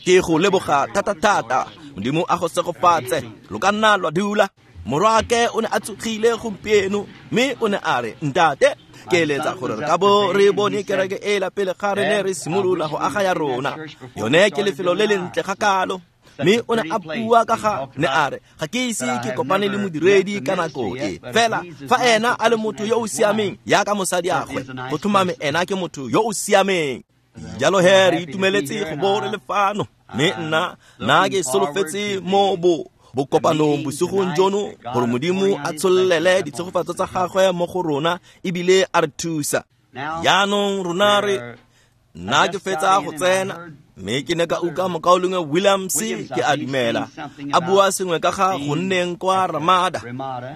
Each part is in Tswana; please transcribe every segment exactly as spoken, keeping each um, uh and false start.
Ke go leboga thata-thata. Modimo a go segofatse. Lo ka nna lwa dula. Morwaake o ne a tsogile gompieno mme o ne a re, ntate, ke eletsa gore re ka bo re bone kereke ela pele ga re ne re simolola go aga ya rona. Yone ke lefelo le lentle ga kalo. Mme o ne a bua ka ga ne a re, ga ke ise ke kopane le modiredi ka nako e. Fela fa ena a le motho yo o siameng yaka mosadi agwe, go tlhomame ena ke motho yo o siameng. Jalo he re itumeletse go bo re le fano. Mme nna nna ke solofetse mo bo bokopanong bosigong jono gore Modimo a tshollele ditshegofatso tsa gagwe mo go rona ebile a re thusa. Jaanong rona re nna ke fetsa go tsena mme ke ne ka utlwa mokaulengwe Williams ke a dumela a bua sengwe ka ga go nneng kwa Ramada,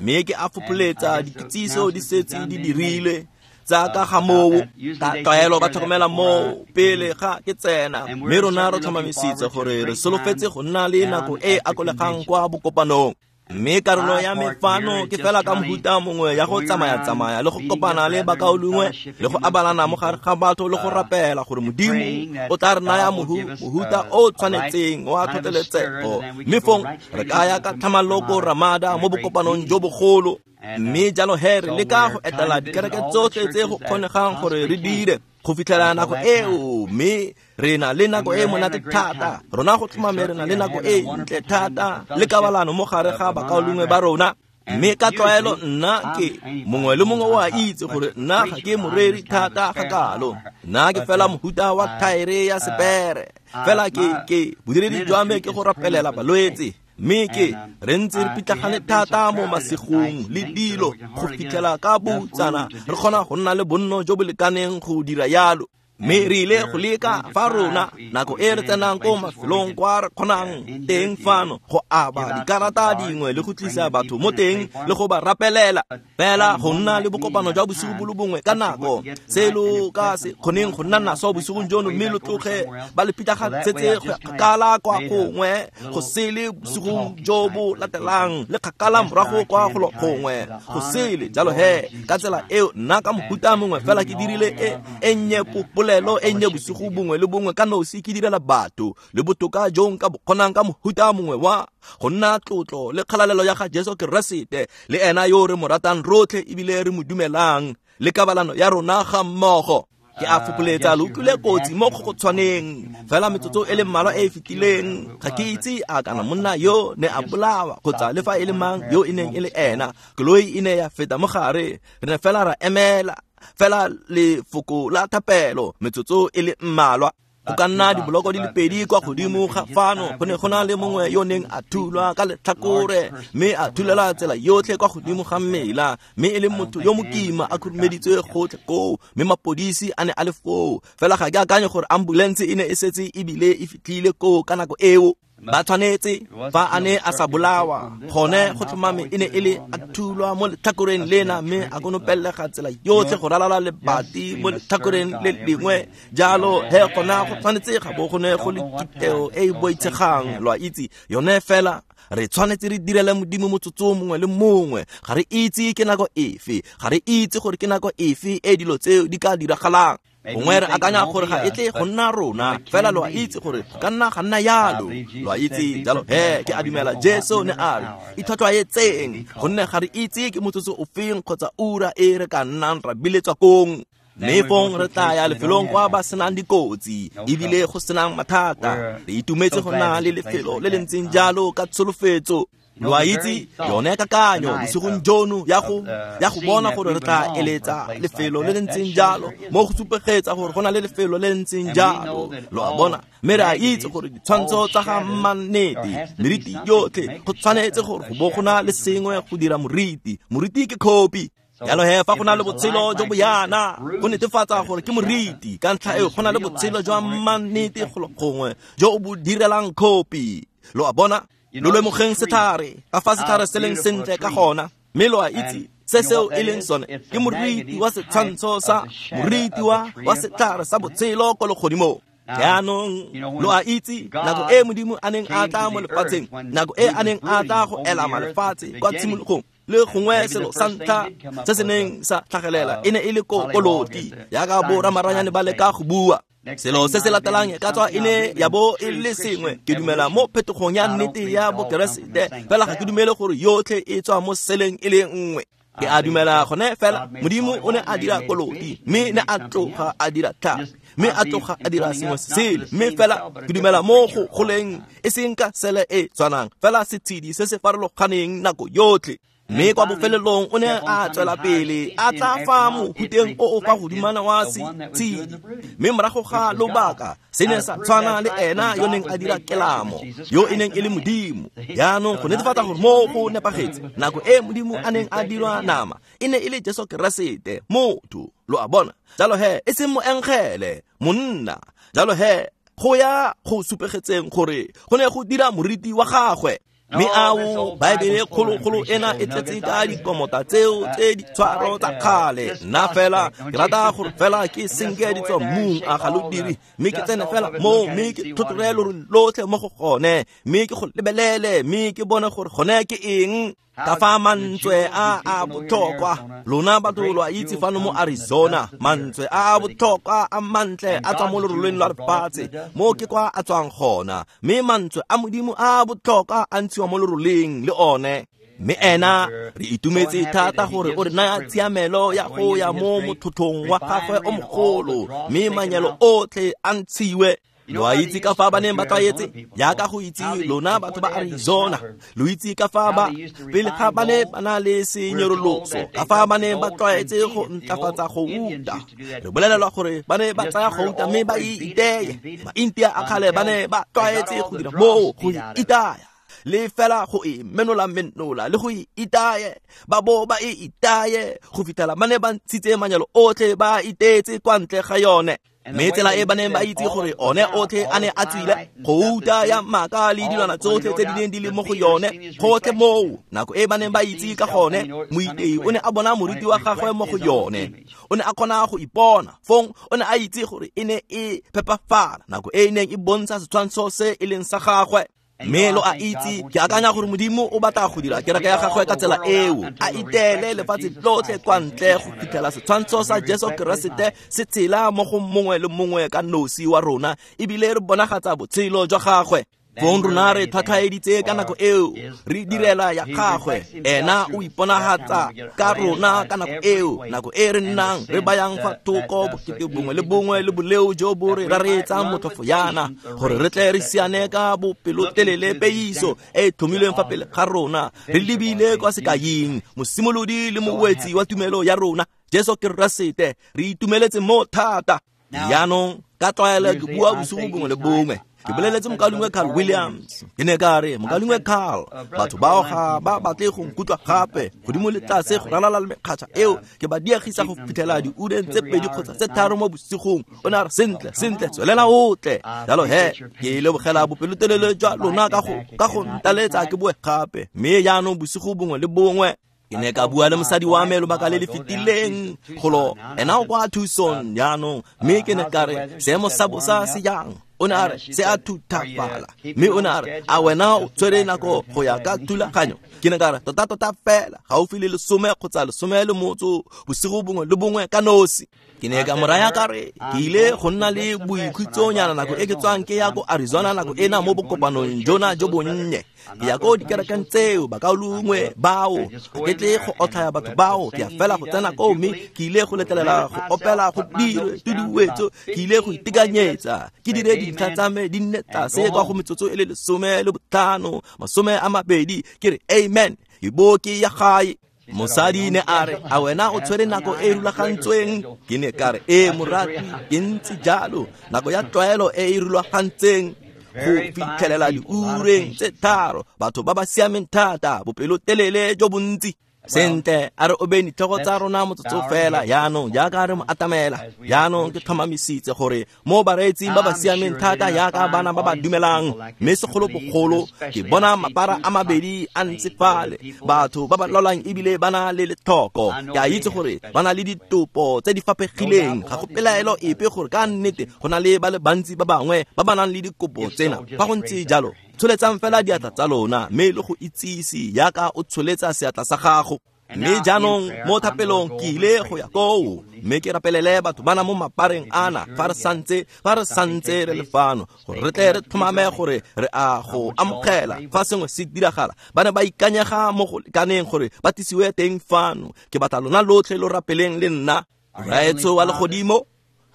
mme ke a fopholetsa dikitsiso di setse di dirilwe tsa ka ga moo. Ka tlwaelo ba tlhokomela moo pele ga ke tsena, mme rona re tlhomamisitse gore re solofetse go nna le nako e akolegang kwa bokopanong. Mme karolo ya me fano ke fela ka mohuta mongwe ya go tsamaya-tsamaya le go kopana le bakaulengwe le go abalana mo gare ga batho le go rapela gore Modimo o tla re naya mohuta o tshwanetseng wa tlhotlheletsego. Mme fong re ka ya ka tlhamallo ko Ramada mo bokopanong jo bogolo. Mme jalo he re leka go etela dikereke tsotlhe tse go kgonegang gore re dire go fitlhela nako eo, mme re na le nako e monate thata. Rona go tlhomame re na le nako e ntle thata le kabalano mo gare ga bakaulengwe ba rona. Mme ka tlwaelo nna ke mongwe le mongwe o a itse gore nna ga ke moreri thata ga kalo. Nna ke fela mohuta wa thaere ya sepere. Fela ke ke bodiredi jwa me ke go rapelela balwetse. Mme ke re ntse re pitlagane thata mo masigong le dilo go fitlhela ka boutsana re kgona go nna le bonno jo bo lekaneng go dira yalo. Mme re ile go leka fa rona nako e re tsenang ko mafelong kwa re kgonang teng fano go aba dikarata dingwe le go tlisa batho mo teng le go ba rapelela. Fela go nna le bokopano jwa bosigo bo le bongwe ka nako se lo ka se kgoneng go nna naso bosigong jono, mme lo tloge ba le pitlagantsetse go ya kgakala kwa gongwe go sele bosigong jo bo latelang le kgakala morago kwa golo gongwe go sele. Jalo he ka tsela eo nna ka mohuta mongwe fela ke dirile e e nnye polelo e nnye bosigo bongwe le bongwe ka nosi ke direla batho le botoka jo nka bo kgonang ka mohuta mongwe wa go nna tlotlo le kgalalelo ya ga Jesu Keresete le ena yo re mo ratang rotlhe ebile re mo dumelang le kabalano ya rona ga mmogo. Ke a fopholetsa lo utlwile kotsi mo go tshwaneng fela metsotso e le mmalwa e e fetileng. Ga ke itse a kana monna yo ne a bolawa kgotsa le fa e le mang yo e neng e le ena. Koloi e ne ya feta mo gare, re ne fela ra emela fela lefoko la thapelo metsotso e le mmalwa. Go ka nna diboloko di le pedi kwa godimo ga fano go ne go na le mongwe yo neng a thulwa ka letlhakore mme a thulela tsela yotlhe kwa godimo ga mmela, mme e le motho yo mokima a khurumeditswe gotlhe koo, mme mapodisi a ne a le foo. Fela ga ke akanye gore ambulance e ne e setse ebile e fitlhile koo ka nako eo. Ba tshwanetse fa a ne a sa bolawa gone go tlhomame e ne e le a thulwa mo letlhakoreng lena mme a konopelega tsela yotlhe go ralala lebati mo letlhakoreng le lengwe. Jalo he gona go tshwanetse ga bo go ne go le kiteo e e boitshegang, lo a itse yone. Fela re tshwanetse re direle Modimo motsotso mongwe le mongwe. Ga re itse ke nako efe, ga re itse gore ke nako efe e dilo tseo di ka diragalang. Gongwe re akanya gore ga e tle go nna rona, fela lo a itse gore go ka nna ga nna yalo, lo a itse. Jalo he ke a dumela Jesu ne a re itlhwatlhwaetseng gonne ga re itse ke motsotso ofeng kgotsa ura e re ka nnang ra biletswa kong. Mme fong re tla ya lefelong kwa ba senang dikotsi ebile go senang mathata. Re itumetse go nna le lefelo le le ntseng jalo ka tsholofetso. Lo a itse yone kakanyo bosigong jono ya go ya go bona gore re tla eletsa lefelo le le ntseng jalo mo go supegetsa gore go na le lefelo le le ntseng jalo, lo a bona. Mme re a itse gore ditshwantsho tsa ga mannete meriti yotlhe go tshwanetse gore go bo go na le sengwe go dira moriti. Moriti ke khopi. Jalo he fa go na le botshelo jo bo yana go netefatsa gore ke moriti. Ka ntlha eo go na le botshelo jwa mannete golo gongwe jo o bo direlang khopi, lo a bona. Lo lemogeng setlhare ka fa setlhare se leng sentle ka gona, mme lo a itse se seo e leng sone ke moriti wa setshwantsho sa moriti wa wa setlhare sa botshelo ko legodimong. Jaanong lo a itse nako e Modimo a neng a tla mo lefatsheng, nako e a neng a tla go elama lefatshe kwa tshimologong, Le gongwe selo sa ntlha se se neng sa tlhagelela e ne e le koloti, jaaka bo ramaranyane ba leka go bua. Selo se se latelang e ka tswa e ne ya bo e le sengwe. Ke dumela mo phetogong ya nnete ya Bokeresete, fela ga ke dumele gore yotlhe e tswa mo seleng e le nngwe. Ke a dumela gone fela Modimo o ne a dira koloti, mme ne a tloga a dira tlhapi, mme a tloga a dira sengwe sele. Mme fela ke dumela mo go goleng e seng ka sele e tshwanang, fela setshedi se se farologaneng nako yotlhe. Mme kwa bofelelong o ne a tswela pele a tla fa mohuteng o o fa godimana wa setshedi, mme morago ga lobaka se ne sa tshwana le ena yo neng a dira kelamo, yo e neng e le Modimo. Jaanong go netefatsa gore mo go nepagetse, nako e Modimo a neng a dirwa nama e ne e le Jesu Keresete, motho. Lo a bona? Jalo he e seng moengele, monna. Jalo he go ya go supegetseng gore go ne go dira moriti wa gagwe. Mme ao Baebele kgologolo ena e tletse ka dikomota tseo tse ditshwaro tsa kgale. Nna fela ke rata gore fela ke senke di tswa mmung, a ga lo dire, mme ke tsene fela mo, mme ke tlhotlhore lorole lotlhe mo go gone, mme ke go lebelele, mme ke bone gore gone ke eng. Ka fa mantswe a a botlhokwa, lona batho lo a itse fano mo Arizona, mantswe a a botlhokwa a mantle a tswa mo loroleng lwa lefatshe, mo ke kwa a tswang gona. Mme mantswe a Modimo a a botlhokwa a ntshiwa mo loroleng le one. Mme ena re itumetse thata gore o re naya tshiamelo ya go ya mo mothothong wa gagwe o mogolo, mme manyalo otlhe a ntshiwe. Lo a itse ka fa ba neng ba tlwaetse, jaaka go itse lona batho ba Arizona, lo itse ka fa ba pele ga ba ne ba na le senyoroloso, ka fa ba ne ba tlwaetse go ntlafatsa gouta. Re bolelelwa gore ba ne ba tsaya gouta mme ba e iteye. Maintia a kgale ba ne ba tlwaetse go dira moo, go e itaya, le fela go e menola menola le go e itaye, ba bo ba e itaye go fitlhela ba ne ba ntshitse manyalo otlhe ba iteetse kwa ntle ga yone. Mme tsela e ba neng ba itse gore one otlhe a ne a tswile, gouta ya maaka le dilwana tsotlhe tse di neng di le mo go yone, gotlhe moo, nako e ba neng ba itse ka gone, moitei o ne a bona moriti wa gagwe mo go yone. O ne a kgona go ipona, fong o ne a itse gore e ne e phepafala, nako e e neng e bontsha setshwantsho se e leng sa gagwe. Mme lo a itse, ke akanya gore Modimo o batla go dira kereke ya gagwe ka tsela eo, a iteele lefatshe lotlhe kwa ntle go fitlhela setshwantsho sa Jesu Keresete se tshela mo go mongwe le mongwe ka nosi wa rona, ebile re bonagatsa botshelo jwa gagwe. Fong rona re tlhwatlhwaeditse ka nako eo, re direla ya gagwe. Ena o iponagatsa ka rona ka nako eo, nako e re nnang re bayang fa thoko bokete bongwe le bongwe le boleo jo bo re raretsang motlhofo yana, gore re tle re siane ka bopelotelele peiso e e tlhomilweng fa pele ga rona, re lebile kwa sekaing, mosimolodi le mowetsi wa tumelo ya rona, Jesu Keresete. Re itumeletse mo thata. Jaanong ka tlwaelo ke bua bosigo bongwe le bongwe. Ke boleletse mokaulengwe Carl Williams, ke ne ka re, mokaulengwe Carl, batho bao ga ba batle go nkutlwa gape, godimo le tlase go ralala le mekgatšha eo, ke ba diegisa go fitlhela diureng tse pedi kgotsa tse tharo mo bosigong. O ne a re, sentle, sentle, tswelela o tle. Jalo he, ke lebogela bopelotelele jwa lona ka go ka go ntaletsa ke boe gape. Mme jaanong bosigo bongwe le bongwe, ke ne ka bua le mosadi wa me lobaka le le fetileng golo, ena o kwa Tucson jaanong, mme ke ne ka re, seemo sa bosa se jang? O ne a re, se a thuthafala. Mme o ne a re, a wena o tshwere nako go ya ka thulaganyo? Ke ne ka re, tota tota fela, gaufi le lesome kgotsa lesome le motso bosigo bongwe le bongwe ka nosi. Ke ne ka mo raya ka re, ke ile go nna le boikhutsonyana nako e ke tswang ke ya ko Arizona nako ena mo bokopanong jona jo bonnye. Ke ya ko dikerekeng tseo, bakaulengwe bao, ga ke tle go otlhaya batho bao, ke ya fela go tsena koo, mme ke ile go letlelela go opela go dirwe tuduetso, ke ile go itekanyetsa, ke dire dintlha tsa me di nne tlase kwa go metsotso e le lesome le botlhano, masome a mabedi, ke re amen, ke bo ke ya gae. Mosadi ne a re, a wena o tshwere nako e rulagantsweng? Ke ne ka re, ee morati, ke ntse jalo, nako ya tlwaelo e e rulagantseng go fitlhelela diureng tse tharo, batho ba ba siameng thata, bopelotelele jo bontsi. Sentle, a re obeng ditlhogo tsa rona motsotso fela jaanong, jaaka re mo atamela. Jaanong ke tlhomamisitse gore mo bareetsing ba ba siameng thata jaaka bana ba ba dumelang, mme segolobogolo ke bona mapara a mabedi a ntse fale, batho ba ba lwalang ebile ba na le letlhoko. Ke a itse gore ba na le ditopo tse di faphegileng, ga go pelaelo epe gore ka nnete go na le ba le bantsi ba bangwe ba ba nang le dikopo tsena. Fa go ntse jalo, Tsholetsang fela diatla tsa lona mme le go itsise yaka o tsholetsa seatla sa gago. Mme jaanong mo thapelong ke ile go ya koo mme ke rapelele batho bana mo mapareng ana fa re santse fa re santse re le fano gore re tle re tlhomame gore re a go amogela fa sengwe se diragala. Ba ne ba ikanyega mo go lekaneng gore ba tlisiwe teng fano. Ke batla lona lotlhe lo rapeleng le nna. Rraetsho wa legodimo,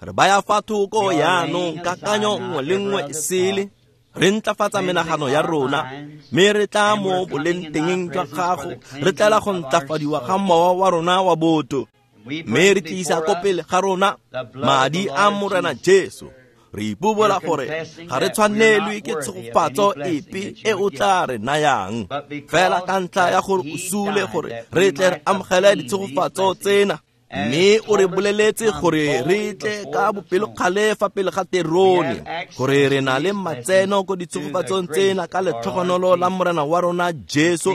re baya fa thoko yaanong kakanyo nngwe le nngwe e sele, re ntlafatsa menagano ya rona mme re tla mo bolengtengeng jwa gago, re tlela go ntlafadiwa ga mowa wa rona wa botho, mme re tlisa ko pele ga rona madi a Morena Jesu. Re ipobola gore ga re tshwanelwe ke tshegofatso epe e o tla re nayang, fela ka ntlha ya gore o sule gore re tle re amogele ditshegofatso tsena. Mme o re boleletse gore re tle ka bopelokgale fa pele ga terone, gore re na le matseno ko ditshegofatsong tsena ka letlhogonolo la Morena wa rona Jesu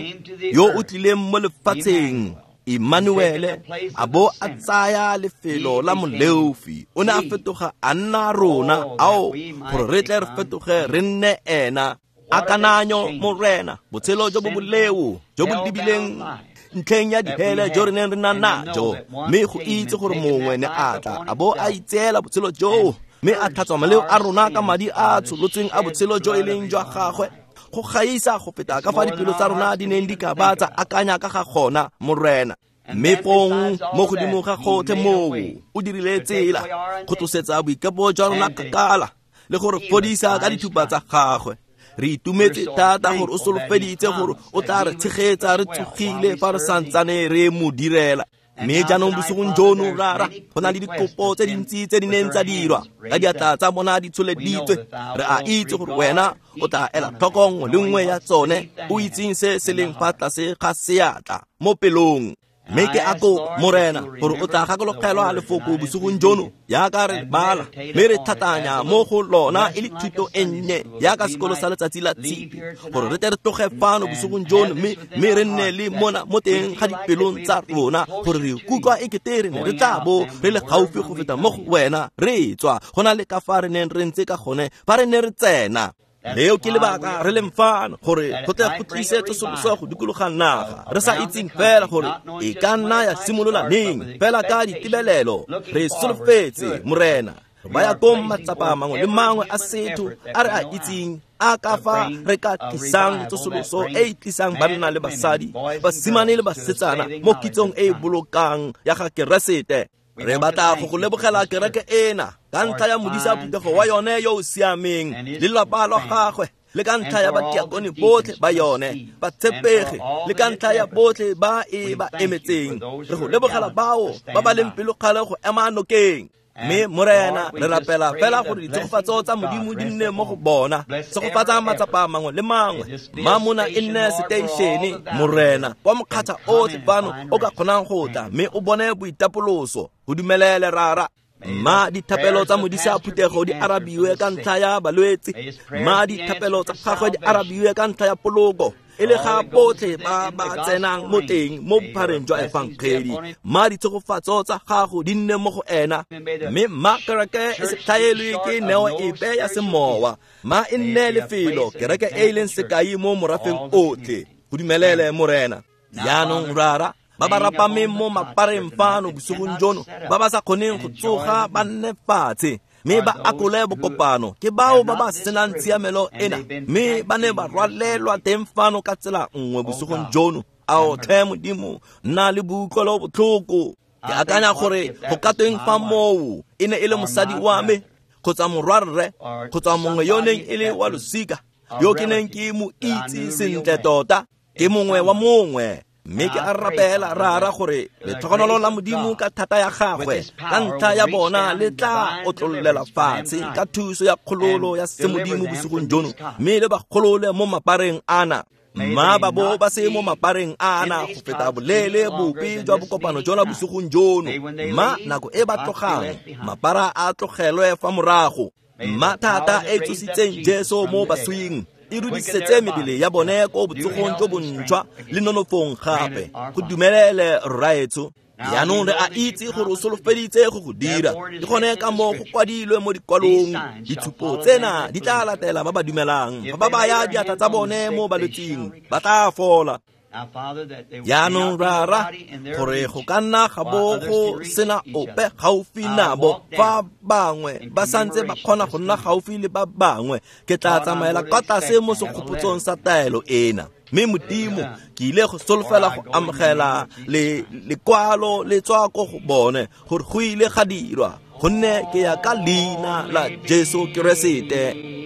yo o tlileng mo lefatsheng, Emmanuele, a bo a tsaya lefelo la moleofi. O ne a fetoga a nna rona, ao gore re tle re fetoge re nne ena. Akananyo Morena, botshelo jo bo boleo jo bo lebileng ntlheng ya dihele jo re neng re na najo, mme go itse gore mongwe ne a tla a bo a itseela botshelo joo mme a tlhatswa maleo a rona ka madi a tsholotsweng a botshelo jo e leng jwa gagwe, go gaisa go feta ka fa dipelo tsa rona di neng di ka ba tsa akanya ka ga gona, Morena. Mme fong mo godimo ga gotlhe moo o dirile tsela go tlosetsa boikepo jwa rona kgakala le gore fodisa ka dithupa tsa gagwe. Re itumetse thata gore o solofeditse gore o tla re tshegetsa re tsogile fa re santsane re mo direla. Mme jaanong bosigong jono, Rara, go na le dikopo tse dintsi tse di neng tsa dirwa ka diatla tsa bona di tsholeditswe. Re a itse gore wena o tla ela tlhoko nngwe le nngwe ya tsone, o itseng se se leng fa tlase ga seatla mo pelong. Mme ke a kopa, Morena, gore o tla gakologelwa lefoko bosigong jono yaka re bala mme re tlhatlhanya mo go lona e le thuto e nnye yaka sekolo sa letsatsi la tshipi, gore re tle re tloge fano bosigong jono mme mme re nne le mona mo teng ga dipelong tsa rona, gore re ikutlwa e kete re ne re tla bo re le gaufi go feta mo go wena re tswa go na le ka fa re neng re ntse ka gone fa re ne re tsena. Leo ke lebaka re leng fano, gore go tle go tlise tsosoloso go dikologa naga, re sa itseng fela gore e ka nna ya simolola neng, fela ka ditebelelo re solofetse, Morena. Re baya kong matsapa mangwe le mangwe a setho a re a itseng a ka fa re ka tlisang tsosoloso e e tlisang banna le basadi, basimane le basetsana mo kitsong e e bolokang ya ga Keresete. Re batla go go lebogela kereke ena ka ntlha ya modisa phuthego wa yone yo o siameng le lelapa la gagwe, le ka ntlha ya batiakone botlhe ba yone batshepegi, le ka ntlha ya botlhe ba e ba emetseng. Re go lebogela bao ba ba leng pelokgale go ema nokeng. Mme Morena, re rapela fela gore ditshegofatso tsa Modimo di nne mo go bona. Tshegofatsa matsapa mangwe le mangwe, mma mona e nne seteišene, Morena, kwa mokgatlha otlhe fano o ka kgonang go tla mme o bone boitapoloso. Go dumelele, Rara. Mma dithapelo tsa modisa phuthego di arabiwe ka ntlha ya balwetse, mma dithapelo tsa gagwe di arabiwe ka ntlha ya poloko, e le ga botlhe ba ba tsenang mo teng mo bophareng jwa efangedi. Mma ditshegofatso tsa gago di nne mo go ena, mme mma kereke e se tlhaelwe ke neo epe ya semowa, mma e nne lefelo kereke e e leng sekai mo morafeng otlhe. Go dumelele, Morena. Jaanong, Rara, ba ba rapameng mo mapareng fano bosigong jono, ba ba sa kgoneng go tsoga ba nne fatshe mme ba akole bokopano, ke bao ba ba senang tshiamelo ena mme ba ne ba rwalelwa teng fano ka tsela nngwe bosigong jono. Ao tlhe Modimo, nna le boutlwelo botlhoko. Ke akanya gore go ka tweng fa moo e ne e le mosadi wa me kgotsa morwarre kgotsa mongwe yo neng e le wa losika yo ke neng ke mo itse sentle tota, ke mongwe wa mongwe. Mme ke a rapela, Rara, gore letlhogonolo la Modimo ka thata ya gagwe ka ntlha ya bona le tla otlollela fatshe ka thuso ya kgololo ya semodimo bosigong jono, mme le ba kgolole mo mapareng ana. Mma ba bo ba se mo mapareng ana go feta boleele bope jwa bokopano jona bosigong jono. Mma nako e ba tlogang, mapara a tlogelwe fa morago. Mma thata e tsositseng Jesu mo baswing e rudisetse mebele ya bone ko botsogong jo bontšhwa le nonofong gape. Go dumelele, Rraetsho. Jaanong re a itse gore o solofeditse go go dira. Ke gone ka moo go kwadilwe mo dikwalong, ditshupo tsena di tla latela ba ba dumelang. Fa ba baya diatla tsa bone mo balwetsing, ba tla fola. Jaanong Rara, gore go ka nna ga bo go sena ope gaufi nabo, fa bangwe ba santse ba kgona go nna gaufi le ba bangwe, ke tla tsamaela kwa tlase mo segopotsong sa taelo ena. Mme Modimo, ke ile go solofela go amogela le lekwalo le tswa ko go bone gore go ile ga dirwa, gonne ke ya ka leina la Jesu Keresete.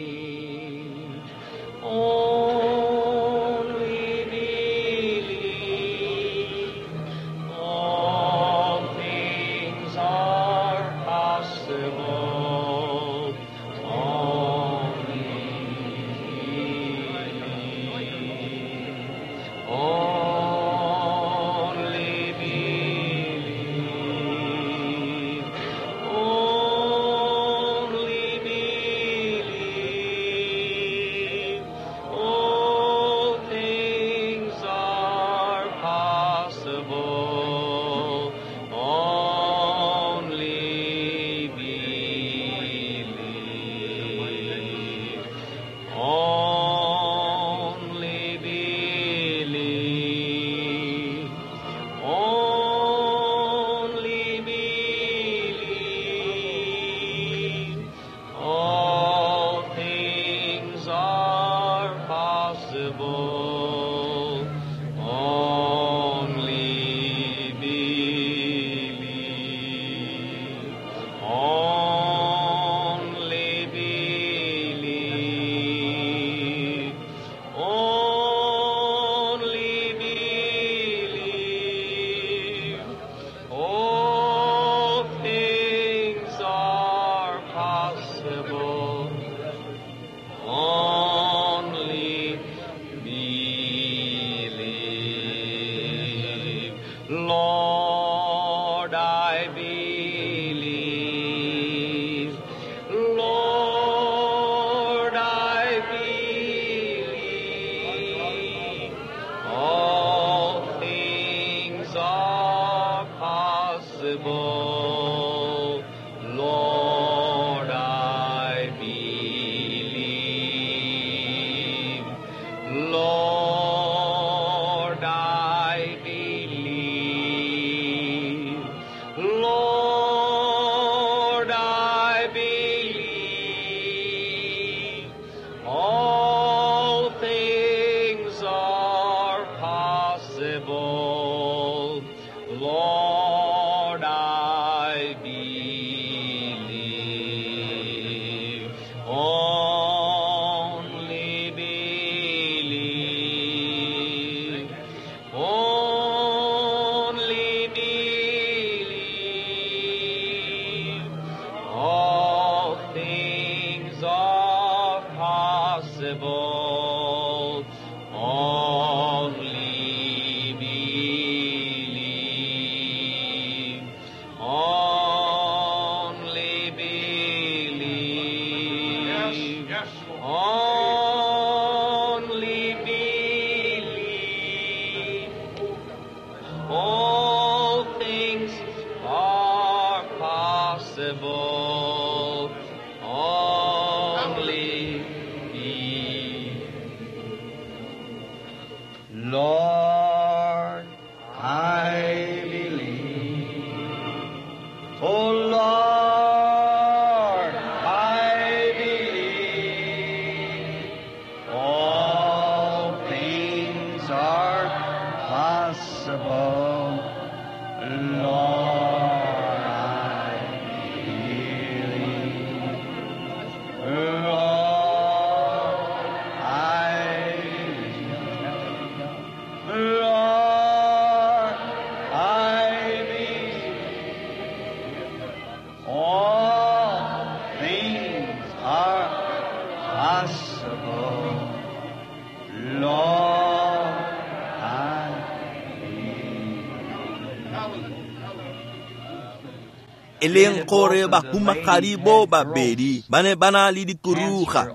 E leng gore bahumagadi bo babedi ba ne ba na le dikuruga,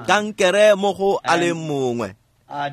kankere mo go a le mongwe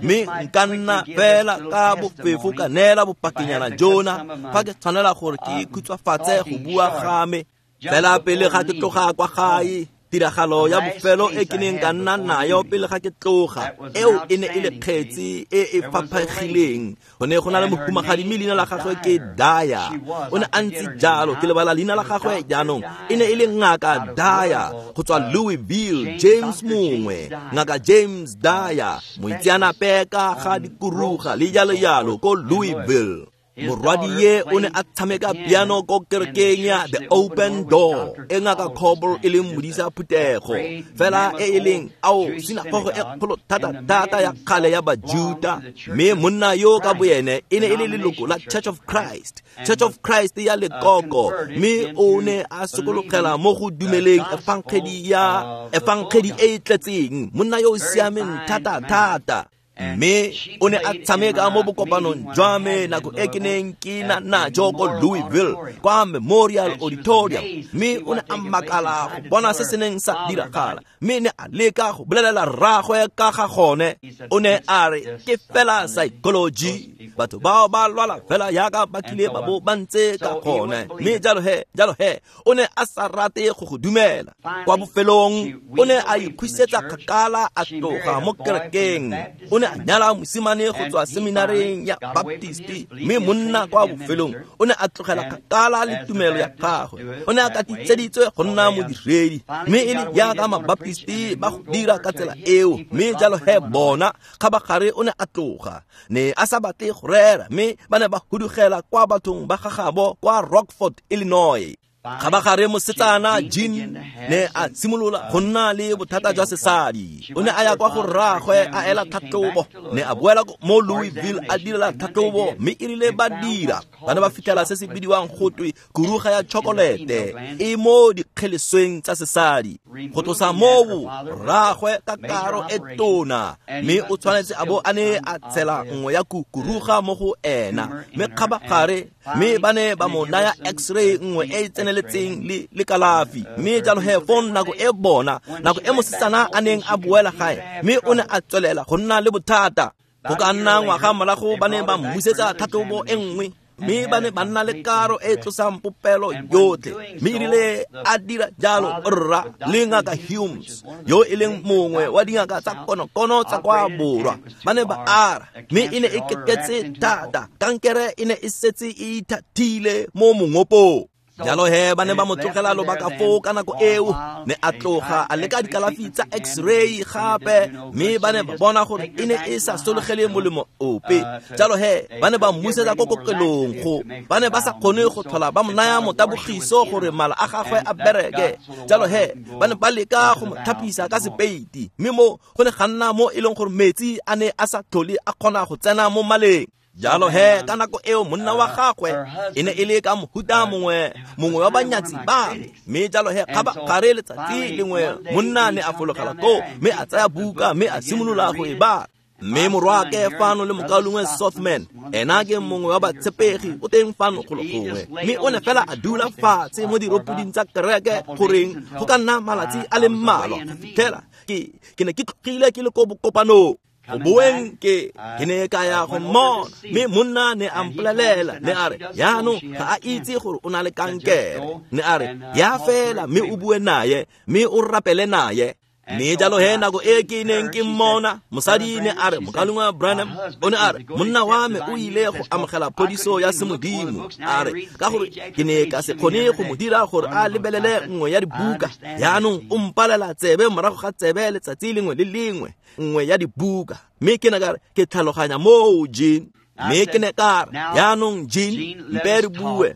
Mme nka nna fela ka bofefo ka neela bopakinyana jona fa ke tshwanela gore ke khutshwafatse go bua ga me. Fela pele ga ke tloga kwa gae, tiragalo ya bofelo e ke neng ka nna nayo pele ga ke tloga, eo e ne e le kgetsi e e faphegileng. Go ne go na le mohumagadi mme leina la gagwe ke Daya. O ne a ntse jalo, ke lebala leina la gagwe jaanong. E ne e le ngaka Daya go tswa Louisville, James mongwe, ngaka James Daya, moitseanape ka ga dikuruga le jalo jalo ko Louisville. Morwadie o ne a tshameka piano ko kerekeng ya The Open Door, e ngaka Coble e leng modisa phuthego, fela e e leng ao sinagogo e kgolo thata-thata ya kgale ya Bajuta. Mme monna yo ka boene e ne e le leloko la Church of Christ, Church of Christ ya lekoko, mme o ne a sokologela mo go dumeleng efangedi ya efangedi e e tletseng. Monna yo o siameng thata-thata. Mme o ne a tshameka mo bokopanong jwa me nako e ke neng ke na najo ko Louisville kwa Memorial Auditorium. Mme o ne a makala go bona se se neng sa diragala, mme ne a leka go bolelela rraagwe ka ga gone. O ne a re ke fela psychology, batho bao ba lwala fela yaka ba kile ba bo ba ntse ka gone. Mme jalo he, jalo he, o ne a sa rate go go dumela. Kwa bofelong o ne a ikhuisetsa kgakala a tloga mo kerekeng. O ne a nyala mosimane go tswa seminareng ya Baptist, mme monna kwa bofelong o ne a tlogela kgakala le tumelo ya gagwe. O ne a katitseditswe go nna modiredi, mme e le jaaka Mabaptist ba go dira ka tsela eo. Mme jalo he bona kgabagare o ne a tloga, ne a sa batle go rera, mme ba ne ba hudugela kwa bathong ba gagabo kwa Rockford, Illinois. Kgabagare mosetsana Jean ne a simolola go nna le bothata jwa sesadi. O ne a ya kwa go rraagwe a ela tlhatlhobo, ne a boela mo Louisville a direla tlhatlhobo, mme e rile ba dira ba ne ba fitlhela se se bidiwang gotwe kuruga ya chokolete e mo dikgelesweng tsa sesadi. Go tlosa moo rraagwe ka karo e tona, mme o tshwanetse a bo a ne a tshela nngwe ya kuruga mo go ena. Mme kgabagare mme ba ne ba mo naya x-ray nngwe e e tseneletseng le le kalafi. Mme jalo he fong nako e bona nako e mosetsana a neng a boela gae, mme o ne a tswelela go nna le bothata. Go ka nna ngwaga morago ba ne ba mmusetsa tlhatlhobo e nngwe, mme ba ne ba nna le karo e tlosang popelo yotlhe. Mme erile a dira jalo rra le ngaka Humes, yo e leng mongwe wa dingaka tsa konokono tsa kwa borwa, ba ne ba ara, mme e ne e keketse thata. Kankere e ne e setse e ithathile mo mongopong. Jalo he ba ne ba mo tlogela lobaka foo ka nako eo. Ne a tloga a leka dikalafi tsa x-ray gape, mme ba ne ba bona gore e ne e sa sologele molemo ope. Jalo he ba ne ba mmusetsa ko kokelong go ba ne ba sa kgone go tlhola ba mo naya motabogiso gore mala a gagwe a bereke. Jalo he ba ne ba leka go mo thapisa ka sepeiti, mme mo go ne ga nna mo e leng gore metsi a ne a sa tlhole a kgona go tsena mo maleng. Jalo he ka nako eo monna wa gagwe e ne e le ka mohuta mongwe mongwe wa banyatsi ba me. Mme jalo he kgabagare letsatsi lengwe monna ne a fologela koo, mme a tsaya buka mme a simolola go e bala. Mme morwaake fano le mokaulengwe Sothman, ena ke mongwe wa batshepegi, o teng fano golo gongwe. Mme o ne fela a dula fatshe mo diropoding tsa kereke goreng go ka nna malatsi a le mmalwa go fitlhela ke ke ne ke tlogile ke le ko bokopanong. Go boeng ke ke ne ka ya go mmona, mme monna ne a mpolelela, ne a re jaanong ga a itse gore o na le kankere. Ne a re ya fela mme o bue naye, mme o rapele naye. Mme jalo he nako e ke neng ke mmona, mosadi ne a re mokaulengwe Branham, o ne a re monna wa me o ile go amogela phodiso ya semodimo. A re ka gore ke ne ka se kgone go mo dira gore a lebelele nngwe ya dibuka, jaanong o mpalela tsebe morago ga tsebe letsatsi lengwe le lengwe nngwe ya dibuka. Mme ke ne ka re ke tlhaloganya moo Jean. Mme ke ne ka re jaanong Jean, mpe re bue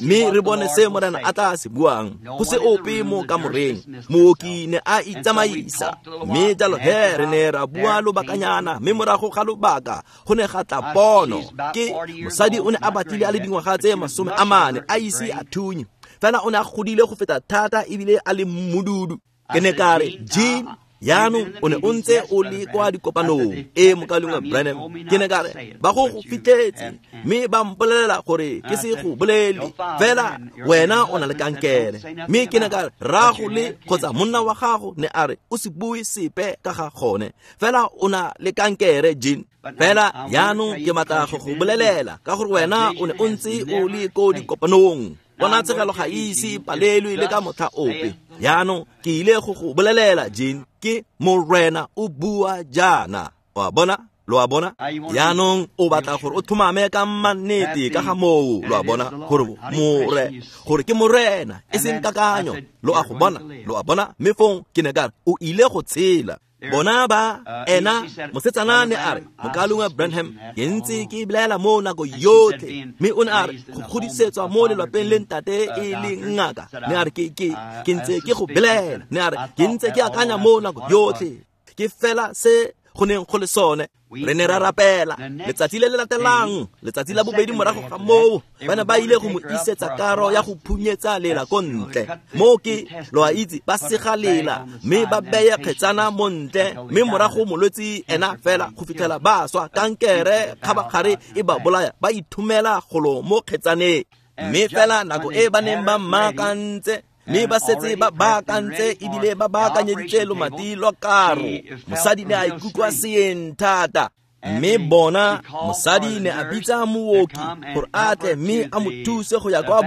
mme re bone se Morena a tla se buang. Go se ope mo kamoreng, mooki ne a itsamaisa. Mme jalo he re ne ra bua lobakanyana, mme morago ga lobaka go ne ga tla pono. Ke mosadi o ne a batlile a le dingwaga tse masome a mane a ise a thunye, fela o ne a godile go feta thata ebile a le mmududu. Ke ne ka re Jean, Jaanong o ne o ntse o le kwa dikopanong e mokaulengwe Branham. Ke ne ka re ba go go fitlhetse mme ba mpolelela gore ke se go bolele, fela wena o na le kankere. Mme ke ne ka re rrago le kgotsa monna wa gago ne a re o se bue sepe ka ga gone, fela o na le kankere Jean. Fela jaanong ke batla go go bolelela ka gore wena o ne o ntse o le ko dikopanong. Ponatshegelo ga ise palelwe le ka motlha ope. Jaanong ke ile go go bolelela Jean, ke Morena o bua jaana. Wa bona? Lo a bona? Jaanong o batla gore o tlhomame ka mannete ka ga moo, lo a bona, gore more gore ke Morena e seng kakanyo. Lo a go bona? Lo a bona? Mme fong ke ne ka re o ile go tshela. Bona ba ena mosetsana ne a re mokaulengwe Branham ke ntse ke bolela mo nako yotlhe, mme o ne a re go godisetswa mo lelapeng le ntate e le ngaka. Ne a re ke ke ke ntse ke go bolela, ne a re ke ntse ke akanya mo nako yotlhe, ke fela se go neng go le sone. Re ne ra rapela letsatsi le le latelang, letsatsi la bobedi morago ga moo, ba ne ba ile go mo isetsa karo ya go phunyetsa lela ko ntle. Moo ke lo a itse ba sega lela mme ba beye kgetsana mo ntle, mme morago molwetsi ena fela go fitlhela ba swa kankere kgabagare e ba bolaya, ba ithomela golo mo kgetsaneng. Mme fela nako e ba neng ba mmaakantse, mme ba setse ba baakantse ebile ba baakanyeditse lomati lwa karo, mosadi ne a ikutlwa seeng thata. Mme bona mosadi ne a bitsa mooki gore a tle mme a mo thuse go ya kwa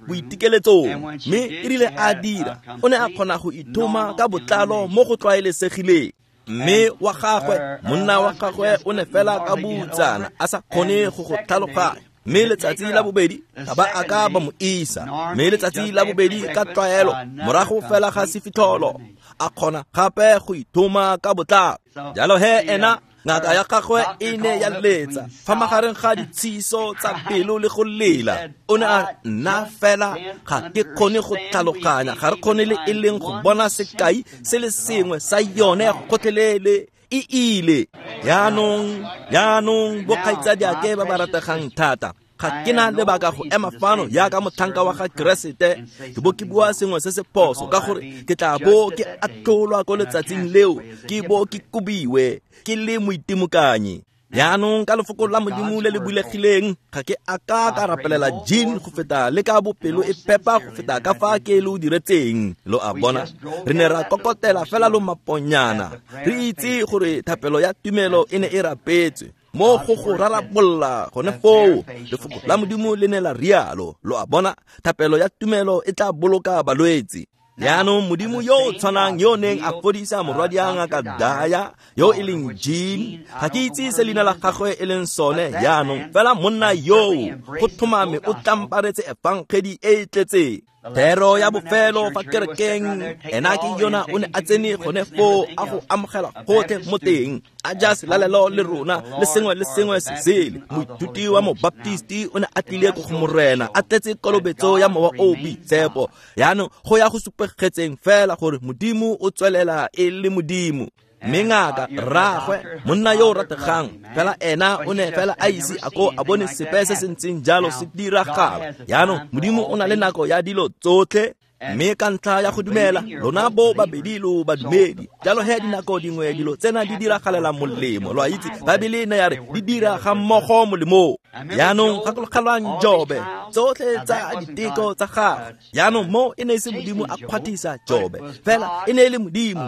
boitekeletsong. Mme e rile a dira, o ne a kgona go ithoma ka botlalo mo go tlwaelesegileng. Mme wa gagwe, monna wa gagwe o ne fela ka boutsana a sa kgone go go tlhaloganya. Mme letsatsi la bobedi ga ba a ka ba mo isa. Mme letsatsi la bobedi ka tlwaelo morago fela ga sefitlholo a kgona gape go ithoma ka botlalo. Jalo he ena ngaka ya gagwe e ne ya letsa fa magareng ga ditshiso tsa pelo le go lela. O ne a nna fela ga ke kgone go tlhaloganya, ga re kgone le e leng go bona sekai se le sengwe sa yone gotlhelele e ile. Jaanong jaanong bokgaitsadiake ba ba rategang thata, ga ke na lebaka go ema fano jaaka motlhanka wa ga Keresete ke bo ke bua sengwe se se phoso, ka gore ke tla bo ke atlholwa ko letsatsing leo, ke bo ke kobiwe ke le moitimokanyi. Jaanong ka lefoko la Modimo le le bulegileng, ga ke a ka ka rapelela Jean go feta le ka bopelo e phepa go feta ka fa ke lo diretseng. Lo a bona? Re ne ra kokotela fela lo maponyana, re itse gore thapelo ya tumelo e ne e rapetswe mo go go rarabolla gone foo. Lefoko la Modimo le ne la rialo. Lo a bona? Thapelo ya tumelo e tla boloka balwetse. Jaanong Modimo yo o tshwanang yo neng a fodisa morwadia ngaka Daya yo e leng Jean, ga ke itse se leina la gagwe e leng sone jaanong, fela monna yoo go tlhomame o tlamparetse efangedi e e tletseng. Thero ya bofelo fa kerekeng ena ke yona o ne a tsene gone foo a go amogela gotlhe mo teng, a ja selalelo le rona le sengwe le sengwe se sele. Moithuti wa mobaptisti o ne a tlile ko go Morena a tletse kolobetso ya mowa o boitshepo. Jaanong go ya go supegetseng fela gore Modimo o tswelela e le Modimo. Mme ngaka rraagwe monna yo o rategang fela ena o ne fela a ise a ko a bone sepe se se ntseng jalo se diragala. Jaanong Modimo o na le nako ya dilo tsotlhe, mme ka ntlha ya go dumela lona bo babedi lo badumedi. Jalo he dinako dingwe dilo tsena di diragalela molemo. Lo a itse Baebele ne ya re di dira ga mmogo molemo. Jaanong gakologelwang Jobe, tsotlhe tsa diteko tsa gagwe. Jaanong mo e ne e se Modimo a kgwathisa Jobe, fela e ne e le Modimo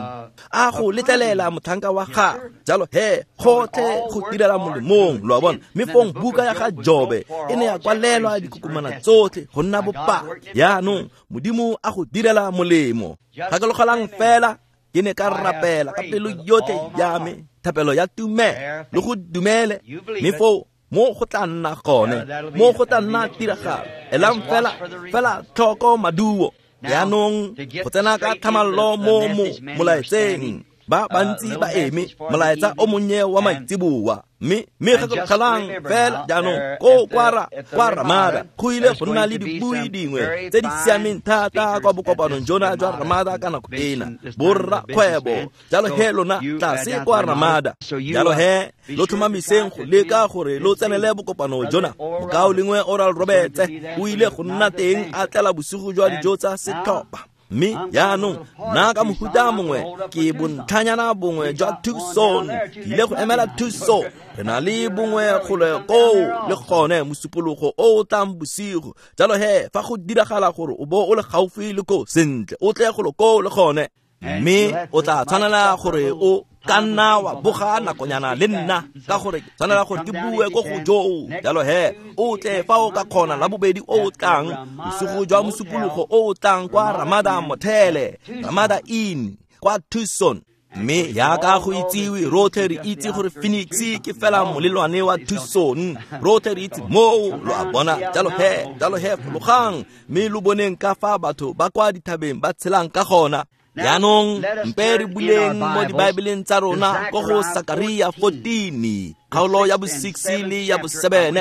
a go letlelela motlhanka wa gagwe. Jalo he gotlhe go direla molemong, lo a bona. Mme fong buka ya ga Jobe e ne ya kwalelwa dikokomana tsotlhe go nna bopaki. Jaanong Modimo a go direla molemo. Gakologelang fela ke ne ka rapela ka pelo yotlhe ya me, thapelo ya tumelo le go dumele, mme foo mo go tla nna gone, mo go tla nna tiragalo. Elang fela fela tlhoko maduo. Jaanong go tsena ka tlhamallo mo mo molaetseng, ba bantsi ba eme molaetsa o monnye wa maitseboa. Mme mme gakologelang fela jaanong ko kwa kwa Ramada go ile go nna le dibui dingwe tse di siameng thata kwa bokopanong jona jwa Ramada ka nako ena, borrakgwebo. Jalo he lona tlase kwa Ramada, jalo he lo tlhomamiseng go leka gore lo tsenele bokopano jona. Mokaulengwe Oral Roberts o ile go nna teng a tlela bosigo jwa dijo tsa setlhopha. Mme jaanong nna ka mohuta mongwe ke bontlhanyana bongwe jwa Tucson, ke ile go emela Tucson. Re na le bongwe gole koo le gone mosupologo o o tlang bosigo. Jalo he, fa go diragala gore o bo o le gaufi le koo, sentle o tle golo koo le gone. Mme o tla tshwanela gore o ka nna wa boga nakonyana le nna, ka gore ke tshwanela gore ke bue ko go joo. Jalo he, o tle fa o ka kgona la bobedi o o tlang, bosigo jwa mosupologo o o tlang kwa Ramada Motel, Ramada Inn kwa Tucson. Mme jaaka go itsiwe, rotlhe re itse gore Phoenix ke fela molelwane wa Tucson. Rotlhe re itse moo, lo a bona. Jalo he, jalo he, fologang mme lo boneng ka fa batho ba kwa dithabeng ba tshelang ka gona. Jaanong mpe re buleng mo dibaebeleng tsa rona ko go Sakaria fourteen, kgaolo ya bo six le ya bo seven.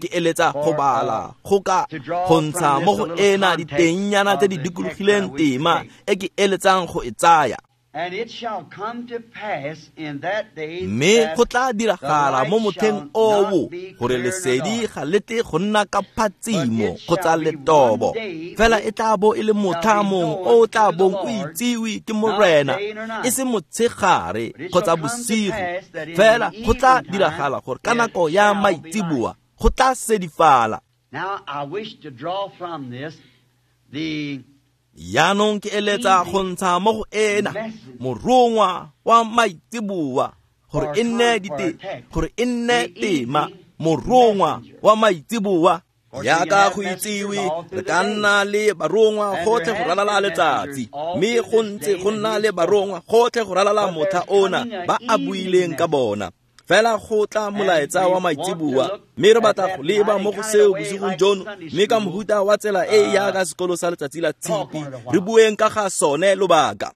Ke eletsa go bala go ka go ntsha mo go ena ditengnyana tse di dikologileng tema e ke eletsang go e tsaya. Mme go tla diragala mo motlheng oo gore lesedi ga le tle go nna ka phatsimo kgotsa letobo, fela e tla bo e le motlha mongwe o o tla bong o itsiwe ke Morena, e se motshegare kgotsa bosigo. Fela go tla diragala gore ka nako ya maitseboa go tla sedifala. Jaanong ke eletsa go ntsha mo go ena morongwa wa maitseboa gore e nne dite gore e nne tema, morongwa wa maitseboa. Jaaka go itsiwe, re ka nna le barongwa gotlhe go ralala letsatsi, mme go ntse go nna le barongwa gotlhe go ralala motlha ona ba a buileng ka bona. Fela go tla molaetsa wa maitseboa, mme re batla go leba mo go seo bosigong jono, mme ka mohuta wa tsela e e jaaka sekolo sa letsatsi la tshipi, re bueng ka ga sone lobaka.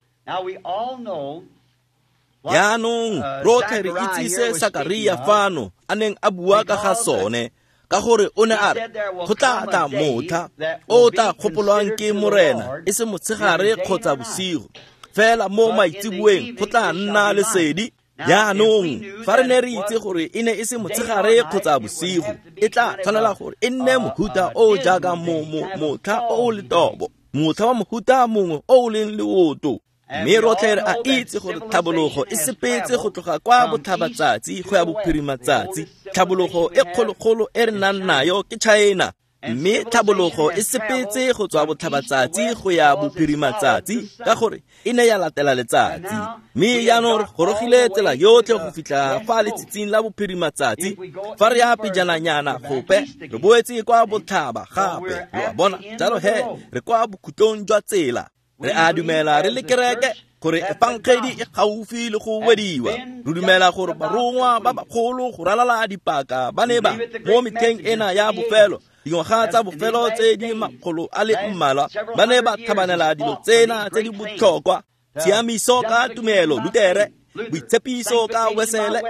Jaanong rotlhe re itse se Sakaria fano a neng a bua ka ga sone, ka gore o ne a re go tla tla motlha o tla gopolwang ke Morena, e se motshegare kgotsa bosigo, fela mo maitseboeng go tla nna lesedi. Jaanong fa re ne re itse gore e ne e se motshegare kgotsa bosigo, e tla tshwanela gore e nne mohuta o o jaaka motlha o o letobo, motlha wa mohuta mongwe o o leng leoto. Mme rotlhe re a itse gore tlhabologo e sepetse go tloga kwa botlhabatsatsi go ya bophirimatsatsi. Tlhabologo e kgologolo e re nang nayo ke China, mme tlhabologo e sepetse go tswa botlhabatsatsi go ya bophirimatsatsi ka gore e ne ya latela letsatsi. Mme jaanong re gorogile tsela yotlhe go fitlha fa letsatsing la bophirimatsatsi. Fa re ya pejananyana gope, re boetse kwa botlhaba gape, lo a bona. Jalo he, re kwa bokhutlong jwa tsela. Re a dumela re le kereke gore efangedi e gaufi le go wediwa. Re dumela gore barongwa ba bagolo go ralala dipaka ba ne ba mo metlheng ena ya bofelo, dingwaga tsa bofelo tse di makgolo a le mmalwa, ba ne ba tlhabanela dilo tsena tse di botlhokwa: tshiamiso ka tumelo, Lutere; boitshepiso ka Wesele;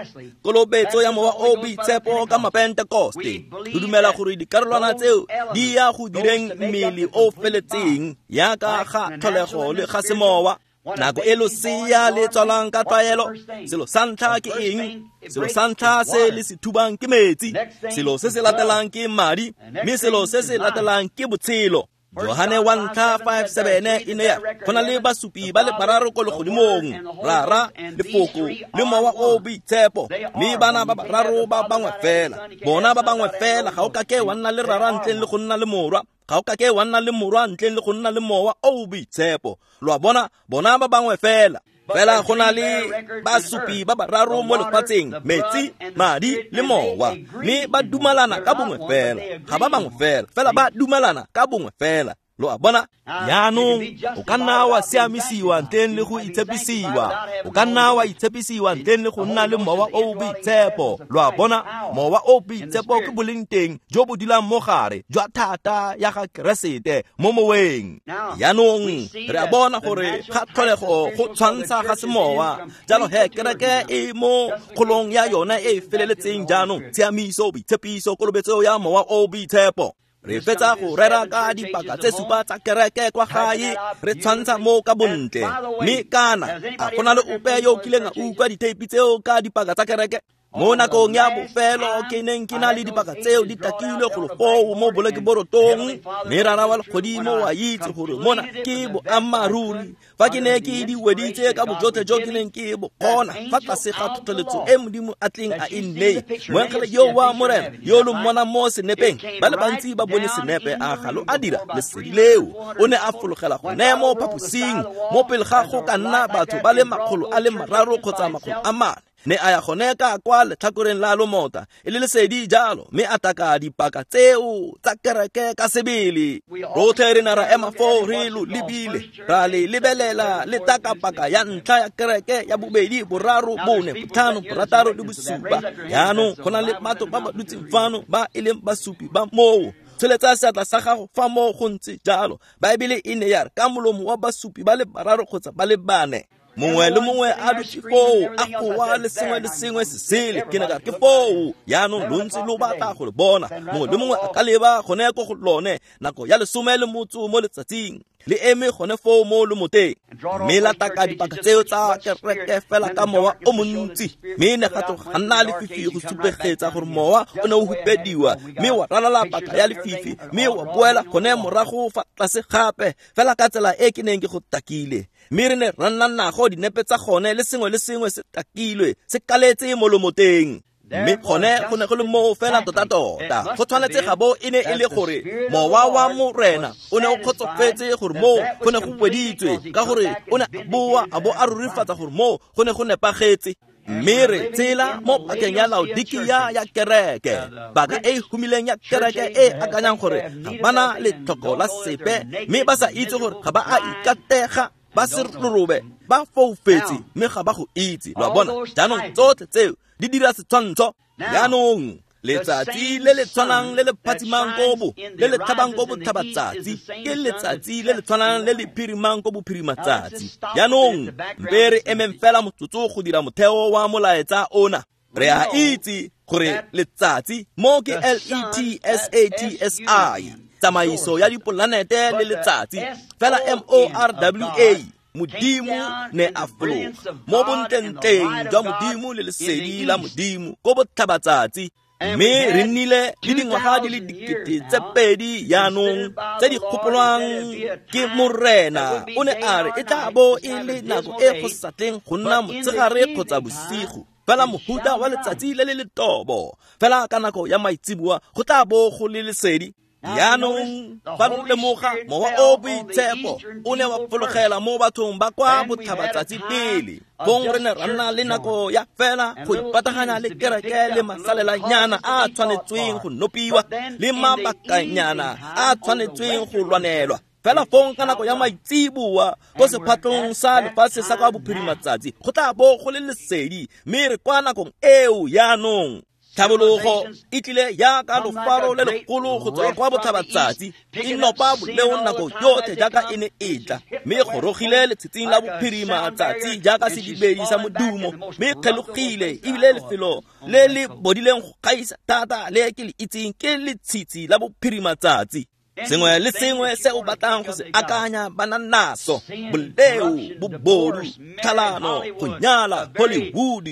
kolobetso ya mowa o boitshepo ka Mapentekoste. Re dumela gore dikarolwana tseo di ya go direng mmele o feletseng jaaka ga tlholego le ga semowa. Nako e losea le tswalang ka tlwaelo, selo sa ntlha ke eng? Selo sa ntlha se le se thubang ke metsi, selo se se latelang ke madi, mme selo se se latelang ke botshelo. Johane wa ntlha five seven e ne ya go na le basupi ba le bararo ko legodimong, Rara, Lefoko le Mowa o Boitshepo, mme bana ba bararo ba bangwe fela. Bona ba bangwe fela. Ga o kake wa nna le Rara ntleng le go nna le Morwa, ga o kake wa nna le Morwa ntleng le go nna le Mowa o Boitshepo. Lo a bona, bona ba bangwe fela. Fela go na le basupi ba bararo mo lefatsheng, metsi, madi le mowa, mme ba dumalana ka bongwe fela. Ga ba bangwe fela, fela ba dumalana ka bongwe fela. Lo a bona. Jaanong o ka nna wa siamisiwa ntleng le go itshepisiwa, o ka nna wa itshepisiwa ntleng le go nna le Mowa o Boitshepo. Lo a bona, Mowa o Boitshepo ke boleng teng jo bo dulang mo gare jwa thata ya ga Keresete mo moweng. Jaanong re a bona gore ga tlholego go tshwantsha ga semowa. Jalo he, kereke e mo kgolong ya yona e e feleletseng jaanong: tshiamiso, boitshepiso, kolobetso ya Mowa o Boitshepo. Re fetsa go rera ka dipaka tse supa tsa kereke kwa gae, re tshwantsha mo ka bontle. Mme kana a go na le ope yo o kileng a utlwa ditheipi tseo ka dipaka tsa kereke? Mo nakong ya bofelo ke neng ke na le dipaka tseo di takilwe golo foo mo bolakeborotong, mme Rara wa legodimo wa itse gore mona ke boammaaruri. Fa ke ne ke di weditse ka bojotlhe jo ke neng ke bo kgona fa tlase ga tlhotlheletso e Modimo a tleng a e nneye, moengele yo wa Morena yo lo mmona mo senepeng, ba le bantsi ba bone senepe a ga lo a dira lesedi leo. O ne a fologela gone mo phaposing mo pele ga go ka nna batho ba le makgolo a le mararo kgotsa makgolo a mane. Ne a ya gone ka kwa letlhakoreng la lomota e le lesedi jalo, mme a taka dipaka tseo tsa kereke ka sebele. Rotlhe re ne ra ema foo re lo lebile, ra le lebelela le taka paka ya ntlha ya kereke ya bobedi, boraro, bone, botlhano, borataro le bosupa. Jaanong go na le batho ba ba dutseng fano ba e leng basupi ba moo. Tsholetsa seatla sa gago fa moo go ntse jalo. Baebele e ne ya re ka molomo wa basupi ba le bararo kgotsa ba le bane. Mongwe le mongwe a dutse foo a goa le sengwe le sengwe se sele. Ke ne ka re ke foo. Jaanong lo ntse lo batla go le bona. Mongwe le mongwe a ka leba gone ko go lone nako ya lesome le motso mo letsatsing, le eme gone foo mo lomoteng, mme la taka dipaka tseo tsa kereke fela ka mowa o montsi. Mme ne ga tloga ga nna lefifi go supegetsa gore mowa o ne o hupediwa, mme wa ralala paka ya lefifi, mme wa boela gone morago fa tlase gape fela ka tsela e ke neng ke go takile. Mme re ne ra nna nago dinepe tsa gone le sengwe le sengwe se takilwe se kaletse mo lomoteng. Mme gone go ne go le moo fela tota-tota. Go tshwanetse ga bo e ne e le gore mowa wa Morena o ne o kgotsofetse gore moo go ne go weditswe, ka gore o ne a boa a bo a rurifatsa gore moo go ne go nepagetse. Mme re tsela mo pakeng ya Laodikia ya kereke, paka e humileng ya kereke e akanyang gore ga ba na letlhoko la sepe, mme ba sa itse gore ga ba a ikatega, ba se rorobe, ba foufetse, mme ga ba go itse. Lo a bona? Jaanong tsotlhe tseo di dira setshwantsho. Jaanong letsatsi le le tshwanang le le phatsimang ko bo le le tlhabang ko botlhabatsatsi ke letsatsi le le tshwanang le le phirimang ko bophirimatsatsi. Jaanong mpe re emeng fela motsotso go dira motheo wa molaetsa ona. Re a itse gore letsatsi mo ke L E T S A T S I, tsamaiso ya dipolanete le letsatsi, fela M O R W A, Modimo ne a fologa mo bontlentleng jwa Modimo le lesedi la Modimo ko botlhabatsatsi. Mme re nnile le dingwaga di le dikete tse pedi jaanong tse di gopolwang ke Morena. O ne a re e tla bo e le nako e go sa tleng go nna motshegare kgotsa bosigo, fela mohuta wa letsatsi le le letobo, fela ka nako ya maitseboa go tla bo go le lesedi. Jaanong fa lo lemoga, mowa o boitshepo o ne wa fologela mo bathong ba kwa botlhabatsatsi pele. Fong re ne ra nna le nako ya fela go ipataganya le kereke le masalelanyana a tshwanetsweng go nopiwa le mabakanyana a tshwanetsweng go lwanelwa. Fela fong ka nako ya maitseboa ko sephatlong sa lefatshe sa kwa bophirimatsatsi go tla bo go le lesedi, mme re kwa nakong eo jaanong. Tlhabologo e tlile jaaka lofaro le legolo go tswa kwa botlhabatsatsi, e nopa boleo nako yotlhe jaaka e ne e tla, mme e gorogile letsatsing la bophirimatsatsi jaaka sedibedi sa modumo, mme e kgelogile ebile lefelo le le bodileng go gaisa thata le ke le itseng ke letshitshi la bophirimatsatsi. Sengwe le sengwe se o batlang go se akanya ba na naso, boleo, bobodu, tlhalano, go nyala, Hollywood,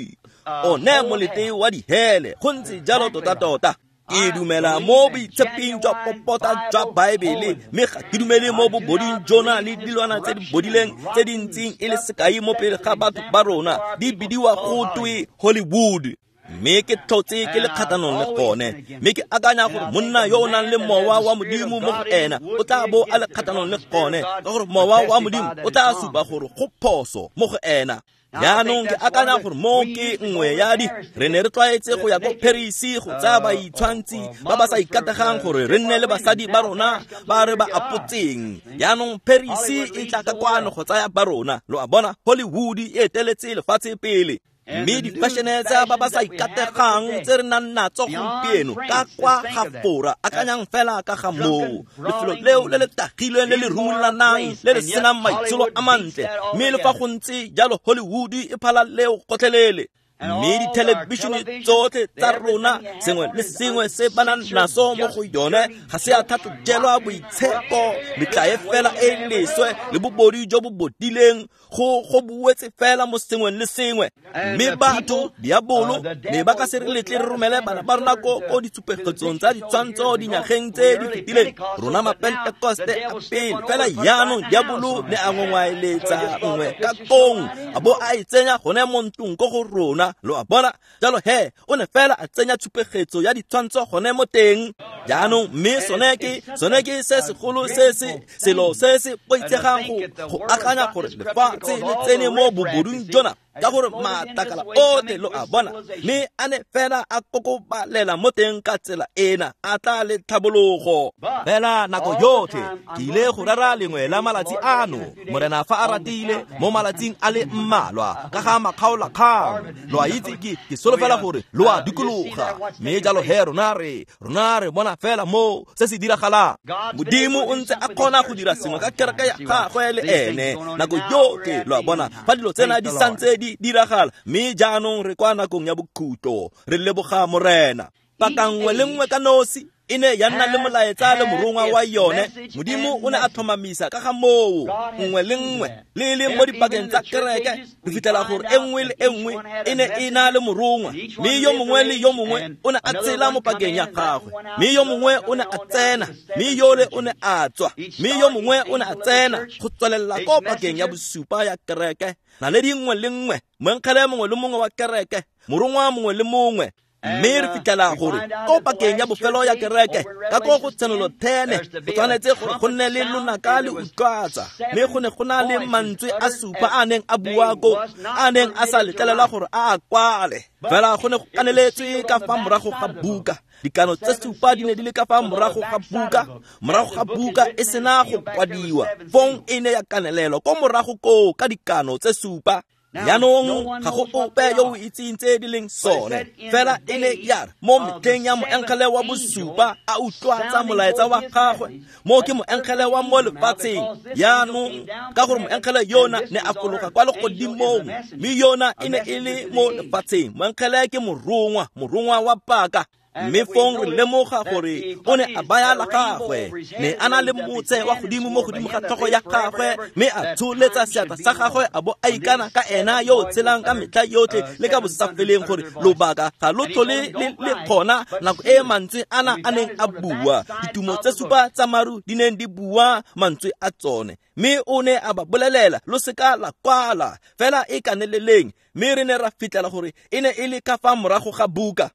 one molete wa dihele, go ntse jalo tota-tota. Ke dumela mo boitsheping jwa popota jwa Baebele, mme ga ke dumele mo boboding jona le dilwana tse di bodileng tse di ntseng e le sekai mo pele ga batho ba rona, di bidiwa go twe Hollywood. Mme ke tlhotse ke le kgatlhanong le gone, mme ke akanya gore monna yo o nang le mowa wa Modimo mo go ena o tla bo a le kgatlhanong le gone, ka gore mowa wa Modimo o tla supa gore go phoso mo go ena. Jaanong ke akanya gore mo ke nngwe ya di re ne re tlwaetse go ya ko Paris go tsaya baitshwantsi ba ba sa ikategang gore re nne le basadi ba rona ba re ba apotseng. Jaanong Paris e tla ka kwano go tsaya ba rona. Lo a bona, Hollywood e eteletse lefatshe pele. Mme di-fashion-e tsa ba ba sa ikategang tse re nang natso gompieno ka kwa ga Fora, akanyang fela ka ga moo, lefelo leo le le tagilweng le le rumolanang le le senang maitsholo a mantle, mme le fa go ntse jalo Hollywood e phala leo gotlhelele. Mme dithelebišene tsotlhe tsa rona sengwe le sengwe se ba nang naso mo go yone ga se a tlhatlhojelwa boitshepo, metlae fela e e leswe le bobodu jo bo bodileng go go buetse fela mo sengweng le sengwe. Mme batho diabolo ne ba ka se re letle re romele bana ba rona ko ko ditshupegetsong tsa ditshwantsho dinyageng tse di fetileng, rona mapentekoste a pele. Fela jaanong diabolo ne a ngongwaeletsa nngwe ka kong a bo a e tsenya gone mo ntlong ko go rona, lo a bona. Jalo he o ne fela a tsenya tshupegetso ya ditshwantsho gone mo teng jaanong. Mme sone ke sone ke se segolo se se selo se se boitshegang go go akanya gore lefatshe le tsene mo bobodung jona ka gore matlakala otlhe, lo a bona. Mme a ne fela a kokobalela mo teng ka tsela ena a tla le tlhabologo. Fela nako yotlhe ke ile go rera lengwe la malatsi ano, Morena fa a ratile, mo malatsing a le mmalwa ka ga makgaolakgang. Lo a itse ke ke solofela gore lo a dikologa. Mme jalo he rona re rona re bona fela mo se se diragalang. Modimo o ntse a kgona go dira sengwe ka kereke ya gagwe le ene nako yotlhe, lo a bona, fa dilo tsena di santse di diragala. Mme jaanong re kwa nakong ya bokhutlo, re leboga Morena. Paka nngwe le nngwe ka nosi e ne ya nna le molaetsa le morongwa wa yone. Modimo o ne a tlhomamisa ka ga moo nngwe le nngwe le le mo dipakeng tsa kereke. Re fitlhela gore e nngwe le e nngwe e ne e na le morongwa, mme yo mongwe le yo mongwe o ne a tsela mo pakeng ya gagwe, mme yo mongwe o ne a tsena, mme yole o ne a tswa, mme yo mongwe o ne a tsena go tswelela ko pakeng ya bosupa ya kereke. Naledi nngwe le nngwe, moengele mongwe le mongwe wa kereke, morongwa mongwe le mongwe. Mme re fitlhela gore ko pakeng ya bofelo ya kereke ka ko go tshenolo thene go tshwanetse gore go nne le lonaka le utlwatsa. Mme go ne go na le mantswe a supa a neng a bua ko a neng a sa letlelelwa gore a a kwale, fela go ne go kaneletswe ka fa morago ga buka. Dikano tse supa di ne di le ka fa morago ga buka, morago ga buka e sena go kwadiwa, fong e ne ya kanelelwa ko morago koo ka dikano tse supa. Jaanong ga go ope yo o itseng tse di leng sone, fela e ne ya re mo metlheng ya moengele wa bosupa a utlwatsa molaetsa wa gagwe, mo ke moengele wa mo lefatsheng. Jaanong ka gore moengele yona ne a fologa kwa legodimong, mme yona e ne e le mo lefatsheng. Moengele ke morongwa, morongwa wa paka. Mme fong re lemoga gore o ne a baya la gagwe, ne a na le motse wa godimo mo godimo ga tlhogo ya gagwe, mme a tsholetsa seatla sa gagwe a bo a ikana ka ena yo o tshelang ka metlha yotlhe le ka bosafeleng gore lobaka ga lo tlhole le le kgona nako e mantswe ana a neng a bua. Ditumo tse supa tsa maru di neng di bua mantswe a tsone, mme o ne a ba bolelela lo seka la kwala, fela e kaneleleng. Mme re ne ra fitlhela gore e ne e le ka fa morago ga buka.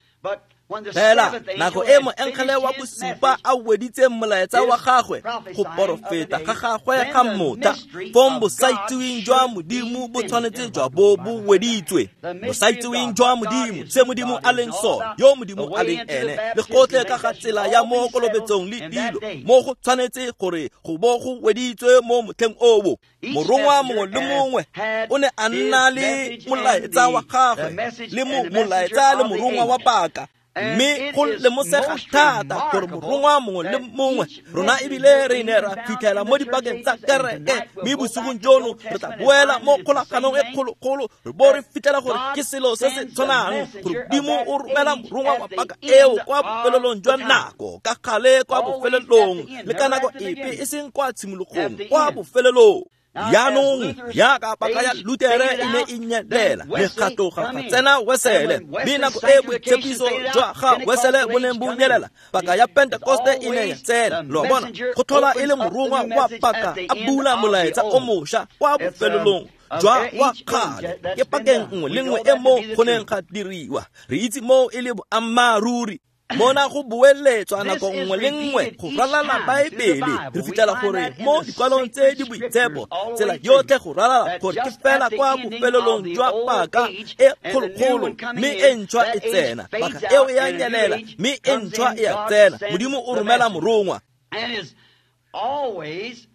Fela nako e moengele wa bosupa a weditseng molaetsa wa gagwe go porofeta ga gagwe ga motha, fong bosaitseweng jwa Modimo bo tshwanetse jwa bo bo weditswe. Bosaitseweng jwa Modimo, se Modimo a leng sone, yo Modimo a leng ene, le gotlhe ka ga tsela ya mo kolobetsong le dilo, mo go tshwanetse gore go bo go weditswe mo motlheng oo. Morongwa mongwe le mongwe o ne a nna le molaetsa wa gagwe le molaetsa le morongwa wa paka. Mme go lemosega thata gore morongwa mongwe le mongwe rona ebile re ne ra fitlhela mo dipakeng tsa kereke. Mme bosigong jono re tla boela mo kgolaganong e kgolokgolo, re bo re fitlhela gore ke selo se se tshwanang, gore Modimo o romela morongwa wa paka eo kwa bofelelong jwa nako, ka gale kwa bofelelong le ka nako epe, e seng kwa tshimologong, kwa bofelelong. Jaanong jaaka paka ya Lutere e ne e nyelela, mekgatlo ga ga tsena Wesele, mme nako e boitshepiso jwa ga Wesele bo neng bo nyelela, paka ya Pentekoste e ne ya tsena. Lo a bona, go tlhola e le morongwa wa paka a bula molaetsa o mošwa kwa bofelelong jwa wa kgale. Ke pakeng nngwe le nngwe e mo go neng ga diriwa, re itse moo e le boammaaruri. Mona go boeletswa nako nngwe le nngwe go ralala Baebele. Re fitlhela gore mo dikwalong tse di boitshepo tsela yotlhe go ralala gore ke fela kwa bofelelong jwa paka e kgolokgolo, mme e ntšhwa e tsena. Paka eo e a nyelela, mme e ntšhwa e a tsena. Modimo o romela morongwa.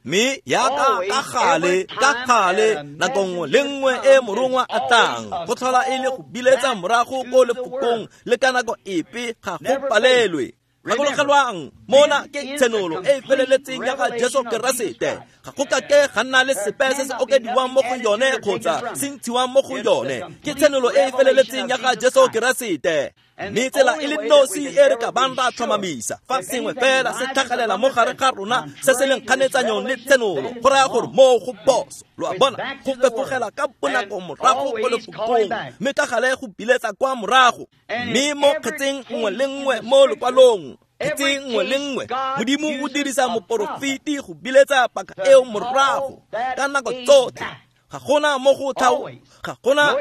Mme yaka ka gale ka gale nako nngwe le nngwe e morongwa a tlang go tlhola e le go biletsa morago ko lefokong le ka nako epe ga go palelwe. Gakologelwang mona ke tshenolo e e feleletseng ya ga Jesu Keresete. Ga go kake ga nna le sepe se se okediwang mo go yone kgotsa se ntshiwang mo go yone. Ke tshenolo e e feleletseng ya ga Jesu Keresete. Mme tsela e le nosi e re ka bang ra tlhomamisa fa sengwe fela se tlhagelela mo gare ga rona se se leng kganetsanyong le tshenolo, go raya gore moo go phoso. Lo a bona, go fefogela ka bonako morago ko lefokong, mme ka gale go biletsa kwa morago. Mme mo kgetseng nngwe le nngwe mo lokwalong, kgetseng nngwe le nngwe, Modimo o dirisa moporofeti go biletsa paka eo morago ka nako tsotlhe. Ga gona mo go thao, ga gona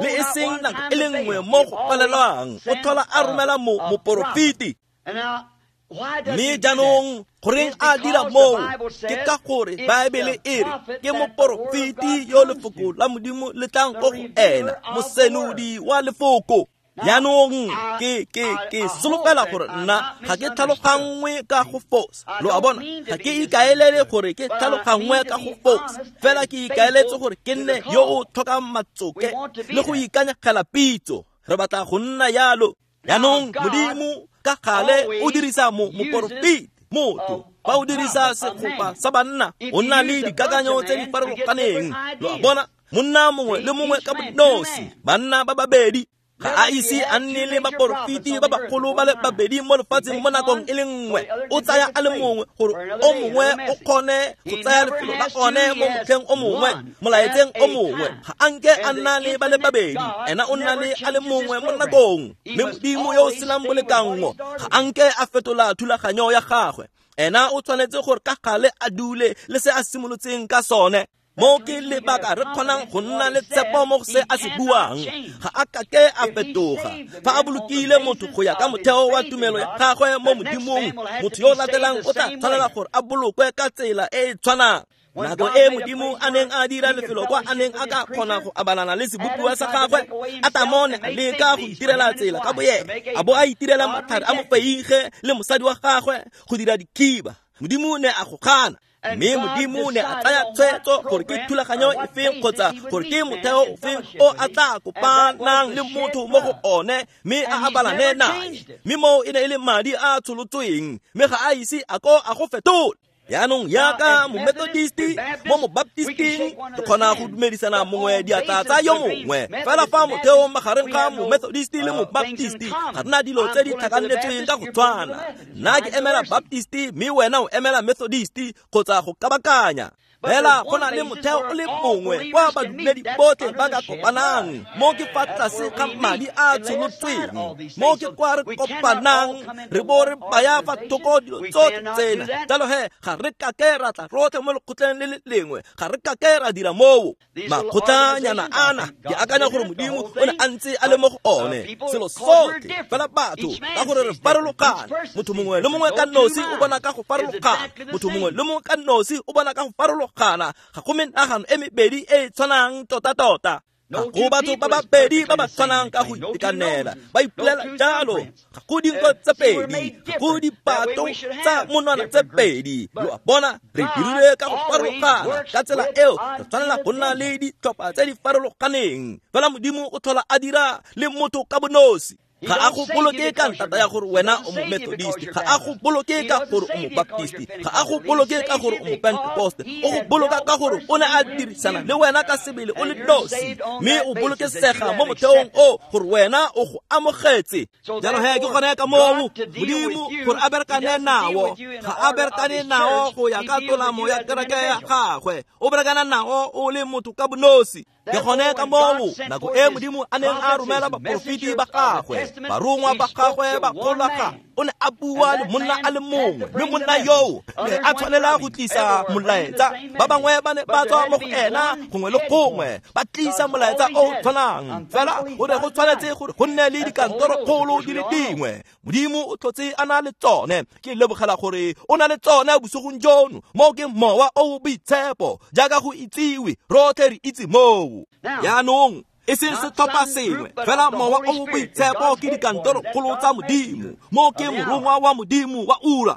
le e seng nako e le nngwe mo go palelwang. O tlhola a romela mo moporofeti. Mme jaanong goreng a dira moo? Ke ka gore Baebele e re ke moporofeti yo lefoko la Modimo le tlang ko go ena, mosenodi wa lefoko. Jaanong ke ke ke solofela gore nna ga ke tlhaloganngwe ka go fosa. Lo a bona, ga ke ikaelele gore ke tlhaloganngwe ka go fosa, fela ke ikaeletse gore ke nne yo o tlhokang matsoke le go ikanyegela pitso. Re batla go nna yalo. Jaanong Modimo ka gale o dirisa mo moporofeti, motho. Fa o dirisa segopa sa banna, o nna le dikakanyo tse di farologaneng. Lo a bona, monna mongwe le mongwe ka bonosi, banna ba babedi. Ga a ise a nne le baporofeti ba bagolo ba le babedi mo lefatsheng mo nakong e le nngwe. O tsaya a le mongwe gore o mongwe o kgone go tsaya lefelo la one mo motlheng o mongwe, molaetseng o mongwe. Ga a nke a nna le ba le babedi, ena o nna le a le mongwe mo nakong. Mme Modimo yo o senang bolekanngo ga a nke a fetola thulaganyo ya gagwe. Ena o tshwanetse gore ka gale a dule le se a simolotseng ka sone. Mo ke lebaka re kgonang go nna le tshepo mo go se a se buang. Ga a kake a fetoga. Fa a bolokile motho go ya ka motheo wa tumelo ya gagwe mo Modimong, motho yo o latelang o tla tshwanela gore a bolokwe ka tsela e e tshwanang. Nako e Modimo a neng a dira lefelo kwa a neng a ka kgona go abalana le sebopiwa sa gagwe, Atamo ne a leka go itirela tsela ka boyena, a bo a itirela matlhare a mofeige le mosadi wa gagwe go dira dikhiba. Modimo ne a go gana. Mme Modimo ne a tsaya tshwetso gore ke thulaganyo efeng kgotsa gore ke motheo ofeng o a tla kopanang le motho mo go one, mme a abalane nae. Mme moo e ne e le madi a a tsholotsweng, mme ga a ise a ko a go fetola. Jaanong jaaka Momethodisti mo Mobaptisting, re kgona go dumedisana mongwe diatla tsa yo mongwe. Fela fa motheong magareng ga Momethodisti le Mobaptisti, ga rena dilo tse di tlhakanetsweng ka go tshwana. Nna ke emela Baptisti, mme wena o emela Methodisti kgotsa go kabakanya. Fela go na le motheo o le mongwe kwa badumedi botlhe ba ka kopanang. Mo ke fa tlase ga madi a tsholotsweng, mo ke kwa re kopanang, re bo re baya fa thoko dilo tsotlhe tsena. Jalo he, ga re kake ra tla rotlhe mo lekgotleng le le lengwe, ga re kake ra dira moo. Makgotlanyana ana, ke akanya gore Modimo o ne a ntse a le mo go one selo sotlhe. Fela batho ka gore re farologana, motho mongwe le mongwe ka nosi o bona ka go farologana, motho mongwe le mongwe ka nosi o bona ka go farologana. Ga go menagano e mebedi e e tshwanang tota-tota. Ga go batho ba babedi ba ba tshwanang ka go itekanela, ba ipolela jalo. Ga go dinko tse pedi, ga go dipato tsa monwana tse pedi. Lo a bona, re dirile ka go farologana. Ka tsela eo re tshwanela go nna le ditlhopha tse di farologaneng. Fela Modimo o tlhola a dira le motho ka bonosi. Ga a go boloke ka ntata ya gore wena o Momethodist, ga a go boloke ka gore o Mobaptist, ga a go boloke ka gore o Mopentecost. O go boloka ka gore o ne a dirisana le wena ka sebele o le nosi, mme o bolokesega mo motheong o gore wena o go amogetse. Jalo he, ke gone ka moo Modimo gore a berekane nao, ga a berekane nao go ya ka tolamo ya kereke ya gagwe, o berekana nao o le motho ka bonosi. Ke gone ka moo nako e Modimo a neng a romela baporofeti ba gagwe, barongwa ba gagwe ba kgolaga, o ne a bua le monna a le mongwe, mme monna yoo ne a tshwanela go tlisa molaetsa. Ba bangwe ba ne ba tswa mo go ena gongwe le gongwe, ba tlisa molaetsa o o tshwanang. Fela go ne go tshwanetse gore go nne le dikantorokgolo di le dingwe. Modimo o tlhotse a na le tsone. Ke lebogela gore o na le tsone bosigong jono. Mo ke Mowa o o Boitshepo, jaaka go itsiwe, rotlhe re itse moo. Jaanong e seng setlhopha sengwe, fela Mowa o o Boitshepo ke dikantorokgolo tsa Modimo. Mo ke morongwa wa Modimo wa ura.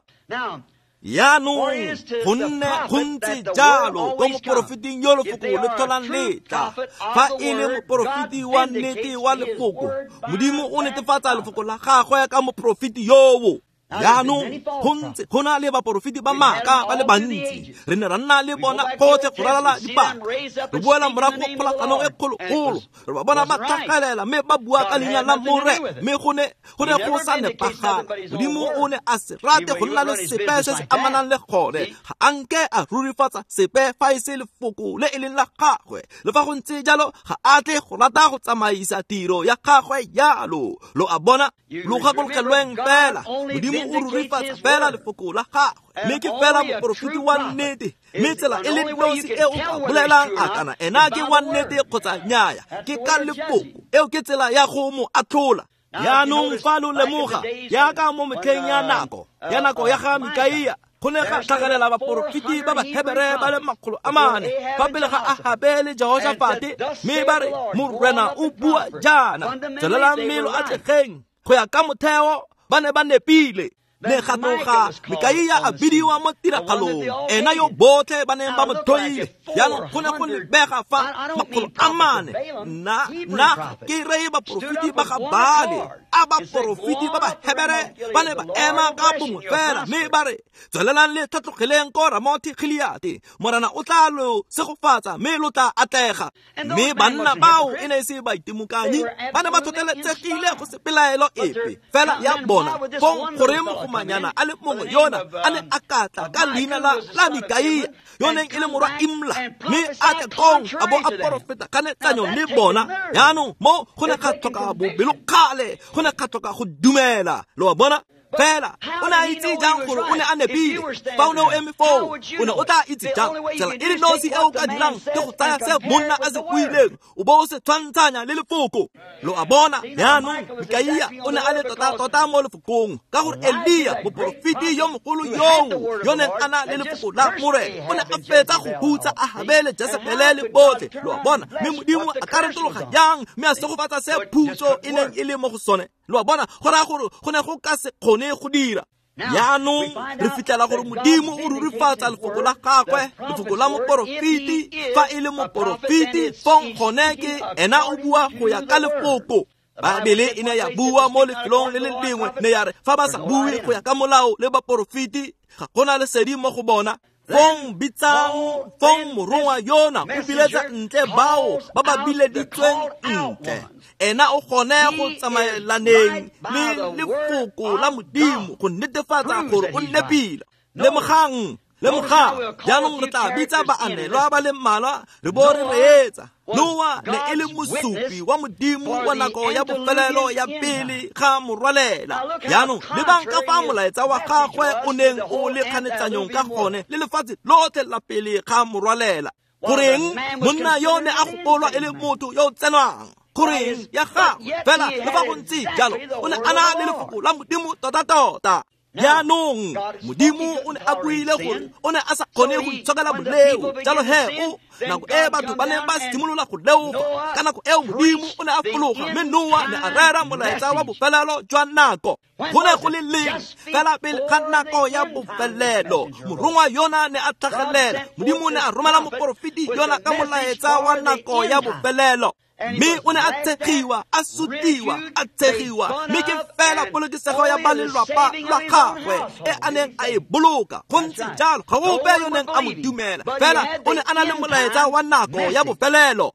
Jaanong go nne go ntse jalo ko moporofeting yo lefoko le tlholang le tla. Fa e le moporofeti wa nnete wa lefoko, Modimo o netefatsa lefoko la gagwe ka moporofeti yoo. Jaanong go ntse go na le baporofeti ba maaka ba le bantsi, re ne ra nna le bona gotlhe go ralala dipaka. Re boela morago go kgolaganong e kgologolo, re ba bona ba tlhagelela mme ba bua ka leina la Morena, mme go ne go ne go sa nepagala. Modimo o ne a se rate go nna le sepe se se amanang le gone, ga a nke a rurifatsa sepe fa e se lefoko le e leng la gagwe. Le fa go ntse jalo, ga a tle go rata go tsamaisa tiro ya gagwe jalo. Lo a bona, lo gakologelweng fela, Modimo o rurifatsa fela lefoko la gagwe, mme ke fela moporofeti wa nnete. Mme tsela e le nosi e o ka bolelang a kana ena ke wa nnete kgotsa nnyaya, ke ka lefoko. Eo ke tsela ya go mo atlhola. Jaanong fa lo lemoga, jaaka mo metlheng ya nako ya nako ya ga Mikaia, go ne ga tlhagelela baporofeti ba Bahebere ba le makgolo a mane fa pele ga Ahabe le Jehoshafate, mme ba re, Morena o bua jaana, tswelelang mme lo atlegeng. Go ya ka motheo ba ne ba nepile. Ne ga tloga Mikaia a bidiwa mo tiragalong, ena yo botlhe ba neng ba mo tlhoile. Jaanong go ne go lebega fa makgolo a mane, nna nna ke reye baporofeti ba ga Baale, a baporofeti ba Bahebere ba ne ba ema ka bongwe fela, mme ba re, tswelelang le tlhatlogeleng ko Ramothi Gileate, Morena o tla lo segofatsa mme lo tla atlega. Mme banna bao e ne e se baitimokanyi, ba ne ba tlhotlheletsegile go se pelaelo epe fela ya bona. Fong goreng mogomanyana a le mongwe yona a ne a ka tla ka leina la la Mikaia, yo neng e le morwa Imla, mme a tle kong a bo a porofeta kganetsanyo le bona. Jaanong mo go ne ga tlhoka bobelokgale, go ne ga tlhoka go dumela. Lo a bona? Fela o ne a itse jang gore o ne a nepile? Fa o ne o eme foo, o ne o tla itse jang? Tsela e le nosi e o ka dirang ke go tsaya se monna a se buileng, o bo o se tshwantshanya le lefoko. Lo a bona? Jaanong Mikaia o ne a le tota-tota mo lefokong, ka gore Elia, moporofeti yo mogolo yoo yo neng a na le lefoko la Morena, o ne a fetsa go hutsa Ahabe le Jesebele le botlhe. Lo a bona? Mme Modimo a ka retologa jang mme a segofatsa se phutso e neng e le mo go sone? Lo a bona? Go raya gore go ne go ka se kgone go dira. Jaanong re fitlhela gore Modimo o rurifatsa lefoko la gagwe, lefoko la moporofeti. Fa e le moporofeti, fong gone ke ena o bua go ya ka lefoko. Baebele e ne ya bua mo lefelong le le lengwe, ne ya re fa ba sa bue go ya ka molao le baporofeti, ga gona lesedi mo go bona. Fong bitsang, fong morongwa yona o biletsa ntle bao ba ba bileditsweng ntle. Ena o kgone go tsamaelaneng le lefoko la Modimo go netefatsa gore o nepile. Lemogang, lemogang, jaanong re tla bitsa baanelwa ba le mmalwa re bo re reetsa. Noa ne e le mosupi wa Modimo wa nako ya bofelelo ya pele ga morwalela. Jaanong lebang ka fa molaetsa wa gagwe o neng o le kganetsanyong ka gone le lefatshe lotlhe la pele ga morwalela. Goreng monna yo ne a gopolwa e le motho yo o tsenwang? Goreng ya gagwe fela le fa go ntse jalo, o ne a na le lefoko la Modimo tota-tota. Jaanong Modimo o ne a buile gore o ne a sa kgone go itshokela boleo, jalo he o nako e batho ba neng ba simolola go leofa, ka nako eo Modimo o ne a fologa, mme Noa ne a rera molaetsa wa bofelelo jwa nako. Go ne go le leng fela pele ga nako ya bofelelo, morongwa yona ne a tlhagelela. Modimo ne a romela moporofeti yona ka molaetsa wa nako ya bofelelo, mme o ne a tshegiwa, a sutiwa, a tshegiwa, mme ke fela polokesego ya ba lelwapa la gagwe e a neng a e boloka. Go ntse jalo, ga ope yo neng a mo dumela, fela o ne a na le molaetsa wa nako ya bofelelo.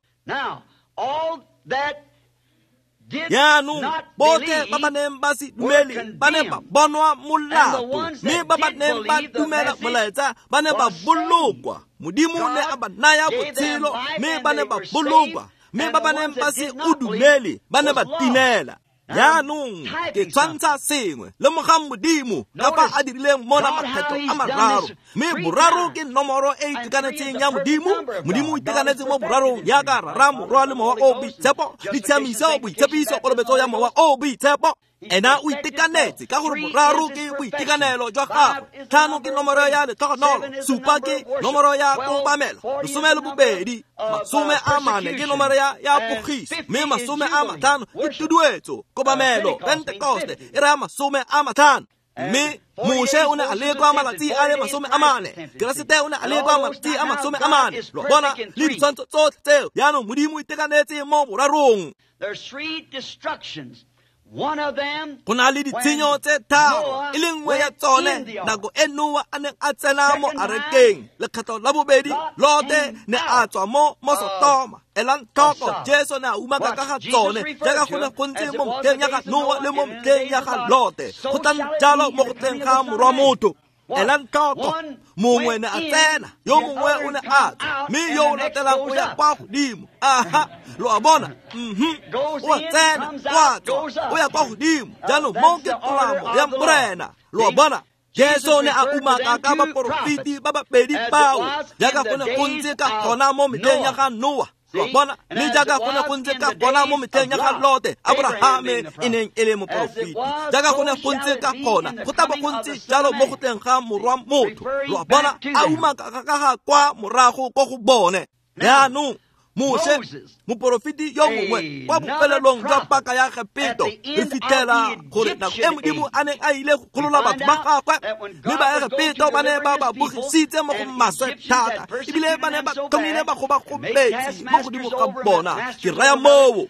Jaanong botlhe ba ba neng ba se dumele ba ne ba bonwa molato, mme ba ba neng ba dumela molaetsa ba ne ba bolokwa. Modimo ne a ba naya botshelo, mme ba ne ba bolokwa, mme ba ba neng ba se o dumele ba ne ba timela. Jaanong ke tshwantsha sengwe. Lemogang Modimo ka fa a dirileng mona makgetho a mararo, mme boraro ke nomoro e itekanetseng ya Modimo. Modimo o itekanetse mo borarong jaaka Rara, Morwa le Mowa o Boitshepo, le tshiamiso, boitshepiso, kolobetso ya Mowa o Boitshepo. Ena o itekanetse ka gore boraro ke boitekanelo jwa gagwe, tlhano ke nomoro ya letlhogonolo, supa ke nomoro ya kobamelo, lesome le bobedi, masome a mane ke nomoro ya ya pogiso, mme masome a matlhano ke tuduetso, kobamelo, Pentekoste e raya masome a matlhano. Mme Moshe o ne a lekwa malatsi a le masome a mane, Keresete o ne a lekwa malatsi a masome a mane. Lo bona le ditshwantsho tsotlhe tseo. Jaanong Modimo o itekanetse mo borarong. There's three destructions. Go na le ditshenyo tse tharo, e le nngwe ya tsone nako e Noa a neng a tsena mo arekeng. Lekgetlo la bobedi, Lote ne a tswa mo mo Sotoma. Elang tlhoko, Jesu ne a umaka ka ga tsone jaaka go ne go ntse mo metlheng ya ga Noa le mo metlheng ya ga Lote. Go tla jalo mo go tleng ga Morwa Motho. Elang tlhoko, mongwe ne a tsena, yo mongwe o ne a tswa, mme yo o latelang o ya kwa godimo. Aha, lo a bona? Mhm. O a tsena, o a tswa, o ya kwa godimo. Jaanong mo ke tolamo ya Morena. Lo a bona? Jesu ne a umaka ka baporofeti ba babedi bao jaaka go ne go ntse ka gona mo metlheng ya ga Noa. Lo a bona? Le jaaka go ne go ntse ka gona mo metlheng ya ga Lote, Abrahame e neng e le moporofeti. Jaaka go ne go ntse ka gona, go tla bo go ntse jalo mo go tleng ga Morwa Motho. Lo a bona? A umaka ka ga kwa morago ko go bone. Jaanong Moshe, moporofeti yo mongwe kwa bofelelong jwa paka ya Egepto, re fitlhela gore nako e Modimo a neng a ile go golola batho ba gagwe, mme ba Egepto ba ne ba ba bogisitse mo go maswe thata, ebile ba ne ba tlhomile bagobagobetsi mo godimo ga bona. Ke raya moo.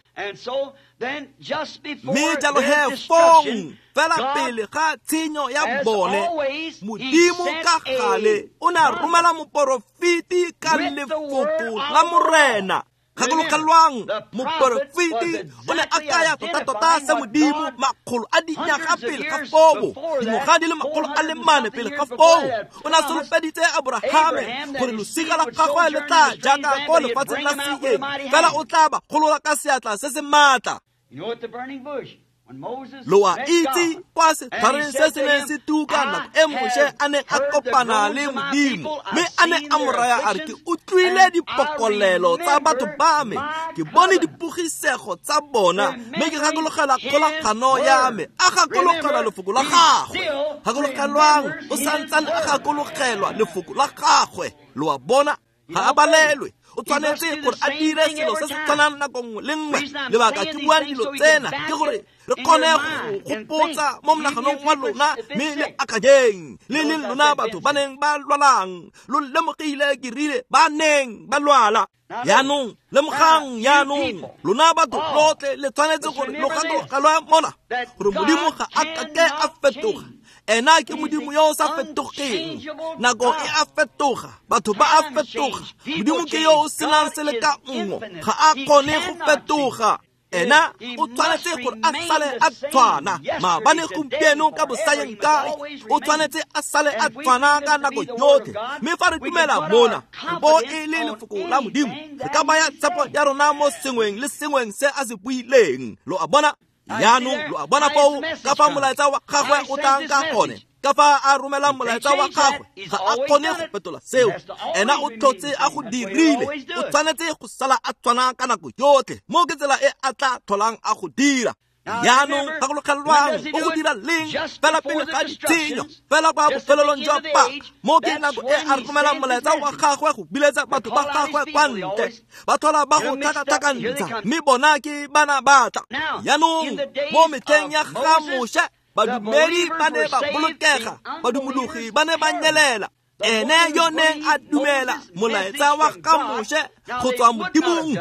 Mme jalo he fong fela pele ga tshenyo ya bone, Modimo ka gale o ne a romela moporofeti ka lefoko la Morena. Gakologelwang, moporofeti o ne a kaya tota-tota se Modimo makgolo a dinyaga pele ga foo, dingwaga di le makgolo a le mane pele ga foo. O ne a solofeditse Abrahame gore losika la gagwe le tla jaaka ko lefatsheng la seeng, fela o tla ba golola ka seatla se se maatla. Lo a itse kwa setlhareng se se neng se tuka nako e Moshe a neng a kopana le Modimo, mme a ne a mo raya a re, ke utlwile dipokolelo tsa batho ba me, ke bone dipogisego tsa bona, mme ke gakologela kgolagano ya me. A gakologela lefoko la gagwe. Gakologelwang, o santsane a gakologelwa lefoko la gagwe. Lo a bona? Ga a balelwe. O tshwanetse gore a dire selo se se tshwanang nako nngwe le nngwe. Lebaka ke buang dilo tsena ke gore re kgone go gopotsa mo monaganong wa lona, mme le akanyeng le leng lona batho ba neng ba lwalang. Lo lemogile ke rile ba neng ba lwala. Jaanong lemogang, jaanong lona batho lotlhe le tshwanetse gore lo gakologelwe mona gore Modimo ga a kake a fetoga. Ena ke Modimo yo o sa fetogeng. Nako e a fetoga, batho ba a fetoga. Modimo ke yo o senang selekanngo, ga a kgone go fetoga. Ena o tshwanetse gore a sale a tshwana maabane, gompieno, ka bosayeng kae. O tshwanetse a sale a tshwana ka nako yotlhe. Mme fa re dumela mona bo e le lefoko la Modimo, re ka baya tshepo ya rona mo sengweng le sengweng se a se buileng. Lo a bona? Jaanong lo a bona foo ka fa molaetsa wa gagwe o tlang ka gone, ka fa a romelang molaetsa wa gagwe, ga a kgone go fetola seo. Ena o tlhotse a go dirile, o tshwanetse go sala a tshwana ka nako yotlhe. Mo ke tsela e a tla tlholang a go dira. Jaanong gakologelwang, o go dira leng? Fela pele ga ditshenyo, fela kwa bofelelong jwa paka. Mo ke nako e a romelang molaetsa wa gagwe go biletsa batho ba gagwe kwa ntle. Ba tlhola ba go tlhakatlhakantsha, mme bona ke bana ba tla. Jaanong mo metlheng ya ga Moshe, badumedi ba ne ba bolokega, badumologi ba ne ba nyelela. Ene yo neng a dumela molaetsa wa ga Moshe go tswa Modimong.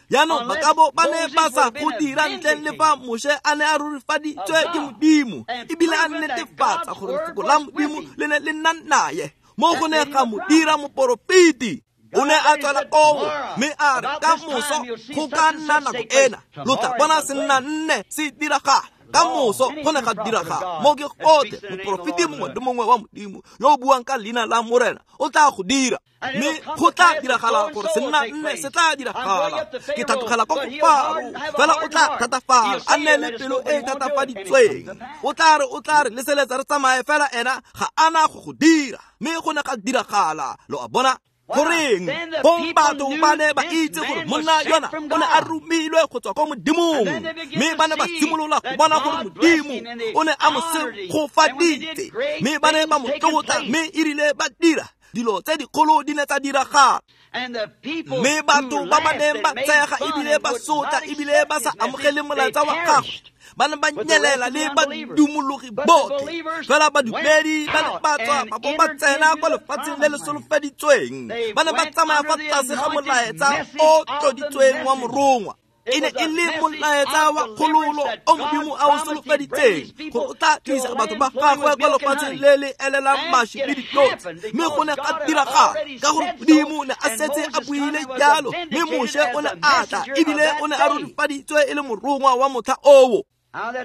Jaanong ba ka bo ba ne ba sa go dira ntleng le fa Moshe a ne a rurifaditswe ke Modimo, ebile a netefatsa gore lefoko la Modimo le ne le nna naye. Mo go ne ga mo dira moporofeti. O ne a tswela koo, mme a re ka moso go ka nna nako ena lo tla bona se nna nne se diragala. Ka moso go ne ga diragala. Mo ke gotlhe moporofeti mongwe le mongwe wa Modimo yo o buang ka leina la Morena o tla go dira, mme go tla diragala gore se nna nne se tla diragala. Ke thatogela ko go Faro, fela o tla thatafala, a nne le pelo e e thatafaditsweng. O tla re o tla re leseletsa re tsamaye, fela ena ga ana go go dira. Mme go ne ga diragala. Lo a bona? Goreng fong batho ba ne ba itse gore monna yona o ne a romilwe go tswa ko Modimong, mme ba ne ba simolola go bona gore Modimo o ne a mo segofaditse, mme ba ne ba mo tlotla, mme erile ba dira dilo tse dikgolo di ne tsa diragala. Mme batho ba ba neng ba tshega ebile ba sotla ebile ba sa amogele molaetsa wa gagwe ba ne ba nyelela le badumologi botlhe. Fela badumedi ba ne ba tswa ba bo ba tsena kwa lefatsheng le le solofeditsweng. Ba ne ba tsamaya fa tlase ga molaetsa o tloditsweng wa morongwa. E ne e le molaetsa wa kgololo o Modimo a o solofeditseng gore o tla tlisa batho ba gagwe kwa lefatsheng le le elelang mašwi le ditlotse. Mme go ne ga diragala ka gore Modimo ne a setse a buile jalo, mme Moshe o ne a tla ebile o ne a rurifaditswe e le morongwa wa motlha oo.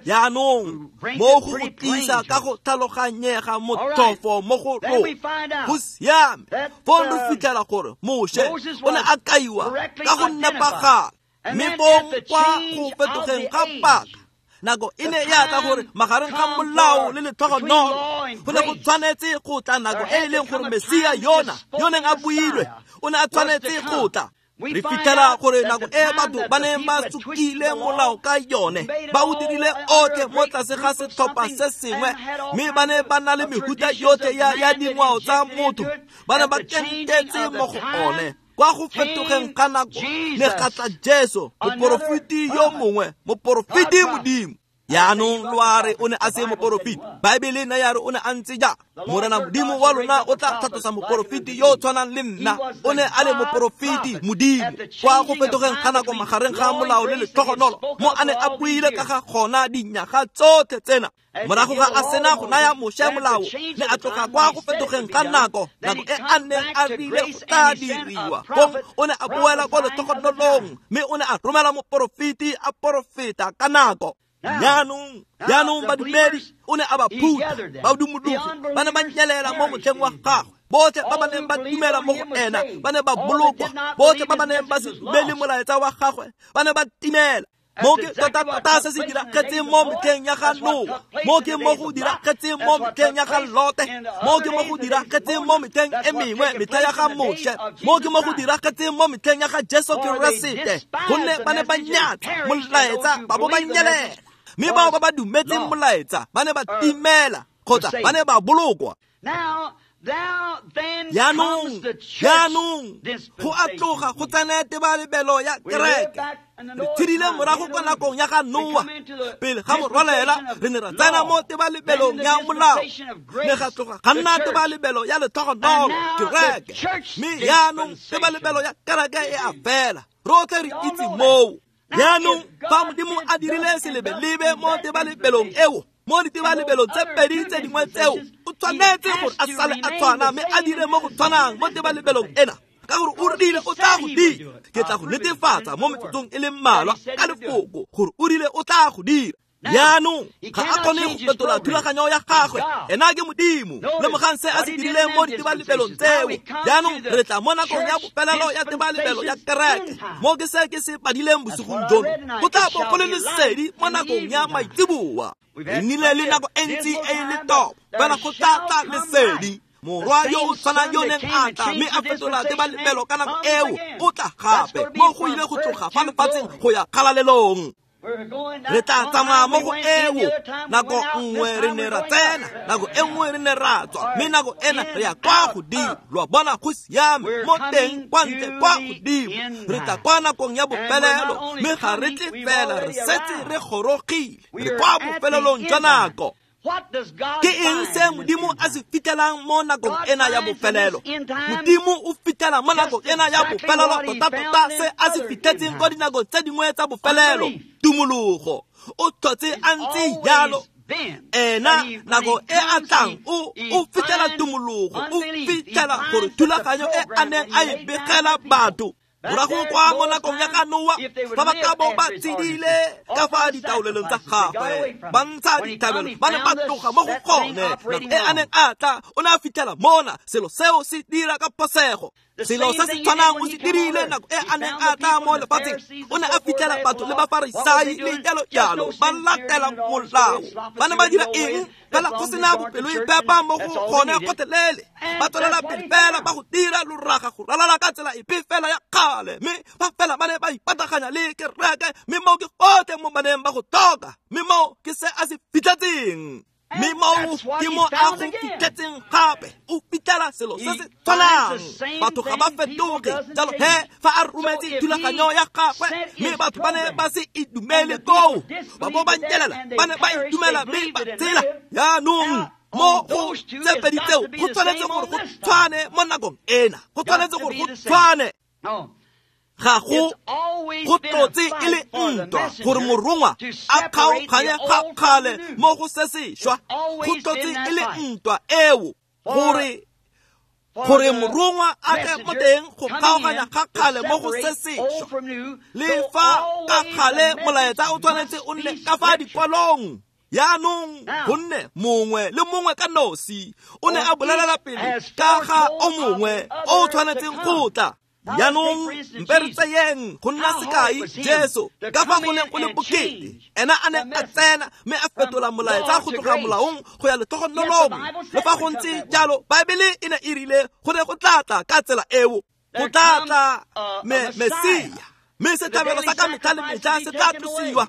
Jaanong mo go go tlisa ka go tlhaloganyega motlhofo mo go rona go siame. Foo re fitlhela gore Moshe o ne a kaiwa ka go nepagala, mme fong kwa go fetogeng ga paka nako e ne ya tla gore magareng ga molao le letlhogonolo go ne go tshwanetse go tla nako e e leng gore Mesia yona yo neng a builwe o ne a tshwanetse go tla. Re fitlhela gore nako e batho ba neng ba sukile molao ka yone ba o dirile otlhe mo tlase ga setlhopha se sengwe, mme ba ne ba na le mehuta yotlhe ya ya dingwao tsa motho, ba ne ba kentetse mo go one. Kwa go fetogeng ga nako ne ga tla Jesu, moporofeti yo mongwe, moporofeti Modimo. Jaanong lo a re o ne a se moporofeti. Baebele ne ya re o ne a ntse jang? Morena Modimo wa lona o tla tlhatlosa moporofeti yo o tshwanang le nna. O ne a le moporofeti Modimo. Kwa go fetogeng ga nako magareng ga molao le letlhogonolo mo a ne a buile ka ga gona dinyaga tsotlhe tsena. Morago ga a sena go naya Moshe molao, ne a tloga kwa go fetogeng ga nako, nako e a neng a rile go tla diriwa. Fong o ne a boela kwa letlhogonolong, mme o ne a romela moporofeti a porofeta ka nako. Jaanong, jaanong badumedi o ne a ba phutha, badumologi ba ne ba nyelela mo motlheng wa gagwe. Botlhe ba ba neng ba dumela mo go ena ba ne ba bolokwa, botlhe ba ba neng ba se dumele molaetsa wa gagwe ba ne ba timela. Mo ke tota-tota se se diragetseng mo metlheng ya ga Noa, mo ke mo go diragetseng mo metlheng ya ga Lote, mo ke mo go diragetseng mo metlheng e mengwe, metlha ya ga Moshe, mo ke mo go diragetseng mo metlheng ya ga Jesu Keresete. Gonne ba ne ba nyatsa molaetsa ba bo ba nyelela, mme bao ba ba dumetseng molaetsa ba ne ba timela kgotsa ba ne ba bolokwa. Jaanong, jaanong go a tloga go tsena tebalebelo ya kereke. Re tshedile morago kwa nakong ya ga Noa, pele ga morwalela re ne ra tsena mo tebalebelong ya molao, ne ga tloga ga nna tebalebelo ya letlhogonolo kereke, mme jaanong tebalebelo ya kereke e a fela. Rotlhe re itse moo. Jaanong fa Modimo a dirile selebelebe mo tebalebelong eo, mo ditebalebelong tse pedi tse dingwe tseo, o tshwanetse gore a sale a tshwana mme a dire mo go tshwanang mo tebalebelong ena, ka gore o rile o tla go dira. Ke tla go netefatsa mo metsotsong e le mmalwa ka lefoko gore o rile o tla go dira. Jaanong ga a kgone go fetola thulaganyo ya gagwe, ena ke Modimo. Lemogang se a se dirileng mo ditebalebelong tseo. Jaanong re tla mo nakong ya bofelelo ya tebalebelo ya kereke, mo ke se ke se padileng bosigong jono. Go tla bo go le lesedi mo nakong ya maitseboa. Re nnile le nako e ntsi e e letobo, fela go tla tla lesedi. Morwa yo o tshwanang yo neng a tla mme a fetola tebalebelo ka nako eo o tla gape, mo go ile go tloga fa lefatsheng go ya kgalalelong. Re tla tsamaya mo go eo. Nako nngwe re ne ra tsena, nako e nngwe re ne ra tswa, mme nako ena re ya kwa godimo. Lo a bona, go siame mo teng kwa ntle kwa godimo. Re tla kwa nakong ya bofelelo, mme ga re tle fela, re setse re gorogile, re kwa bofelelong jwa nako. Ke eng se Modimo a se fitlhelang mo nakong ena ya bofelelo? Modimo o fitlhela mo nakong ena ya bofelelo tota-tota se a se fitlhetseng kwa dinakong tse dingwe tsa bofelelo, tumologo. O tlhotse a ntse jalo. Ena nako e a tlang o o fitlhela tumologo, o fitlhela gore thulaganyo e a neng a e begela batho morago kwa mo nakong ya ga Noa, fa ba ka bo ba tshedile ka fa ditaolelong tsa gagwe, ba ntsha ditlhabelo, ba ne ba tloga mo go gone. Nako e a neng a tla, o ne a fitlhela mona selo seo se dira ka phosego. Selo se se tshwanang o se dirile nako e a neng a tla mo lefatsheng. O ne a fitlhela batho le bafarisai le jalo jalo ba latela molao. Ba ne ba dira eng? Fela go sena bopelo e phepa mo go gone gotlhelele. Ba tswelela pele fela ba go dira loraga go ralala ka tsela epe fela ya kgale, mme ba fela ba ne ba ipataganya le kereke, mme moo ke gotlhe mo ba neng ba go tlhoka, mme moo ke se a se fitlhetseng. Mme moo ke mo a go fitlhetseng gape, o fitlhela selo se se tshwanang. Batho ga ba fetoge jalo he fa a rometse thulaganyo ya gagwe, mme batho ba ne ba se e dumele koo, ba bo ba nyelela, ba ne ba itumela mme ba tshela. Jaanong mo go tse pedi tseo go tshwanetse gore go tshwane mo nakong ena, go tshwanetse gore go tshwane. Ga go go tlotse e le ntwa gore morongwa a kgaoganye ga kgale mo go se sešwa. Go tlotse e le ntwa eo gore gore morongwa a tle mo teng go kgaoganya ga kgale mo go se sešwa. Le fa ka kgale molaetsa o tshwanetse o nne ka fa dikwalong. Yaanong gonne mongwe le mongwe ka nosi o ne a bolelela pele ka ga o mongwe o tshwanetseng go tla. Yaanong mpe re tseyeng go nna sekai Jesu ka fa go neng go le bokete, ena a neng a tsena mme a fetola molaetsa go tloga molaong go ya letlhogonolong. Le fa go ntse jalo, Baebele e ne e rile go ne go tla tla ka tsela eo, go tla tla Mesia, mme setlhabelo sa ka metlha le metlha se tla tlosiwa.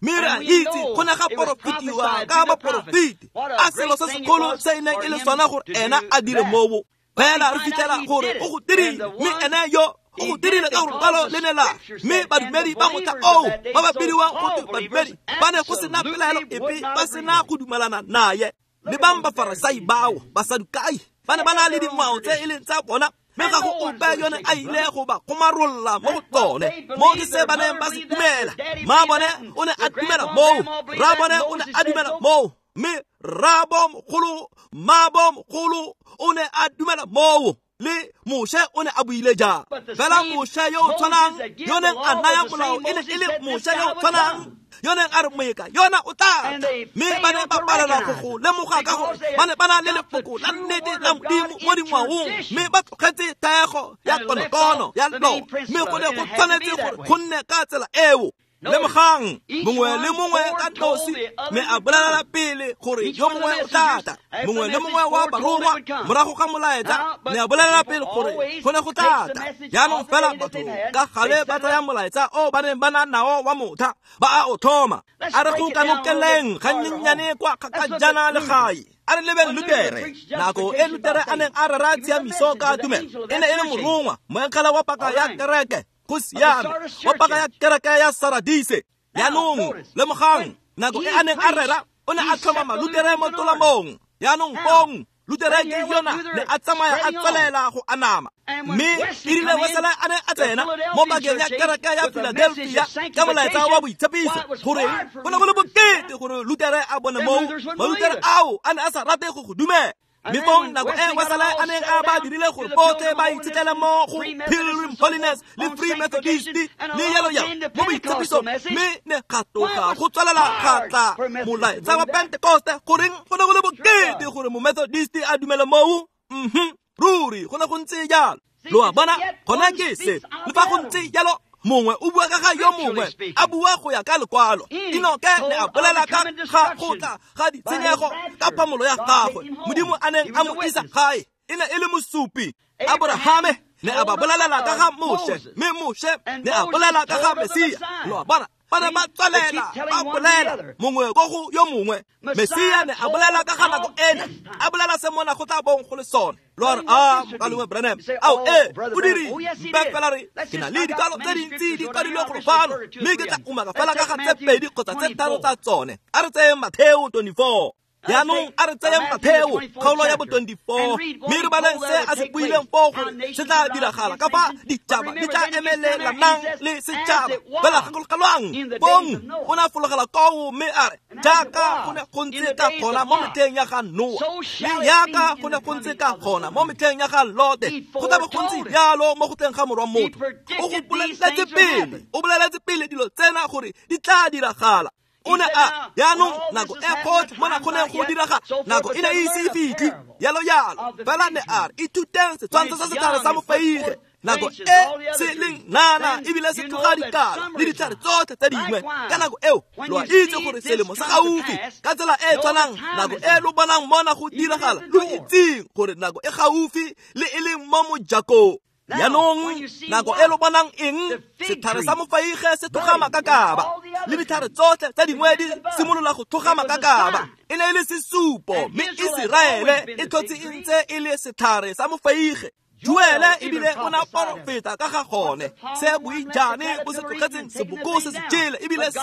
Mme re a itse go ne ga porofetiwa ka baporofeti a selo se segolo se e neng e le sona gore ena a dire moo. Fela re fitlhela gore o go dirile, mme ene yo o go dirile ka gore lekwalo le ne la. Mme badumedi ba motlha oo ba ba bidiwang go twe badumedi ba ne go sena pelaelo epe, ba sena go dumelana naye. Le bang Bafarasai bao, Basadukai, ba ne ba na le dingwao tse e leng tsa bona, mme ga go ope yo ne a ile go ba kgomarolla mo go tsone. Mo ke se ba neng ba se dumela. Mma bone o ne a dumela moo, rra bone o ne a dumela moo, mme rraabo mogolo, mmaabo mogolo o ne a dumela moo, le Moshe o ne a buile jang. Fela Moshe yo o tshwanang yo neng a naya molao e ne e le Moshe yo o tshwanang yo neng a re moeka yona o tla. Mme ba ne ba palelwa go go lemoga ka gore ba ne ba na le lefoko la nnete la Modimo mo dingwaong, mme ba tlogetse taego ya konokono ya lona, mme go ne go tshwanetse gore go nne ka tsela eo. Lemogang mongwe le mongwe ka nosi mme a bolelela pele gore yo mongwe o tla tla. Mongwe le mongwe wa barongwa morago ga molaetsa ne a bolelela pele gore go ne go tla tla. Jaanong fela batho ka gale ba tsaya molaetsa o ba neng ba na nao wa motha ba a o thoma. A re go kanokeleng gannyenyane kwa kgakajana le gae. A re lebeng Lutere. Nako e Lutere a neng a rera tshiamiso ka tumelo e ne e le morongwa, moengele wa paka ya kereke. Go siame, wa paka ya kereke ya Saradise. Yaanong lemogang nako e a neng a rera o ne a tlhoma Malutere mo tolamong. Yaanong fong Lutere ke yona ne a tsamaya a tswelela go anama. Mme e rile Wesele a ne a tsena mo pakeng ya kereke ya Philadelphia ka molaetsa wa boitshepiso gore go ne go le bokete gore Lutere a bone moo. Malutere ao a ne a sa rate go go dumela. Mme fong nako e Wesele a neng a ba dirile gore botlhe ba itshetlele mo go Pilgrim Holiness le Free Methodist le yalo yalo mo boitshepisong, mme ne ga tloga go tswelela ga tla molaetsa wa Pentecoste. Goreng go ne go le bokete gore mo-Methodist a dumele moo? Mhm, ruri go ne go ntse jalo. Lo a bona, gona ke se. Le fa go ntse jalo, mongwe o bua ka ga yo mongwe, a bua go ya ka lekwalo. Enoke ne a bolela ka ga go tla ga ditshenyego ka phamolo ya gagwe, Modimo a neng a mo isa gae, e ne e le mosupi. Aborahame ne a ba bolelela ka ga Moshe, mme Moshe ne a bolela ka ga Mesia. Lo a bona, ba ne ba tswelela ba bolela mongwe ko go yo mongwe. Mesia ne a bolela ka ga nako ena, a bolela se mona go tla bong go le sone. Lo a re, a mokalengwe Branham, ao ee o dirile. Mpe fela re ke na le dikalo tse dintsi di kwadilwe golo fano, mme ke tla umaka fela ka ga tse pedi kgotsa tse tharo tsa tsone. A re tseyeng Matheo twenty-four. Yaanong a re tseyeng Matheo kgaolo ya bo twenty-four, mme re baleng se a se buileng foo gore se tla diragala ka fa ditšhaba di tla emelelanang le setšhaba. Fela gakologelwang, fong o ne a fologela koo mme a re, jaaka go ne go ntse ka gona mo metlheng ya ga Noa, le jaaka go ne go ntse ka gona mo metlheng ya ga Lote, go tla be go ntse jalo mo go tleng ga morwa motho. O go boleletse pele, o boleletse pele dilo tsena gore di tla diragala. O ne a yaanong nako e gotlhe mo go neng go diragala, nako e ne e ise e fitlhe, yalo yalo. Fela ne a re, ithuteng setshwantsho sa setlhare sa mofeige, nako e se leng nana ebile se tloga dikala le ditlhare tsotlhe tse dingwe. Ka nako eo lo a itse gore selemo se gaufi. Ka tsela e e tshwanang, nako e lo bonang mona go diragala, lo itseng gore nako e gaufi le e leng mo mojakong. Yaanong nako e lo bonang eng, setlhare sa mofeige se tloga makakaba, le ditlhare tsotlhe tse dingwe di simolola go tloga makakaba. E ne e le sesupo, mme Iseraele e tlhotse e ntse e le setlhare sa mofeige. Joele ebile o ne a porofeta ka ga gone, se boijane bo se tlogetseng seboko se se jele, ebile se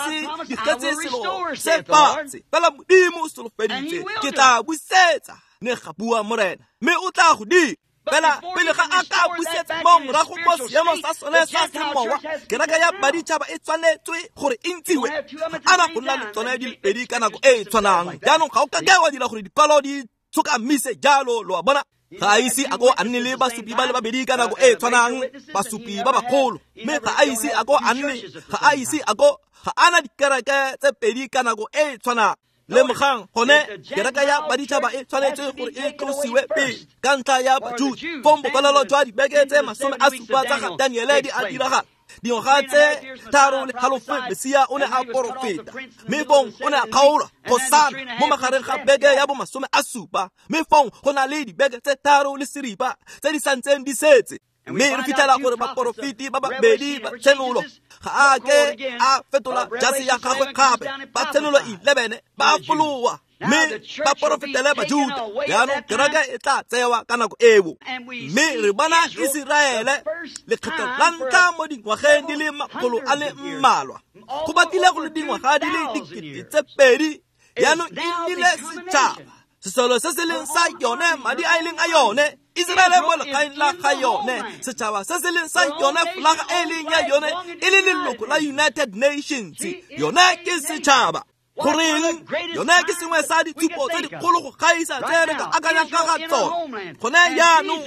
digetse selo se fatshe. Fela Modimo o solofeditse, ke tla busetsa, ne ga bua Morena, mme o tla go dira. Fela pele ga a ka busetsa mo morago mo seemong sa sone sa semowa, kereke ya baditšhaba e tshwanetswe gore e ntshiwe. Ana go nna le tsone di le pedi ka nako e e tshwanang. Jaanong ga o ka ke wa dira gore dikwalo di tshokamise jalo, lo a bona. Ga a ise a ko a nne le basupi ba le babedi ka nako e e tshwanang, basupi ba bagolo, mme ga a ise a ko a nne, ga a ise a ko ga ana dikereke tse pedi ka nako e e tshwanang. Lemogang gone kereke ya baditšhaba e tshwanetse gore e tlosiwe pele ka ntlha ya Bajuda. Fong bokwalelo jwa dibeke tse masome a supa tsa ga Daniele di a diragala. Dingwaga tse tharo le halofo Mesia o ne a porofeta, mme fong o ne a kgaolwa kgosana mo magareng ga beke ya bomasome a supa, mme fong go na le dibeke tse tharo le seripa tse di santseng di setse. Mme re fitlhela gore baporofeti ba babedi ba tshenolo ga a ke a fetola jase ya gagwe gape. Ba tshenolo eleven ba foloa mme ba porofetele Bajuda. Jaanong kereke e tla tsewa ka nako eo. Mme re bona Iseraele lekgetho la ntlha mo dingwageng di le makgolo a le mmalwa, go batlile go le dingwaga di le dikete tse pedi. Jaanong e nnile setšhaba, sesolo se se leng sa yone, madi a e leng a yone, Iseraele mo legaeng la ga yone, setšhaba se se leng sa yone, folaga e leng ya yone, e le leloko la United Nations. Yone ke setšhaba. Goreng yone ke sengwe sa ditshupo tse dikgolo go gaisa tse re ka akanyang ka ga tsone. Gone jaanong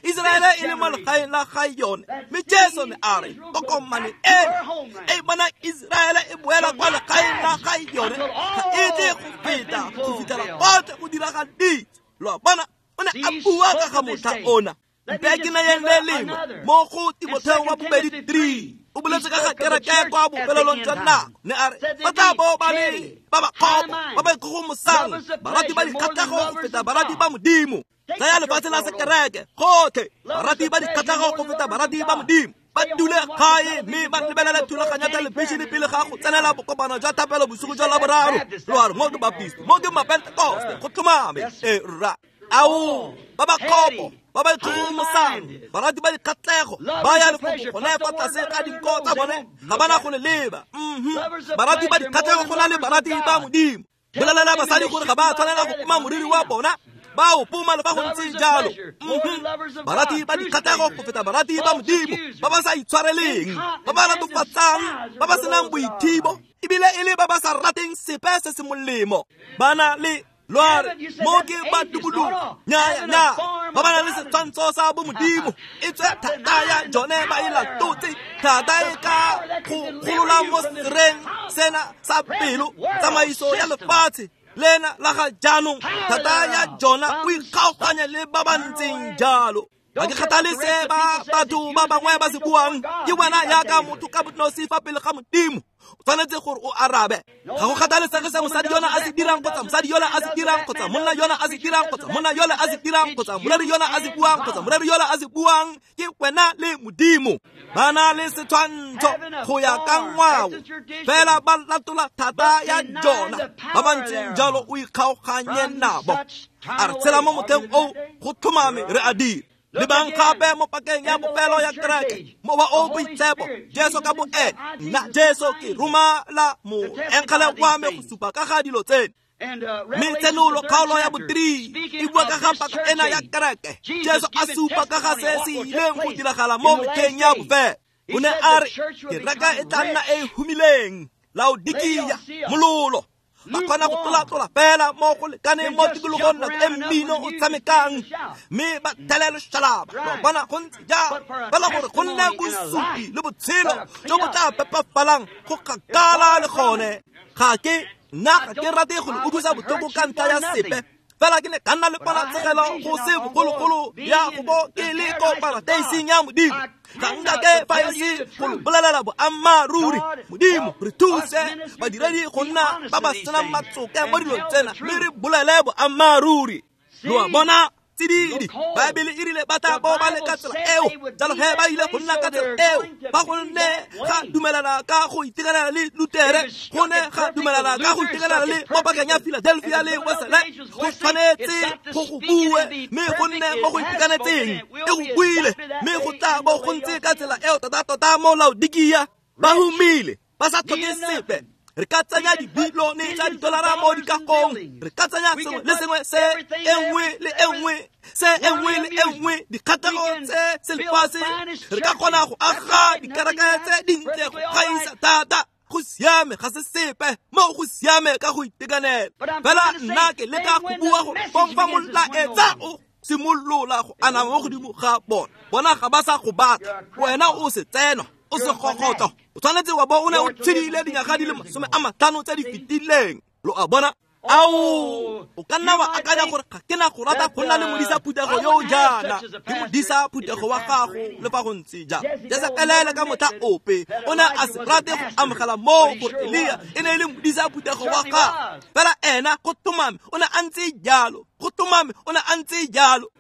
Iseraele e le mo legaeng la ga yone, mme Jesu ne a re tokomane eno e bona Iseraele e boela kwa legaeng la ga yone ga e tle go feta go fitlhela gotlhe go diragaditswe. Lo a bona, o ne a bua ka ga motlha ona. Mpe ke nayeng le lengwe mo go Timotheo wa bobedi three, o boletse ka ga kereke kwa bofelelong jwa nako. Ne a re ba tla bo ba le ba ba kgopo, ba ba ikgogomosang, barati ba dikgatlhego go feta barati ba Modimo. Tsaya lefatshe la sekereke gotlhe, barati ba dikgatlhego go feta barati ba Modimo. Ba dule gae mme ba lebelele thulaganyo ya thelebišene pele ga go tsenela bokopano jwa thapelo bosigo jwa Laboraro. Lo a re mo ke Baptist, mo ke Mapentekoste, go tlhomame. E rra, ao ba ba kgopo, ba ba ikgogomosang, barati ba dikgatlhego, ba ya lefoko gone fa tlase ga dinko tsa bone, ga ba na go le leba. Barati ba dikgatlhego go na le barati ba Modimo. Bolelela basadi gore ga ba tshwanela go poma moriri wa bona, ba o poma le fa go ntse jalo. Barati ba dikgatlhego go feta barati ba Modimo, ba ba sa itshwareleng, ba ba latofatsang, ba ba senang boithibo, ebile e le ba ba sa rateng sepe se se molemo. Ba na le lo a re mo ke badubulugo, nya nya, ba ba na le setshwantsho sa bomodimo, e tswe thata ya jone ba e latotse, thata e ka go golola mo sereng sena sa pelo, tsamaiso ya lefatshe lena la ga jaanong, thata ya jona o ikgaoganya le ba ba ntseng jalo. Ga ke kgathale se ba batho ba bangwe ba se buang, ke wena yaka motho ka bonosi fa pele ga Modimo. O tshwanetse gore o arabe. Ga go kgathalesege se mosadi yona a se dirang kgotsa mosadi yola a se dirang kgotsa monna yona a se dirang kgotsa monna yola a se dirang kgotsa moreri yona a se buang kgotsa moreri yola a se buang, ke wena le Modimo. Ba na le setshwantsho go ya ka ngwao, fela ba latola thata ya jona. Ba ba ntseng jalo o ikgaoganye nabo. A re tshela mo motlheng oo, go tlhomame re a dira. Lebang gape mo pakeng ya bofelo ya kereke, mowa o boitshepo, Jesu ka boene, nna Jesu ke romela moengele wa me go supa ka ga dilo tseno. Mme tshenolo kgaolo ya bo three e bua ka ga paka ena ya kereke. Jesu a supa ka ga se se ileng go diragala mo metlheng ya bofelo. O ne a re kereke e tla nna e e humileng, Laodikia, mololo. Ba kgona go tlola-tlola fela mo go lekaneng mo tikologong nako e mmino o tshamekang, mme ba thele loshalaba. Lo bona go ntse jalo, fela gore go nne bosupi le botshelo jo bo tla phepafalang go kgakala le gone. Ga ke nna ga ke rate go le utlwisa botlhoko ka ntlha ya sepe, fela ke ne ka nna le ponatshegelo go se bogologolo ya go bo ke le ko parateising ya Modimo. Ga nka ke fa e se go lo bolelela boammaaruri. Modimo re thuse badiredi go nna ba ba senang matsoke mo dilong tsena, mme re bolele boammaaruri. Lo a bona, tsididi, Baebele e rile ba tla bo ba le ka tsela eo, jalo he ba ile go nna ka tsela eo. Ba go ne ga dumelana ka go itekanela le Lutere, go ne ga dumelana ka go itekanela le mo pakeng ya Philadelphia le Wesley. Go tshwanetse go go bue, mme go nne mo go itekanetseng. E go buile, mme go tla bo go ntse ka tsela eo tota-tota mo Laodikia. Ba humile, ba sa tlhoke sepe. Re ka tsenya dibilione tsa didolara mo dikagong, re ka tsenya sengwe le sengwe se e nngwe le e nngwe Se e nngwe le e nngwe dikgatlhego tse selefatshe re ka kgona go aga dikereke tse dintle go gaisa thata. Go siame ga se sepe mo go siame ka go itekanela. Fela nna ke leka go bua gore fong fa molaetsa o simolola go anama mo godimo ga bona, bona ga ba sa go batla. Wena o se tsenwa, o se gogotlo, o tshwanetse wa bo o ne o tshedile dinyaga di le masome a matlhano tse di fetileng. Lo a bona? Ao, o ka nna wa akanya gore ga ke na go rata go nna le modisa phuthego yo o jaana, ke modisa phuthego wa gago le fa go ntse jang. Jesebele ka motlha ope o ne a se rate go amogela moo gore Elia e ne e le modisa phuthego wa gagwe. Fela ena go tlhomame o ne a ntse jalo, go tlhomame o ne a ntse jalo.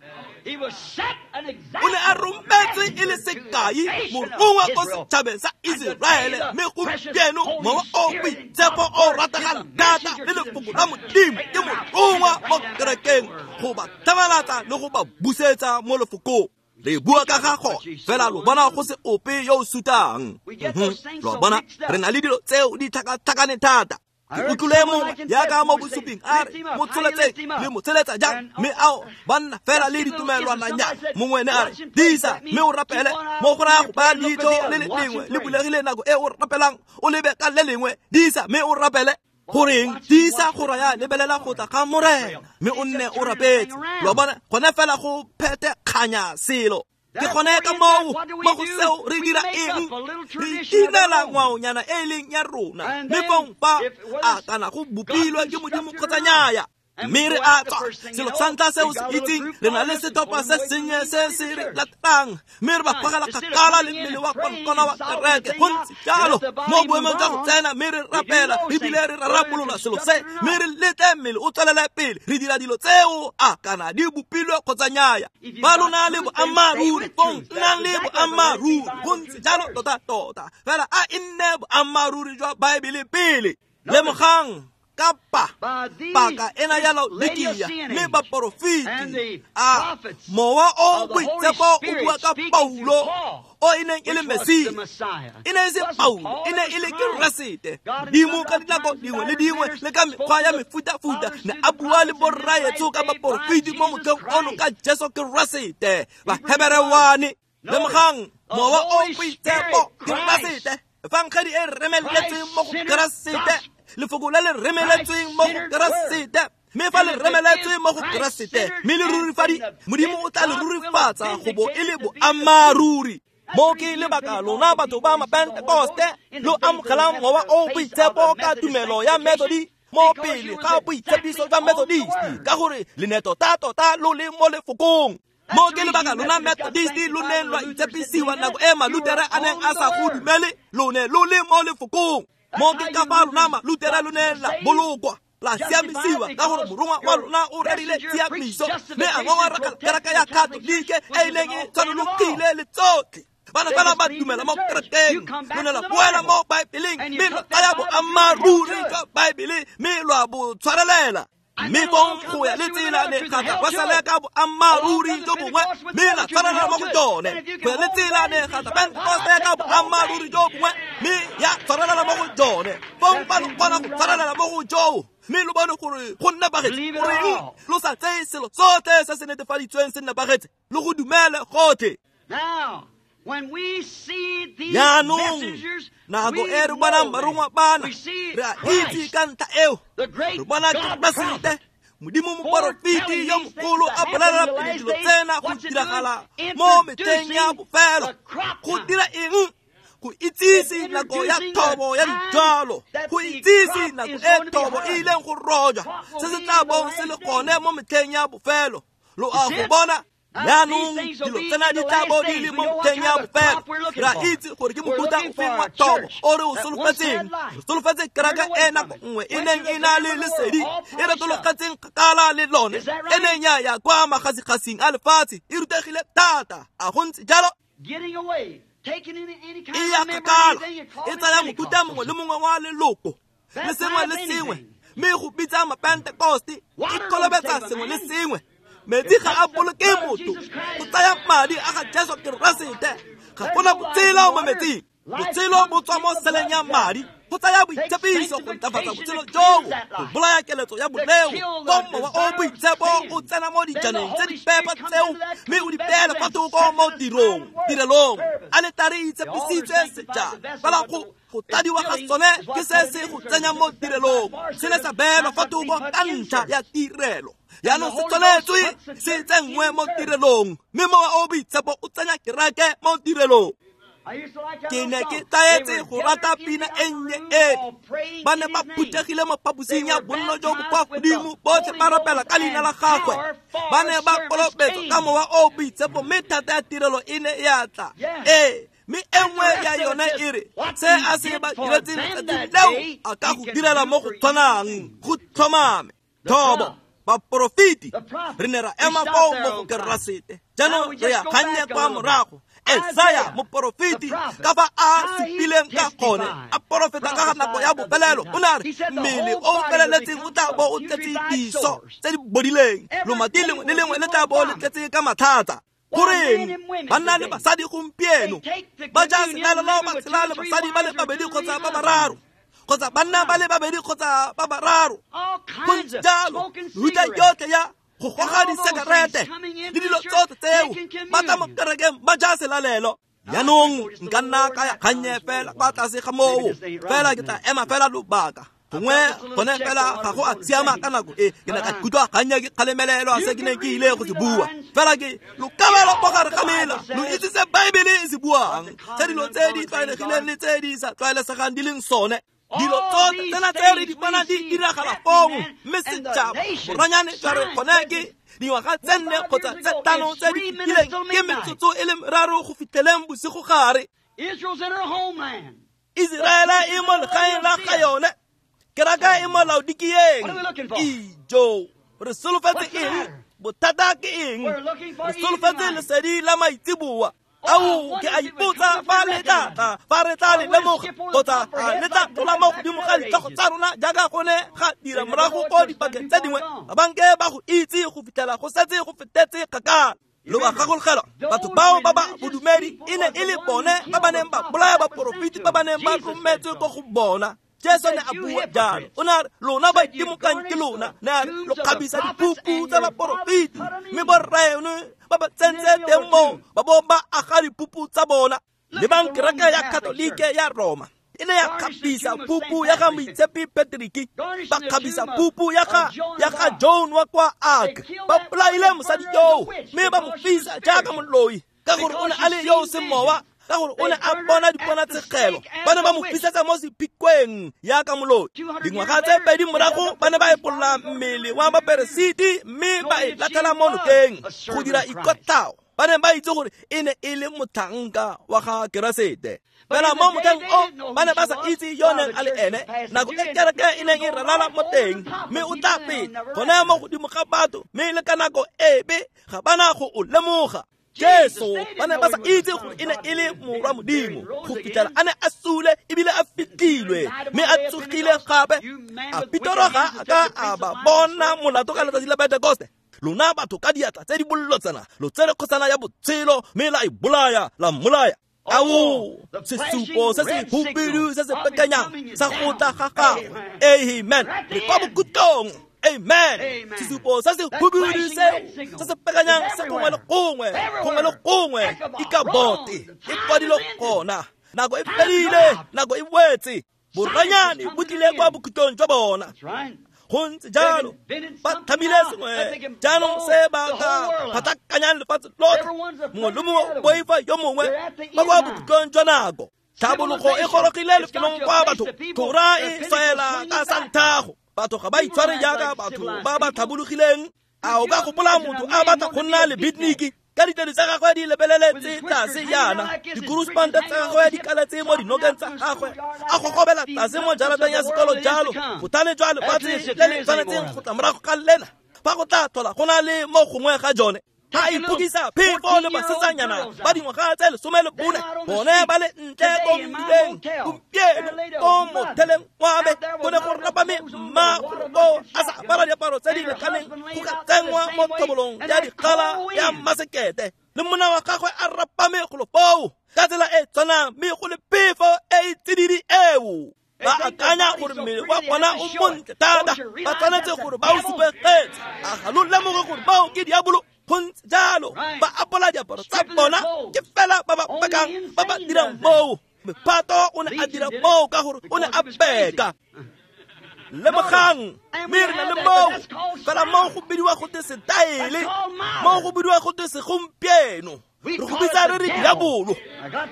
O ne a rometswe e le sekai morongwa ko setšhabeng sa Iseraele, mme gompieno mowa o boitshepo o rategang thata le lefoko la Modimo ke morongwa mo kerekeng go ba tlhamalatsa le go ba busetsa mo lefokong. Re bua ka ga gone fela lo bona go se ope yo o sutang. Lo bona re na le dilo tseo di tlhakatlhakane thata. Ke utlwile mongwe jaaka mo bosuping a re mo tsholetseng le mo tsholetsa jang, mme ao ba nna fela le ditumelwananyana. Mongwe ne a re disa mme o rapele, mo go raya go baya leitlho le le lengwe le bulegile nako e o rapelang, o lebe ka le lengwe. Disa mme o rapele. Goreng disa go raya lebelela go tla ga Morena mme o nne o rapetse. Lo bona gone fela go phete kganya selo. Ke gone ka moo mo go seo re dira eng? Re itinela ngwaonyana e e leng ya rona, mme fong fa a kana go bopilwe ke Modimo kgotsa nnyaya, mme re a tswa. Selo sa ntlha seo se itseng, re na le setlhopha se sennye se se re latelang, mme re ba gogela kgakala le mmele wa konokono wa kereke. Go ntse jalo mo boemong jwa go tsena mme re rapela ebile re rarabolola selo se, mme re letle mmele o tswelele pele. Re dira dilo tseo a kana di bopilwe kgotsa nnyaya. Fa lo na le boammaaruri, fong nnang le boammaaruri. Go ntse jalo tota-tota, fela a e nne boammaaruri jwa Baebele pele. Lemogang kapa paka ena ya Laodikia mme baporofeti a mowa o boitshepo o bua ka Paulo o e neng e le Mesia. E ne e se Paulo, e ne e le Keresete. Modimo ka dinako dingwe le dingwe le ka mekgwa ya mefutafuta ne a bua le borraetsho ka baporofeti mo motlheng ono ka Jesu Keresete. Bahebere one. Lemogang mowa o boitshepo Keresete, efangedi e remeletseng mo go Keresete, lefoko le le remeletsweng mo go Keresete. Mme fa le remeletswe mo go Keresete mme le rurifadi, Modimo o tla le rurifatsa go bo e le boammaaruri. Mo ke lebaka lona batho ba Mapentekoste lo amogelang mowa o boitshepo ka tumelo ya Methodist mo pele ga boitshepiso jwa Methodist, ka gore le ne tota-tota lo le mo lefokong. Mo ke lebaka lona Methodist lo neng lwa itshepisiwa nako e Malutere a neng a sa go dumele, lo ne lo le mo lefokong. Mo ke ka fa lona Malutere lo neng la bolokwa, la siamisiwa ka gore morongwa wa lona o rerile tshiamiso, mme a ngongora kereke ya Katolike e ileng e tshwanologile le tsotlhe. Bana fela ba dumela mo kerekeng, lo ne la boela mo Baebeleng mme lwa tsaya boammaaruri jwa Baebele mme lwa bo tshwarelela. Mme fong go ya le tsela ne ga tla Wesele ka boammaaruri jo bongwe mme la tshwarelela mo go jone. Go ya le tsela ne ga tla Pentekoste ka boammaaruri jo bongwe mme ya tshwarelela mo go jone. Fong fa lo kgona go tshwarelela mo go joo mme lo bone gore go nepagetse, goreng lo sa tseye selo sotlhe se se netefaditsweng se nepagetse, lo go dumele gotlhe. Jaanong nako e re bonang barongwa bana, re a itse ka ntlha eo. Re bona Keresete, Modimo moporofeti yo mogolo a bolelela pele dilo tsena go diragala mo metlheng ya bofelo. Go dira eng? Go itsise nako ya thobo ya dijalo, go itsise nako e thobo e ileng go rojwa, se se tla bong se le gone mo metlheng ya bofelo. Lo a go bona? Jaanong dilo tsena di tla bo di le mo metlheng ya bofelo. Re a itse gore ke mofuta ofeng wa thobo o re o solofetseng. Re solofetse kereke e nako nngwe e neng e na le lesedi, e retologetseng kgakala le lone, e neng ya ya kwa magasigasing a lefatshe, e rutegile thata. A go ntse jalo? E ya kgakala, e tsaya mofuta mongwe le mongwe wa leloko le sengwe le sengwe, mme go bitsa Mapentekoste, e kolobetsa sengwe le sengwe. Metsi ga a boloke motho, go tsaya madi a ga Jesu Keresete. Ga gona botshelo mo metsing. Botshelo bo tswa mo seleng ya madi, go tsaya boitshepiso go ntlafatsa botshelo joo, go bolaya keletso ya boleo. Ko mowa o boitshepo o tsena mo dijaneng tse di pepa tseo, mme o di beele fa thoko mo tirong tirelong. Aletare e itshepisitswe sejana, fela go go tladiwa ga sone ke se se go tsenya mo tirelong. Se ne sa beelwa fa thoko ka ntlha ya tirelo, jaanong se tshwanetswe se tsenngwe mo tirelong, mme mowa o boitshepo o tsenya kereke mo tirelong. Ke ne ke tlaetse go rata pina e nnye e. Ba ne ba phuthegile mo phaposing ya bonno jo bo kwa godimo, botlhe ba rapela ka leina la gagwe. Ba ne ba kolobetswa ka mowa o boitshepo, mme thata ya tirelo e ne ya tla. Ee, mme e nngwe ya yone e re, se a se ba diretseng letsatsing leo a ka go direla mo go tshwanang, go tlhomame. Thobo baporofeti, re ne ra ema foo mo go Keresete. Jaanong re ya kgannye kwa morago. Esaya moporofeti, ka fa a supileng ka gone, a porofeta ka ga nako ya bofelelo, o ne a re mmele o feleletseng o tla bo o tletse diso tse di bodileng, lomati lengwe le lengwe le tla bo le tletse ka mathata. Goreng banna le basadi gompieno ba ja selalelo, ba tshela le basadi ba le babedi kgotsa ba bararo, kgotsa banna ba le babedi kgotsa ba bararo, go ntse jalo. Mehuta yotlhe ya go goga disekerete le dilo tsotlhe tseo, ba tla mo kerekeng ba ja selalelo. Jaanong nka nna ka ya kgannye fela kwa tlase ga moo, fela ke tla ema fela lobaka. Gongwe gone fela ga go a siama ka nako e, ke ne ka ikutlwa gannye ke kgalemelelwa se ke neng ke ile go se bua. Fela ke lo kabelo mo gare ga mela, lo itse se Baebele e se buang, tse dilo tse di tlwaelegileng le tse di sa tlwaelesegang di leng sone. Dilo tsotlhe tsena tse re di bonang di diragala fong, mme setšhaba boranyane jwa re gone ke dingwaga tse nne kgotsa tse tlhano tse di fetileng, ke metsotso e le meraro go fitlheleng bosigo gare. Iseraele e mo legaeng la ga yone, keraka e mo Laodikieng. Ijo, re solofetse eng? Bothata ke eng? Re solofetse lesedi la maitseboa. Ao, ke a ipotsa fa le tla tla, fa re tla le lemoga, kgotsa le tla tlola mo godimo ga ditlhogo tsa rona jaaka go ne ga dira morago ko dipakeng tse dingwe. Ba banke ba go itse go fitlhela go setse go fetetse kgakala. Lo ba gakologelwa, batho bao ba ba bodumedi e ne e le bone ba ba neng ba bolaya baporofeti ba ba neng ba rometswe ko go bona. Jesu ne a bua jalo, o ne a re lona ba itimokang ke lona, ne a re lo kgabisa dipupu tsa baporofeti, mme borraeno ba ba tsentse teng moo ba bo ba aga dipupu tsa bona. Lebang kereke ya Katolike ya Roma e ne ya kgabisa pupu ya ga Moitshepi Patrick, ba kgabisa pupu ya ga ya ga Joan wa kwa Ark. Ba bolaile mosadi yoo mme ba mo fisa jaaka moloi, ka gore o ne a le yo o seng mowa, ka gore o ne a bona diponatshegelo. Ba ne ba mo fisetsa mo sephikweng yaka moloi. Dingwaga tse pedi morago ba ne ba epolola mmele wa baperesiti mme ba e latlhela mo nokeng go dira ikotlao. Ba ne ba itse gore e ne e le motlhanka wa ga Keresete. Fela mo motlheng o ba ne ba sa itse yo neng a le ene, nako e kereke e neng e ralala mo teng, mme o tla feta gone mo godimo ga batho, mme le ka nako epe ga ba na go o lemoga. Jesu ba ne ba sa itse gore e ne e le morwa Modimo go fitlhela a ne a sule ebile a fitlhilwe, mme a tsogile gape. A Petero ga a ka a ba bona molato ka letsatsi la Pentekoste? Lona batho ka diatla tse di bollotsana lo tsere kgosana ya botshelo, mme la e bolaya, la mmolaya. Ao, sesupo se se hubidu se se pekanyang sa go tla ga gagwe. Amen. Re kwa bokhutlong. Amen. Sesupo se se hubidu seo se se pekanyang se gongwe le gongwe, gongwe le gongwe, ikabote e kwadilwe gona. Nako e fedile, nako e wetse. Boranyane bo tlile kwa bokhutlong jwa bona. Go ntse jalo, ba tlhamile sengwe jaanong se ba ka phatlakanyang lefatshe lotlhe. Mongwe le mongwe o boifa yo mongwe, ba kwa bokhutlong jwa nako. Tlhabologo e gorogile lefelong kwa batho tlhora e swaela ka santhago. Batho ga ba itshware jaaka batho ba ba tlhabologileng. A o ka gopola motho a batla go nna le beatnik ka ditedi tsa gagwe di lebeleletse tlase jaana, dikuruspante tsa gagwe di kaletse mo dinokeng tsa gagwe, a gogobela tlase mo jarateng ya sekolo jalo, bothale jwa lefatshe le le tshwanetseng go tla morago ga lena, fa go tla tlhola go na le mo gongwe ga jone. Ga ipokisa phefo le basetsanyana ba dingwaga tse lesome le bone, bone ba le ntle ko mmileng gompieno ko motheleng wa me, go ne go rapame mma ko a sa apara diaparo tse di lekaneng go ka tsenngwa mo tlhobolong ya dikgala ya masekete, le monna wa gagwe a rapame golo foo. Ka tsela e tshwanang mme go le phefo e e tsididi eo. Ba akanya gore mmele wa bona o montle thata, ba tshwanetse gore ba o supegetse. A ga lo lemoge gore bao ke diabolo? Go ntse jalo. Ba apola diaparo tsa bona, ke fela ba ba bakang ba ba dirang moo. Mephato o ne a dira moo ka gore o ne a beka. Lemogang, mme re na le moo. Fela moo go bidiwa gote setaele, moo go bidiwa gote segompieno. Re go bitsa re re diabolo.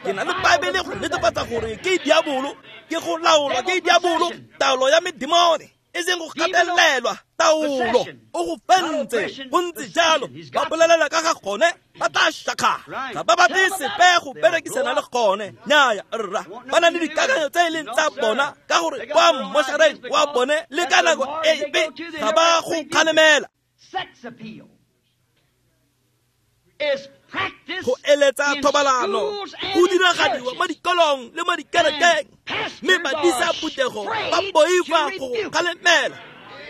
Ke na le Baebele go netefatsa gore ke diabolo, ke go laolwa ke diabolo, taolo ya medimone, e seng go gatelelwa, taolo. O go fentse, go ntse jalo. Ba bolelela ka ga gone, ba tla shakgala. Ga ba batle sepe go berekisana le gone. Nnyaya rra, ba na le dikakanyo tse e leng tsa bona, ka gore kwa mmošareng wa bone le ka nako epe ga ba go kgalemela. Go eletsa thobalano go diragadiwa mo dikolong le mo dikerekeng, mme badisa phuthego ba boifa go kgalemela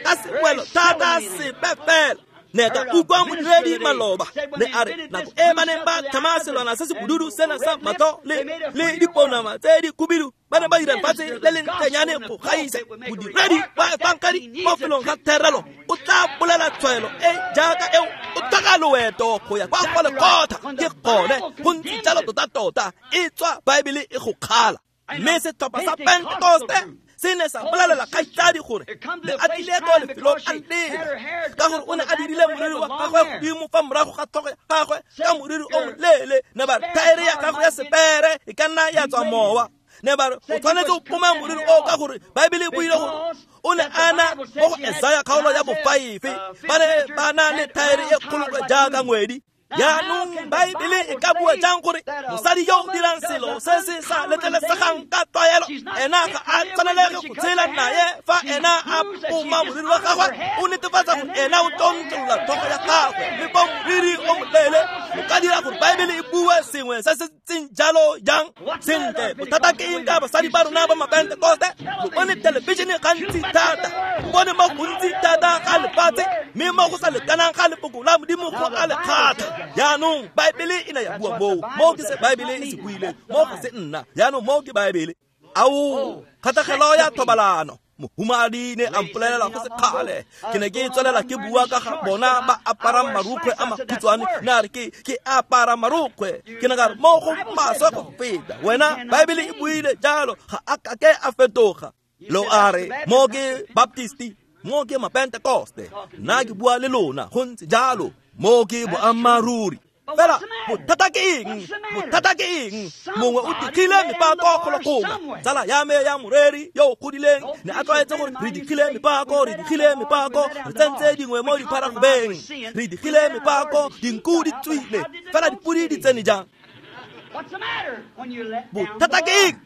ka sewelo thata sepe fela. Ne ka utlwa modiredi maloba ne a re nako e ba neng ba tlhama selwana se se bodudu sena sa matlho le le diponama tse di khubidu, ba ne ba dira lefatshe le le ntlenyane go gaisa. Modiredi wa efangedi mo felong ga therelo o tla bolela tshwaelo e jaaka eo, o tlhoka loeto go ya kwa go lekgotla. Ke gone go ntse jalo tota-tota, e tswa Baebele e go kgala. Mme setlhopha sa Pentekoste se ne sa bolelela kgaitsadi gore ne a tlile ko lefelong a lela, ka gore o ne a dirile moriri wa gagwe godimo fa morago ga tlhogo ya gagwe ka moriri o moleele. Ne ba re thaere ya gagwe ya sepere e ka nna ya tswa mowa. Ne ba re o tshwanetse o poma moriri o, ka gore Baebele e buile gore o ne a na mo go Esaya kgaolo ya bofaefe, ba ne ba na le thaere e kgolokwe jaaka ngwedi. Jaanong Baebele e ka bua jang gore mosadi yo o dirang selo se se sa letlelesegang ka tlwaelo ena ga a tshwanelege go tshela naye fa ena a poma moriri wa gagwe? O netefatsa gore ena o tlontlolola tlhogo ya gagwe, mme fa moriri o moleele o ka dira gore Baebele e bue sengwe se se ntseng jalo jang? Sentle, bothata ke eng ka basadi ba rona ba Mapentekoste? Lo bone thelebišene gantsi thata, o bone mo gontsi thata ga lefatshe, mme mo go sa lekanang ga lefoko la Modimo go a le kgatlha. Jaanong Baebele e ne ya bua moo, moo ke se Baebele e se buileng, moo ga se nna. Jaanong moo ke Baebele. Ao, kgatlhegelo ya thobalano. Mohumadi ne a mpolelela go se kgale, ke ne ke tswelela ke bua ka ga bona ba aparang marukgwe a makhutshwane. Ne a re ke ke apara marukgwe. Ke ne ka re mo go maswe go feta wena, Baebele e buile jalo, ga a kake a fetoga. Lo a re mo ke Baptisti, mo ke Mapentekoste, nna ke bua le lona go ntse jalo, mo ke boammaaruri. Fela bothata ke eng? Bothata ke eng? Mongwe o digile mepako golo gongwe. Tsala ya me ya moreri yo o godileng ne a tlwaetse gore re digile mepako, re digile mepako, re tsentse dingwe mo dipharagobeng, re digile mepako, dinku di tswile, fela dipodi di tsene jang? Bothata ke eng?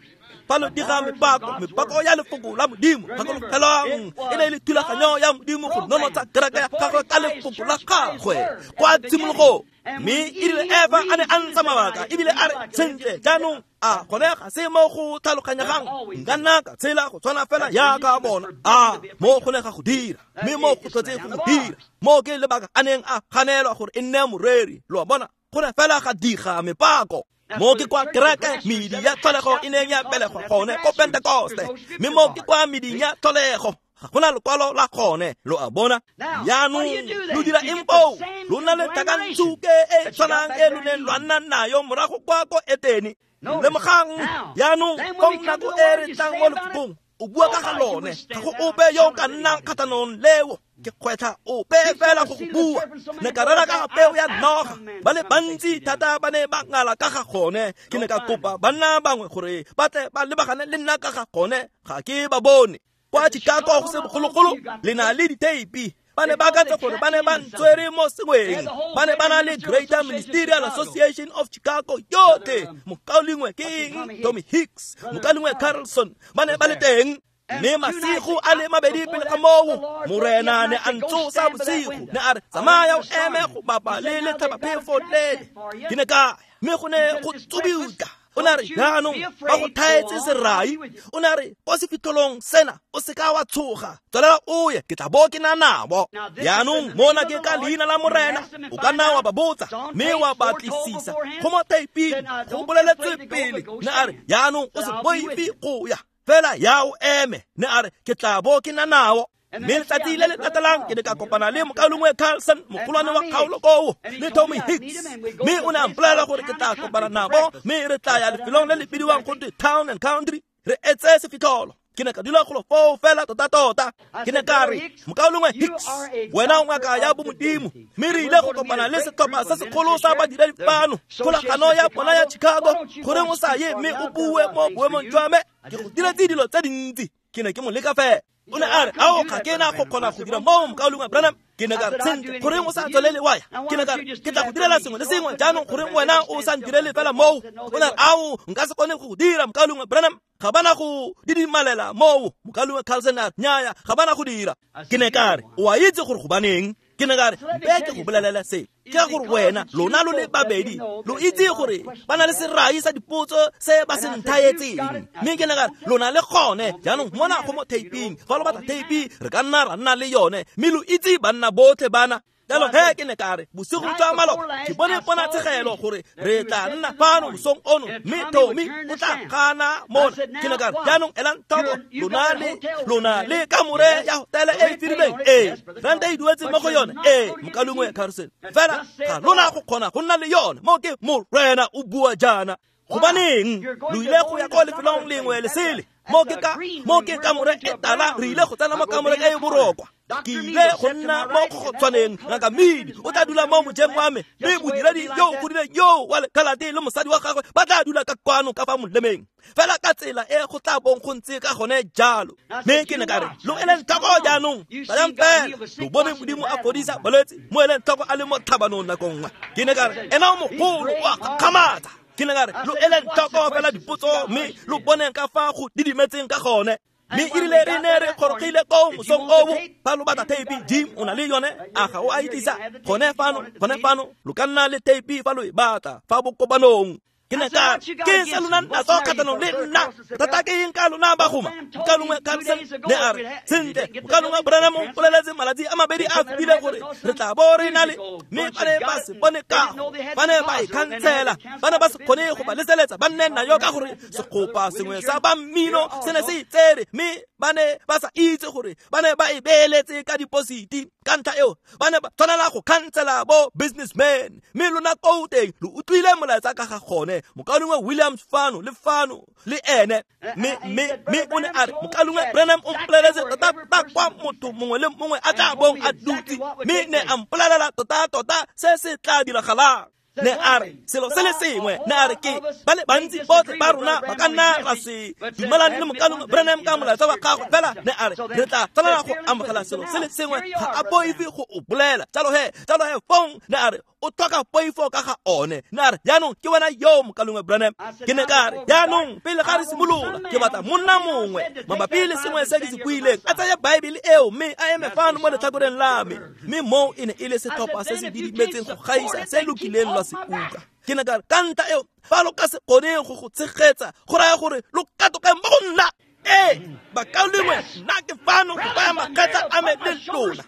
Fa lo diga mepako, mepako ya lefoko la Modimo, gakologelwang e ne e le thulaganyo ya Modimo go nonotsha kereke ya gagwe ka lefoko la gagwe kwa tshimologong. Mme e rile Eva a ne a ntsha mabaka ebile a re sentle jaanong a gone ga se mo go tlhaloganyegang, nka nna ka tshela go tshwana fela jaaka bona. A mo go ne ga go dira, mme mo go tlhotse go go dira. Mo ke lebaka a neng a ganelwa gore e nne moreri. Lo a bona, go ne fela ga diga mepako. Mo ke kwa kereke medi ya tlholego e neng ya belegwa gone ko Pentekoste, mme mo ke kwa meding ya tlholego ga gona lekwalo la gone. Lo a bona? Jaanong lo dira eng foo? Lo na le tlhakantsuke e tshwanang e lo neng lwa nna nayo morago kwa ko Etene. Lemogang jaanong kong nako e re tlang mo lefokong, o bua ka ga lone, ga go ope yo o ka nnang kgatlhanong leo. Ke kgwetlha ope fela go go bua. Ne ka rera ka ga peo ya noga, ba le bantsi thata ba ne ba ngala ka ga gone. Ke ne ka kopa banna bangwe gore ba tle ba lebagane le nna ka ga gone, ga ke ba bone. Kwa Chicago go se bogologolo le na le diteipi. Ba ne ba akantse gore ba ne ba ntswere mo sengweng. Ba ne ba na le Greater Ministerial Association of Chicago yotlhe. Mokaulengwe ke eng? Tommy Hicks, mokaulengwe Carlson, ba ne ba le teng. Mme masigo a le mabedi pele ga moo, Morena ne a ntsosa bosigo, ne a re tsamaya o eme go bapa le letlhabaphefo lele. Ke ne ka ya, mme go ne go tsubuka. O ne a re jaanong ba go thaetse serai. O ne a re ko sefitlholong sena o seka wa tshoga, tswelela o ye, ke tla bo ke na nabo. Jaanong mona ke ka leina la Morena, o ka nna wa ba botsa mme wa batlisisa go mo thaiping, go boleletse pele. Ne a re jaanong o se boife go ya, fela ya o eme. Ne a re ke tla bo ke na nao. Mme letsatsi le le latelang ke ne ka kopana le mokaulengwe Carlson, mogolwane wa kgaolo koo, le Tommy Hicks. Mme o ne a mpolelela gore ke tla kopana nabo, mme re tla ya lefelong le le bidiwang gotwe Town and Country, re etse sefitlholo. Ke ne ka dula golo foo fela tota-tota. Ke ne ka re, mokaulengwe Hicks, wena o ngaka ya bomodimo, mme re ile go kopana le setlhopha se segolo sa badiredi fano, kgolagano ya bona ya Chicago, goreng o sa ye mme o bue mo boemong jwa me? Ke go diretse dilo tse dintsi. Ke ne ke mo leka fela. O ne a re, ao, ga ke na go kgona go dira moo, mokaulengwe Branham. Ke ne ka re, sentle, goreng o sa tswelele wa ya? Ke ne ka re, ke tla go direla sengwe le sengwe jaanong, goreng wena o sa ntirele fela moo? O ne a re, ao, nka se kgone go dira, mokaulengwe Branham. Ga bana go didimalela moo. Mokaulengwe Carlson a re, nnyaya, ga bana go dira. Ke ne ka re, o a itse gore gobaneng? Ke ne ka re, mpe ke go bolelela se. Ke gore wena, lona lo le babedi, lo itse gore ba na le serai sa dipotso se ba se nthaetseng. Mme ke ne ka re, lona le gone jaanong mona go mo taping, fa lo batla tape re ka nna ra nna le yone, mme lo itse banna botlhe bana. Jalo he ke ne ka re, bosigo jwa maloba ke bone ponatshegelo gore re tla nna fano mosong ono, mme Tommy o tla gana mona. Ke ne ka re, jaanong elang tlhoko, lona le lona le kamore ya hotele e e firileng, ee, rente e duetse mo go yone, ee, mokaulengwe Carlson, fela ga lona go kgona go nna le yone. Mo ke Morena o bua jaana. Gobaneng lo ile go ya kwa lefelong lengwe le sele? Mo ke ka mo ke kamore e tala, re ile go tsena mo kamoreng e e borokwa. Ke ile go nna mo kgotshwaneng. Ngaka Midi o tla dula mo mojeng wa me, mme modiredi yo o godileng yo wa lekhalate le mosadi wa gagwe ba tla dula ka kwano ka fa molemeng, fela ka tsela e go tla bong go ntse ka gone jalo. Mme ke ne ka re, lo eleng tlhoko jaanong, tsayang fela lo bone Modimo a fodisa balwetse mo eleng tlhoko a le mo tlhabanong nako nngwe. Ke ne ka re, ena o mogolo o a gakgamatsa. Ke ne ka re, lo eleng tlhoko fela dipotso mme lo boneng ka fa go didimetseng ka gone. Mme erile re ne re gorogile koo mosong oo, fa lo batla tape, Jim o na le yone, a ga o a e tlisa gone fano, gone fano, lo ka nna le tape fa lo e batla fa bokopanong. Ke ne ka re, ke se lona natso kgatlhanong le nna, thata ke eng ka lona bagoma? Mokaulengwe Carlson ne a re, sentle, mokaulengwe Branham o mpoleletse malatsi a mabedi a fetileng gore re tla bo re na le, mme ba ne ba se bone kago, ba ne ba e khansela, ba ne ba se kgone go ba leseletsa ba nne nayo ka gore segopa sengwe sa ba mmino se ne se itsere, mme ba ne ba sa itse gore ba ne ba e beeletse ka depositi. Ka ntlha eo ba ne ba tshwanela go khansela bo businessman. Mme lona koo teng lo utlwile molaetsa ka ga gone, mokaulengwe Williams fano le fano le ene. Mme mme mme o ne a re, mokaulengwe Branham o mpoleletse tota-tota kwa motho mongwe le mongwe a tla bong a dutse, mme ne a mpolelela tota-tota se se tla diragalang. Ne a re selo se le sengwe, ne a re ke ba le bantsi botlhe ba rona ba ka nna ra se dumelane le mokaulengwe Branham ka molaetsa wa gagwe, fela ne a re re tla tshwanela go amogela selo se le sengwe, ga a boife go o bolela. Jalo he, jalo he fong ne a re o tlhoka poifo ka ga one. Ne a re jaanong ke wena yo, mokaulengwe Branham. Ke ne ka re, jaanong pele ga re simolola, ke batla monna mongwe mabapi le sengwe se ke se buileng a tsaya Baebele eo mme a eme fano mo letlhakoreng la me. Mme moo e ne e le setlhopha se se didimetseng go gaisa se lokileng lwa se utlwa. Ke ne ka re, ka ntlha eo fa lo ka se kgone go go tshegetsa, go raya gore lo katoke mo go nna. Ee, bakaulengwe, nna ke fano go baya magetla a me le lona.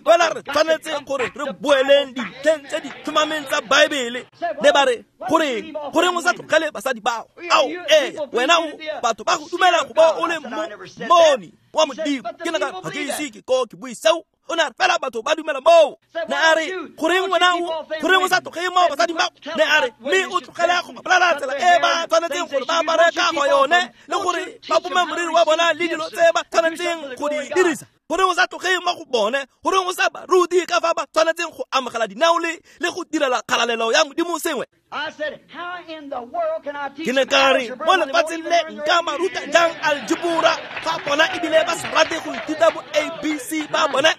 Fela re tshwanetse gore re boeleng dintlheng tse di tlhomameng tsa Baebele. Ne ba re, goreng goreng o sa tlogele basadi bao? Ao, ee, wena o batho ba go dumela go ba o le moni wa Modimo. Ke ne ka re, ga ke ise ke ko ke bue seo. O ne a re, fela batho ba dumela moo. Ne a re, goreng wena o goreng o sa tlogele mo basadi bao? Ne a re, mme o tlogele go ba bolela tsela e ba tshwanetseng gore ba apare ka go yone, le gore ba pome moriri wa bona le dilo tse ba tshwanetseng go di dirisa. Goreng o sa tlogele mo go bone? Goreng o sa ba rute ka fa ba tshwanetseng go amogela dinao le le go direla kgalalelo ya Modimo sengwe? Ke ne ka re, mo lefatsheng le nka ba ruta jang aljebora fa bona ebile ba se rate go ithuta bo A B C ba bone?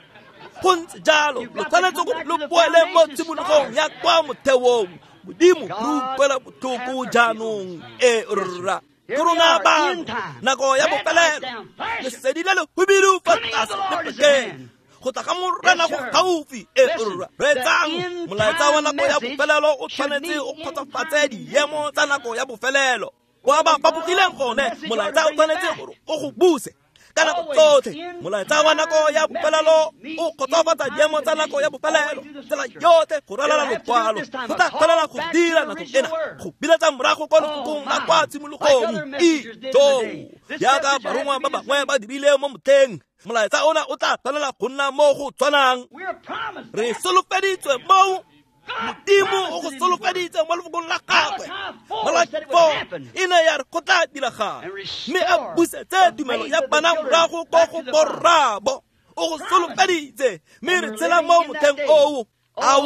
Go ntse jalo, lo tshwanetse gore lo boele mo tshimologong ya kwa motheong. Modimo re utlwela botlhoko jaanong. Ee rra, ke rona bano, nako ya bofelelo, lesedi le le hubidu fa tlase le phakeng. Go tla ga Morena go gaufi. E reetsang, molaetsa wa nako ya bofelelo o tshwanetse o kgotsofatse diemo tsa nako ya bofelelo. Kwa ba fapogileng gone, molaetsa o tshwanetse gore o go buse ka nako tsotlhe. Molaetsa wa nako ya bofelelo o kgotsofatsa diemo tsa nako ya bofelelo tsela yotlhe go ralala lokwalo. Go tla tshwanela go dira nako ena go biletsa morago kwa lefokong la kwa tshimologong. Ijoo, jaaka barongwa ba bangwe ba dirile mo motlheng, molaetsa ona o tla tshwanela go nna mo go tshwanang. Re solofeditswe moo. Modimo o go solofeditse mo lefokong la gagwe. Malaki four e ne ya re go tla diragala, mme a busetse tumelo ya bana morago ko go borraabo. O go solofeditse, mme re tshela mo motlheng oo. Ao,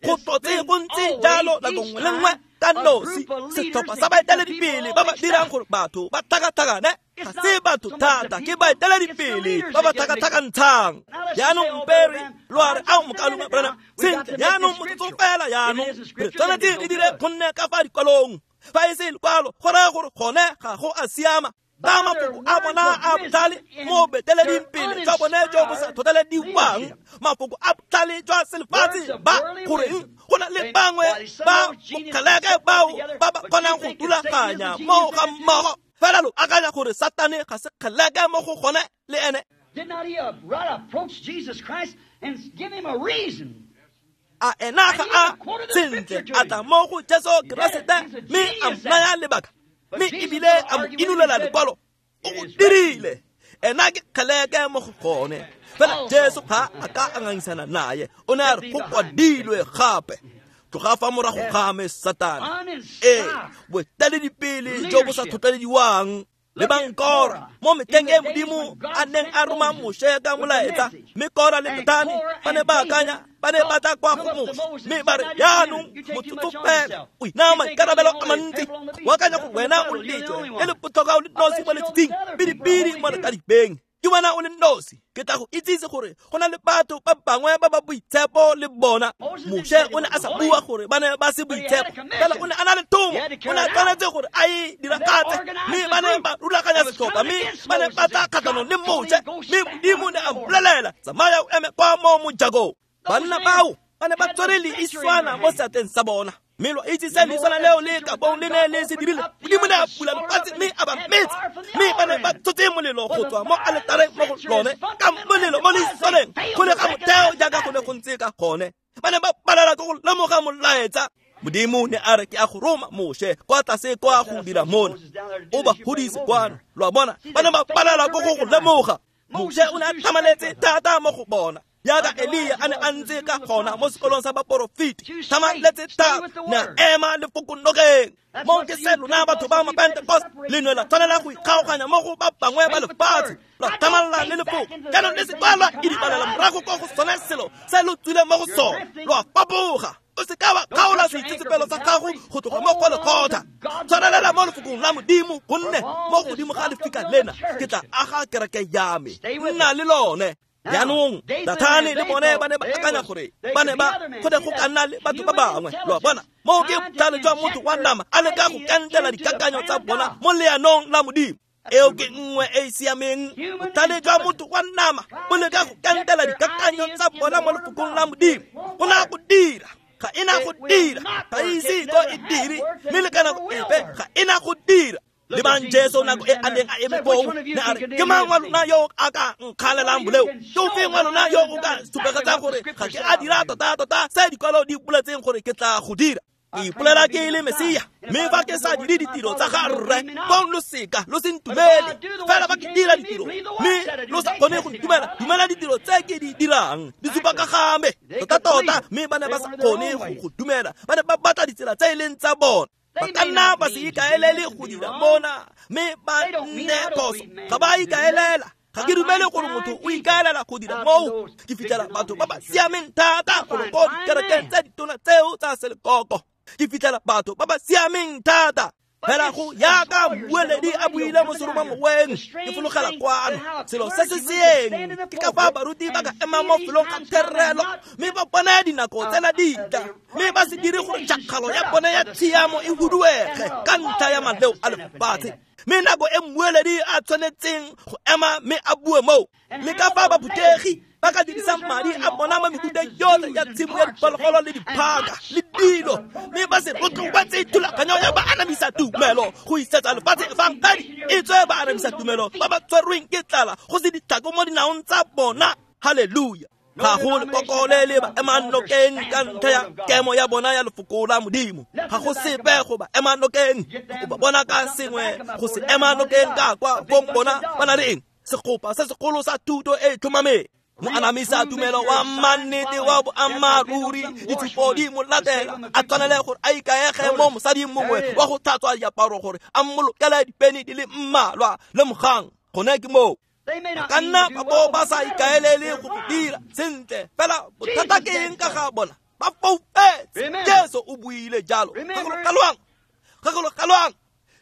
go tlotse go ntse jalo nako nngwe le nngwe ka nosi. Setlhopha sa baeteledipele ba ba dirang gore batho ba tlhakatlhakane ga se batho thata, ke baeteledipele ba ba tlhakatlhakantshang. Jaanong mpere lo a re, ao mokaulengwe Branham, sentle jaanong motsotso fela jaanong re tshwanetse re dire gonne ka fa dikwalong. Fa e se lekwalo, go raya gore gone ga go a siama. Ka mafoko a bona a botlhale mo beteleding pele jwa bone jo bo sa tlhotlhelediwang, mafoko a botlhale jwa selefatshe ba goreng go na le bangwe ba bokgeleke bao ba ba kgonang go rulaganya mo ga mmogo. Fela lo akanya gore Satane ga se kgeleke mo go gone le ene. Did not he right approach Jesus Christ and give him a reason? A ena ga a sentle a tla mo go Jesu Keresete mme a mo naya lebaka, mme ebile a mo inolela lekwalo. O go dirile. Ena ke kgeleke mo go gone. Fela Jesu ga a ka a ngangisana naye, o ne a re go kwadilwe gape. Tloga fa morago ga me, Satane. Ee, boeteledipele jo bo sa tlhotlhelediwang. Lebang Kora mo metlheng e Modimo a neng a roma Moshe ka molaetsa, mme Kora le Datane ba ne ba akanya, ba ne ba tla kwa go Moshe mme ba re, jaanong motsotso fela, o inaya maikarabelo a mantsi, o akanya gore wena o lejwe le le botlhokwa o le nosi mo letsatsing, pidipidi mo lekadibeng. Ke wena o le nosi. Ke tla go itsise gore go na le batho ba bangwe ba ba boitshepo le bona. Moshe o ne a sa bua gore ba ne ba se boitshepo, fela o ne a na le thomo, o ne a tshwanetse gore a e diragatse. Mme ba ne ba rulaganya setlhopha, mme ba ne ba tla kgatlhanong le Moshe, mme Modimo ne a mmolelela, tsamaya o eme kwa mo mojakong. Banna bao ba ne ba tshwere leiswana mo seatleng sa bona, mme lo itse se leiswana leo le ka bong le ne le se dirile. Modimo ne a bula lefatshe mme a ba metsa, mme ba ne ba tshotse molelo go tswa mo aletareng mo go lone, ka molelo mo leiswaneng go le ga motheo jaaka go ne go ntse ka gone. Ba ne ba palelwa ke go lemoga molaetsa. Modimo ne a re, ke a go roma Moshe kwa tlase kwa go dira mona, o ba godise kwano. Lo a bona, ba ne ba palelwa ke go go lemoga. Moshe o ne a tlhamaletse thata mo go bona, jaaka Elia a ne a ntse ka gona mo sekolong sa baporofeti. Tlhamaletse thata, ne a ema lefoko nokeng. Mo ke se lona batho ba Mapentecost le ne la tshwanela go ikgaoganya mo go ba bangwe ba lefatshe, lwa tlhamalala le lefoko. Jaanong le se ka lwa idibalela morago ko go sone selo se lo tswileng mo go sone, lwa fapoga. O se ka wa kgaola seitsetsepelo sa gago go tloga mo go lekgotla. Tshwarelela mo lefokong la Modimo, gonne mo godimo ga lefika lena ke tla aga kereke ya me, nna le lone. Jaanong Datane le bone ba ne ba akanya gore ba ne ba go ne go ka nna le batho ba bangwe. Lo a bona, moo ke botlhale jwa motho wa nama a leka go kentela dikakanyo tsa bona mo leanong la Modimo. Eo ke nngwe e e siameng. Botlhale jwa motho wa nama bo leka go kentela dikakanyo tsa bona mo lefokong la Modimo. Go na go dira, ga e na go dira, ga ise ko e dire, mme le ka nako epe ga e na go dira. Lebang Jesu nako e a neng a eme foo, ne a re, ke mang wa lona yo a ka nkgalelang boleo? Ke ofeng wa lona yo o ka supegetsang gore ga ke a dira tota-tota se dikwalo di boletseng gore ke tla go dira? Ke ipolela ke le Mesia, mme fa ke sa dire ditiro tsa ga Rre, fong lo seka lo se ntumele. Fela fa ke dira ditiro mme lo sa kgone go ntumela, dumela ditiro tse ke di dirang, di supa ka ga me tota-tota. Mme ba ne ba sa kgone go go dumela, ba ne ba batla ditsela tse e leng tsa bona. Ba ka nna ba se ikaelele go dira mona, mme ba nne phoso. Ga ba ikaelela. Ga ke dumele gore motho o ikaelela go dira moo. Ke fitlhela batho ba ba siameng thata golo ko dikerekeng tse ditona tseo tsa selekoko. Ke fitlhela batho ba ba siameng thata. Fela go yaka mmueledi a buile mo seromamoweng, ke fologela kwano. Selo se se seeng ke ka fa baruti ba ka ema mo felong ga therelo, mme ba bone dinako tsela di tla, mme ba se dire gore tšhakgalo ya bone ya tshiamo e huduege ka ntlha ya maleo a lefatshe. Mme nako e mmueledi a tshwanetseng go ema mme a bue moo, le ka fa baphutegi Ba ka dirisang madi a bona mo mehuteng yotlhe ya tshimo ya diphologolo le diphaka le dilo, mme ba se rotloetse thulaganyo ya ba anamisa tumelo go isetsa lefatshe efangedi e tswe ba anamisa tumelo ba ba tshwerweng ke tlala go se ditlhako mo dinaong tsa bona. Halleluja. Ga go lekoko le le ba emang nokeng ka ntlha ya kemo ya bona ya lefoko la Modimo. Ga go sepe go ba ema nokeng, o ba bona ka sengwe go se ema nokeng ka kwa bong bona ba na le eng? Segopa se segolo sa thuto e tlhomameng. Moanamisa tumelo wa mannete wa boammaaruri, ditshupo di mo latela, a tshwanele gore a ikaege mo mosading mongwe wa go tlhatswa diaparo gore a mmolokele dipeni di le mmalwa. Lemogang, gone ke moo. Ba ka nna ba bo ba sa ikaelele go go dira sentle, fela bothata ke eng ka ga bona? Ba foufetse. Jesu o buile jalo. Gakologelwang, gakologelwang,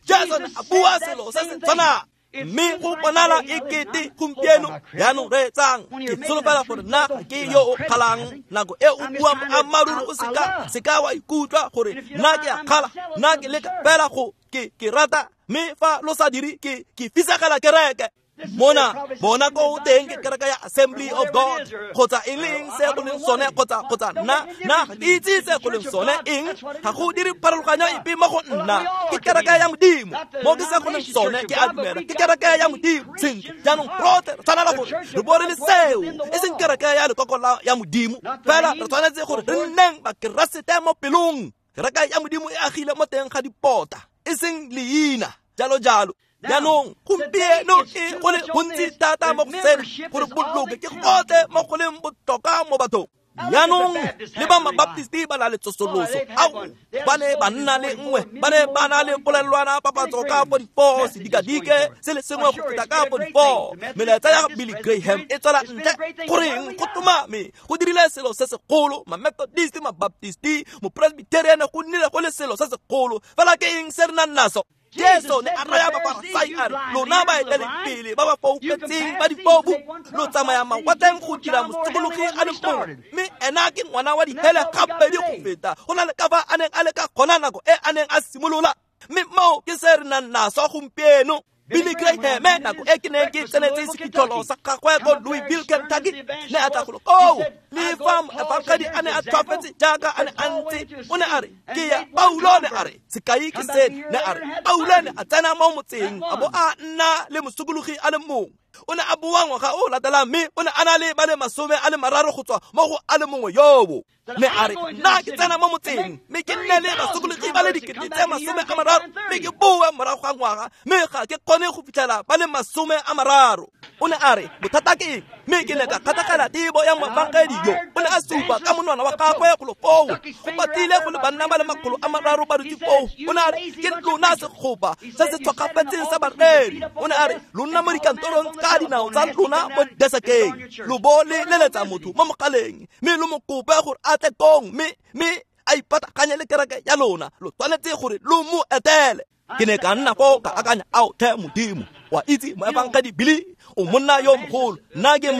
Jesu ne a bua selo se se tshwanang. Mme go bonala e kete gompieno jaanong reetsang, ke solofela gore nna ga ke yo o kgalang. Nako e o buang boammaaruri o seka seka wa ikutlwa gore nna ke a kgala, nna ke leka fela go ke ke rata, mme fa lo sa dire ke ke fisegela kereke. Mona bona ko teng ke kereke ya Assembly of God kgotsa e leng se go leng sone, kgotsa kgotsa nna nna ga ke itse se go leng sone eng, ga go dire pharologanyo epe mo go nna. Ke kereke ya Modimo, mo ke se go leng sone ke a dumela ke kereke ya Modimo. Sentle, jaanong rotlhe re tshwanela gore re bo re le seo, e seng kereke ya lekoko la ya Modimo, fela re tshwanetse gore re nneng bakeresete mo pelong. Kereke ya Modimo e agile mo teng ga dipota, e seng leina, jalo jalo. Jaanong gompieno e go le gontsi thata mo go sena gore boloke ke gotlhe mo go leng botlhokwa mo bathong. Jaanong le ba mabaptisti ba na le tsosoloso, ao ba ne ba nna le nngwe, ba ne ba na le polelwana papatso ka forty-four, sedikadike se le sengwe go feta ka forty-four. Melaetsa ya Billy Graham e tswela ntle goreng go tlhomame go dirile selo se segolo. Ma-Methodist, ma-Baptisti, mo-Presbyterian go nnile go le selo se segolo, fela ke eng se re nang naso? Jesu ne a raya Bafarasai a re, lona baeteledipele ba ba foufetseng ba difofu, lo tsamaya mawatleng go dira mosokologi a le mongwe, mme ena ke ngwana wa dihele gabedi go feta go na le ka fa a neng a le ka gona nako e a neng a simolola. Mme moo ke se re nang naso gompieno. Billy Graham nako e ke neng ke tsenetse sefitlholo sa gagwe ko Louisville, Kentucky, ne a tla golo koo. Le fa moefangedi a ne a tlhwafetse jaaka a ne a ntse, o ne a re ke ya Paulo, ne a re sekai ke seno, ne a re Paulo ne a tsena mo motseng a bo a nna le mosokologi a le mongwe. O ne a boa ngwaga o latelang, mme o ne a na le ba le masome a le mararo go tswa mo go a le mongwe yobo. Ne a re nna ke tsena mo motseng mme ke nne le basokologi ba le dikete tse masome a mararo, mme ke boe morago ga ngwaga mme ga ke kgone go fitlhela ba le masome a mararo. O ne a re bothata ke eng? Mme ke ne ka kgatlhegela tebo ya moefangedi yo. O ne a supa ka monwana wa gagwe golo foo, go patile go le banna ba le makgolo a mararo ba dutse foo. O ne a re ke lona segopa se se tshwakgafetseng sa bareri. O ne a re lo nna mo dikantorong ka dinao tsa lona mo desekeng, lo bo le leletsa motho mo mogaleng mme lo mo kope gore a tle kong, mme mme a ipataganye le kereke ya lona, lo tshwanetse gore lo mo etele. Ke ne ka nna foo ka akanya, ao tlhe Modimo, wa itse moefangedi Billy o monna yo mogolo, nna ke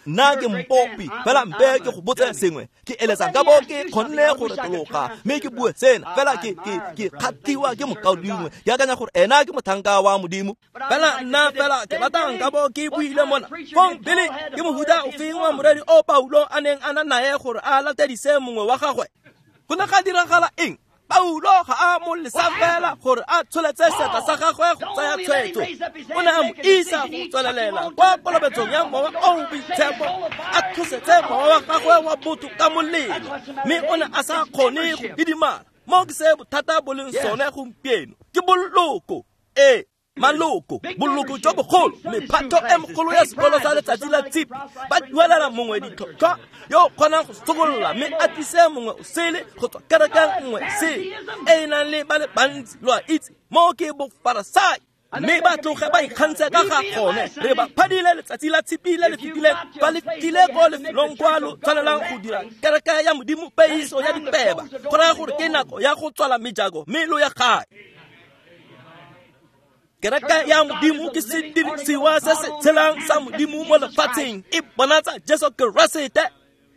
nna ke mpopi, fela mpe ke go botse sengwe. Ke eletsa ka bo ke kgonne go retologa mme ke bue sena, fela ke ke ke kgathiwa ke mokaulengwe, ke akanya gore ena ke mothanka wa Modimo. Fela nna fela ke batang ka bo ke buile mona. Fong Billy ke mohuta o feng wa moreri o Paulo a neng a na nae gore a latedise mongwe wa gagwe? Go ne ga diragala eng? Paulo ga a mo lesa fela gore a tsholetse seatla sa gagwe go tsaya tshwetso. O ne a mo isa go tswelelela kwa kolobetsong ya Mowa o o Boitshepo, a tlosetse mowa wa gagwe wa botho ka molelo, mme o ne a sa kgone go didimala. Mo ke se bothata bo leng sone gompieno, ke boloko. Ee, maloko, boloko jo bogolo, mephato e mogolo ya sekolo sa letsatsi la tshipi, ba duelela mongwe ditlhotlhwa yo o kgonang go sokolola mme a tlise mongwe o sele go tswa kerekeng nngwe sele e e nang le ba le bantsi, lo a itse, mo ke bofarasai. Mme ba tloge ba ikgantshe ka ga gone. Re ba phadile letsatsi la tshipi le le fetileng, ba le fetile ko lefelong kwa lo tshwanelang go dira kereke ya Modimo peiso ya dipeba. Go raya gore ke nako ya go tswala mejako mme lo ya gae. Kereke ya Modimo ke sedirisiwa se se tshelang sa Modimo mo lefatsheng, e bonatsa Jesu Keresete.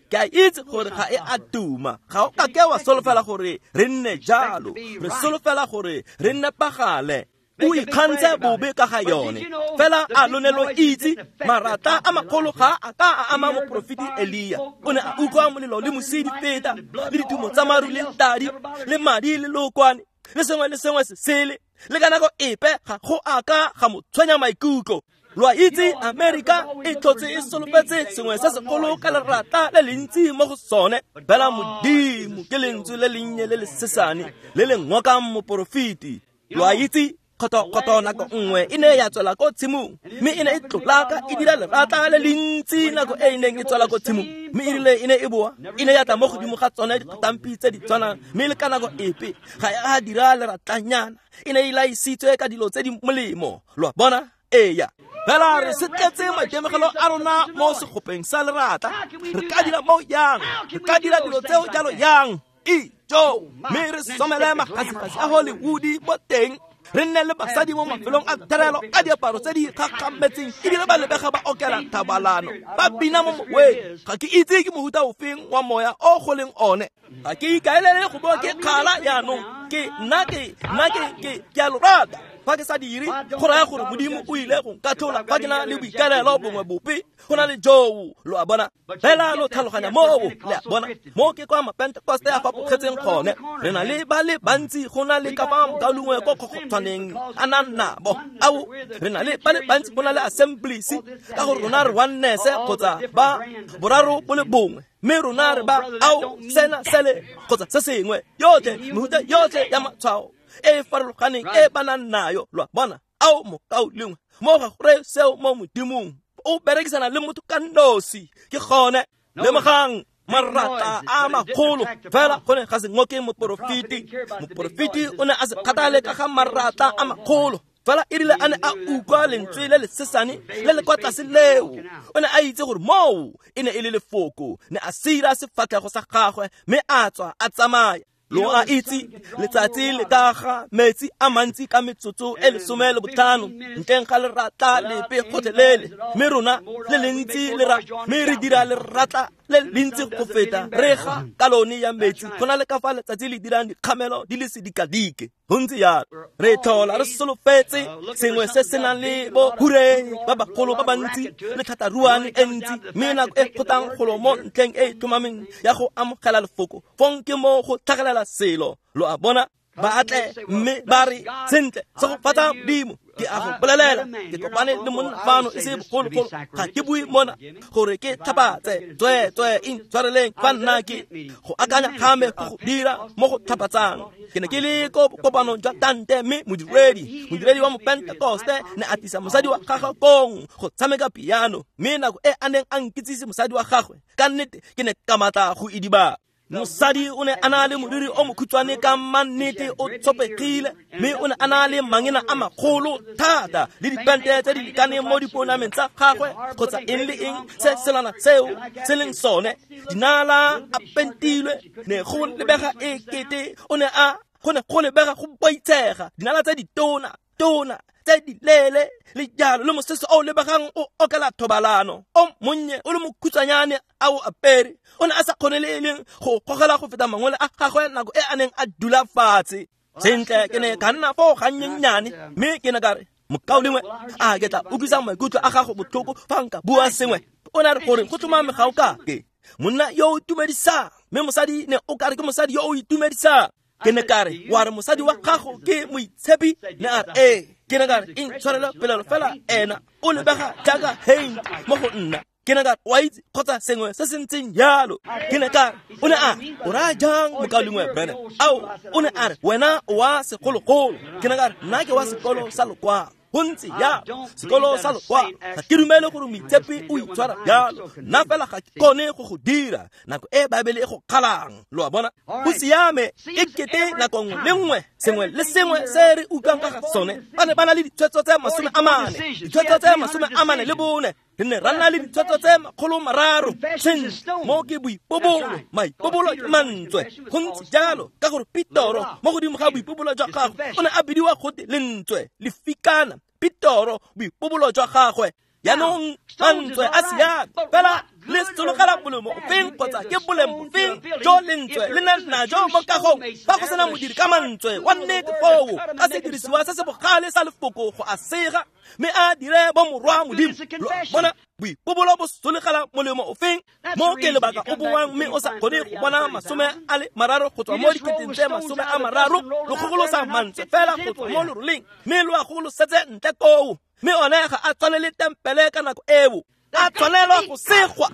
Ke a itse gore ga e a tuma, ga o ka ke wa solofela gore re nne jalo, re solofela gore re nepagale. O ikgantshe bobe ka ga yone. Fela a lo ne lo itse marata a magolo ga a ka a ama moporofeti Elia. O ne a utlwa molelo le mosi di feta, le ditumo tsa maru le tadi, le madi le lokwane, le sengwe le sengwe se sele. Le ka nako epe ga go a ka ga mo tshwenya maikutlo. Lo a itse Amerika e tlhotse e solofetse sengwe se segolo ka lerata le le ntsi mo go sone. Fela Modimo ke lentswe le lennye le le sesane le le ngokang moporofeti. Lo a itse kgoto-kgoto nako nngwe e ne ya tswela ko tshimong, mme e ne e tlolaka e dira lerata le le ntsi nako e e neng e tswela ko tshimong. Mme e rile e ne e boa, e ne ya tla mo godimo ga tsone dikgatampi tse di tshwanang, mme le ka nako epe ga e a dira leratlanyana. E ne e laisitswe ka dilo tse di molemo. Lo a bona? Eya. Fela re setletse maitemogelo a rona mo segopeng sa lerata. Re ka dira mo yang? Re ka dira dilo tseo jalo yang? Ijo! Mme re somele magasigasi a Hollywood mo teng. Re nne le basadi mo mafelong a therelo ka diaparo tse di gakgametseng ebile ba lebega ba okela thabalano, ba bina mo moweng. Ga ke itse ke mohuta ofeng wa moya o go leng one. Ga ke ikaelele go bo ke kgala jaanong. Ke nna ke nna ke ke ke a lo rata. Fa ke sa dire, go raya gore Modimo o ile go nkatlhola fa ke na le boikaelelo bongwe bope go na le joo. Lo a bona? Fela lo tlhaloganya moo, le a bona? Mo ke kwa Mapentekoste a fapogetseng gone. Re na le ba le bantsi go na le ka fa mokaulengwe ko kgokgotshwaneng a nang nabo. Ao, re na le ba le bantsi go na le Assemblies, ka gore rona re oneness kgotsa ba boraro bo le bongwe. Mme rona re ba ao sena sele kgotsa se sengwe. Yotlhe mehuta yotlhe ya matshwao e farologaneng e ba nang nayo. Lo a bona? Ao mokaulengwe, mo ga go reye seo mo Modimong. O berekisana le motho ka nosi. Ke gone. Lemogang marata a magolo. Fela go ne ga se ngoke moporofeti. Moporofeti o ne a se kgathale ka ga marata a magolo. Fela e rile a ne a utlwa lentswe le le sesane le le kwa tlase leo, o ne a itse gore moo e ne e le lefoko. Ne a sira sefatlhego sa gagwe mme a tswa a tsamaya. Lo a itse letsatsi le ka ga metsi a mantsi ka metsotso e lesome le botlhano ntleng ga lerata lepe gotlhelele. Mme rona le lentsi le ra, mme re dira lerata le lentsi go feta re ga kalone ya metsi go na le ka fa letsatsi le dirang dikgamelo di le sedikadike. Go ntse jalo. Re tlhola re solofetse sengwe se se nang le bo hureng ba bagolo ba bantsi le tlhataruane e ntsi, mme nako e kgotang golo mo ntlheng e e tlhomameng ya go amogela lefoko, fong ke mo go tlhagelela selo. Lo a bona? Ba atle mme ba re, sentle, segofatsa Modimo. Ke a go bolelela, ke kopane le monna fano e se bogologolo. Ga ke bue mona gore ke tlhapatse. Tsweetswe intshwareleng fa nna ke go akanya ga me go go dira mo go tlhapatsang. Ke ne ke le ko kopanong jwa tante, mme modiredi, modiredi wa Mopentekoste ne a tlisa mosadi wa gagwe kong go tshameka piano. Mme nako e a neng a nkitsise mosadi wa gagwe, ka nnete ke ne ka matla go idibala. Mosadi o ne a na le moriri o mokhutshwane ka mannete o tshopegile, mme o ne a na le mangena a magolo thata le dipente tse di lekaneng mo diponameng tsa gagwe kgotsa eng le eng se selana seo se leng sone. Dinala a pentilwe, ne go lebega e kete o ne a go ne go lebega go boitshega. Dinala tse ditona tona tse di leele le jalo, le mosese o lebegang o okela thobalano o monnye o le mokhutshwanyane a o apere. O ne a sa kgone le e leng go gogela go feta mangwele a gagwe nako e a neng a dula fatshe. Sentle, ke ne ka nna foo gannyennyane, mme ke ne ka re, mokaulengwe, a ke tla utlwisa maikutlo a gago botlhoko fa nka bua sengwe. O ne a re gore go tlhomame ga o kake monna yo o itumedisang, mme mosadi ne o kare ke mosadi yo o itumedisang. Ke ne ka re, wa re mosadi wa gago ke moitshepi? Ne a re, ee. Ke ne ka re, intshwarele polelo fela ena o lebega jaaka Haint mo go nna. Ke ne ka re, wa itse kgotsa sengwe se se ntseng jalo. Ke ne ka re, o ne a re, o raya jang mokaulengwe Branham? Ao, o ne a re, wena o wa segologolo. Ke ne ka re, nna ke wa sekolo sa lokwalo. Go ntse jalo, sekolo sa lokwalo. Ga ke dumele gore moitshepi o itshwara jalo. Nna fela ga ke kgone go go dira nako e Baebele e go kgalang. Lo a bona? Go siame, e kete nako nngwe le nngwe, sengwe le sengwe se re utlwang ka ga sone. Ba ne ba na le ditshwetso tse masome a mane, ditshwetso tse masome a mane le bone. Re ne ra nna le ditshwetso tse makgolo mararo. Sentle, mo ke boipobolo, maipobolo ke mantswe. Go ntse jalo ka gore Petoro mo godimo ga boipobolo jwa gagwe o ne a bidiwa gote lentswe, lefikana. Petoro boipobolo jwa gagwe. Jaanong mantswe a siame, fela le sologela molemo ofeng kgotsa ke boleng bofeng jo lentswe le nang najo mo kagong fa go sena modiri ka mantswe wa nnete foo ka sedirisiwa se se bogale sa lefoko go a sega mme a dire bomorwa Modimo. Lo a bona, boipobolo bo solegela molemo ofeng? Mo ke lebaka o boang mme o sa kgone go bona masome a le mararo go tswa mo diketeng tse masome a mararo, lo gogolosa mantswe fela go tswa mo loroleng mme lo a gogolosetse ntle koo, mme one ga a tshwane le tempele ka nako eo. A tshwanelwa go segwa,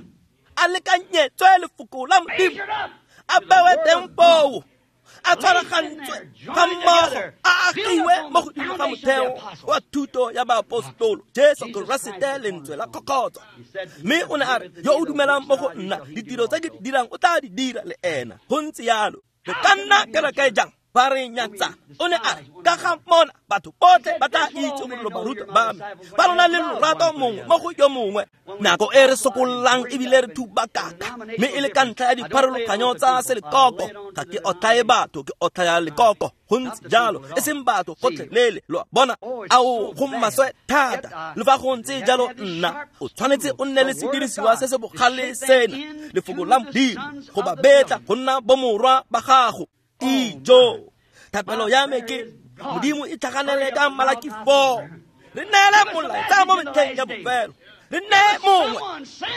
a lekanyetswe lefoko la Modimo, a bewe teng foo, a tshwaragantswe ga mmogo, a agiwe mo godimo ga motheo wa thuto ya baapostolo Jesu Keresete lentswe la kgokgotso. Mme o ne a re, yo o dumelang mo go nna, ditiro tse ke di dirang o tla di dira le ena. Go ntse jalo. Re ka nna kereke jang fa re nyatsa? O ne a re, ka ga mona batho botlhe ba tla itse gore lo barutwa ba me, ba lona le lorato mongwe mo go yo mongwe. Nako e re sokollang ebile re thubakaka, mme e le ka ntlha ya dipharologanyo tsa selekoko. Ga ke otlhaye batho, ke otlhaya lekoko. Go ntse jalo, e seng batho gotlhelele. Lo a bona? Ao, go maswe thata. Le fa go ntse jalo, nna o tshwanetse o nne le sedirisiwa se se bogale sena, lefoko la Modimo, go ba betla go nna bomorwa ba gago. Ijo, thapelo ya me ke Modimo e tlhaganele ka Malaki four. Re neele molaetsa mo metlheng ya bofelo. Re neye mongwe,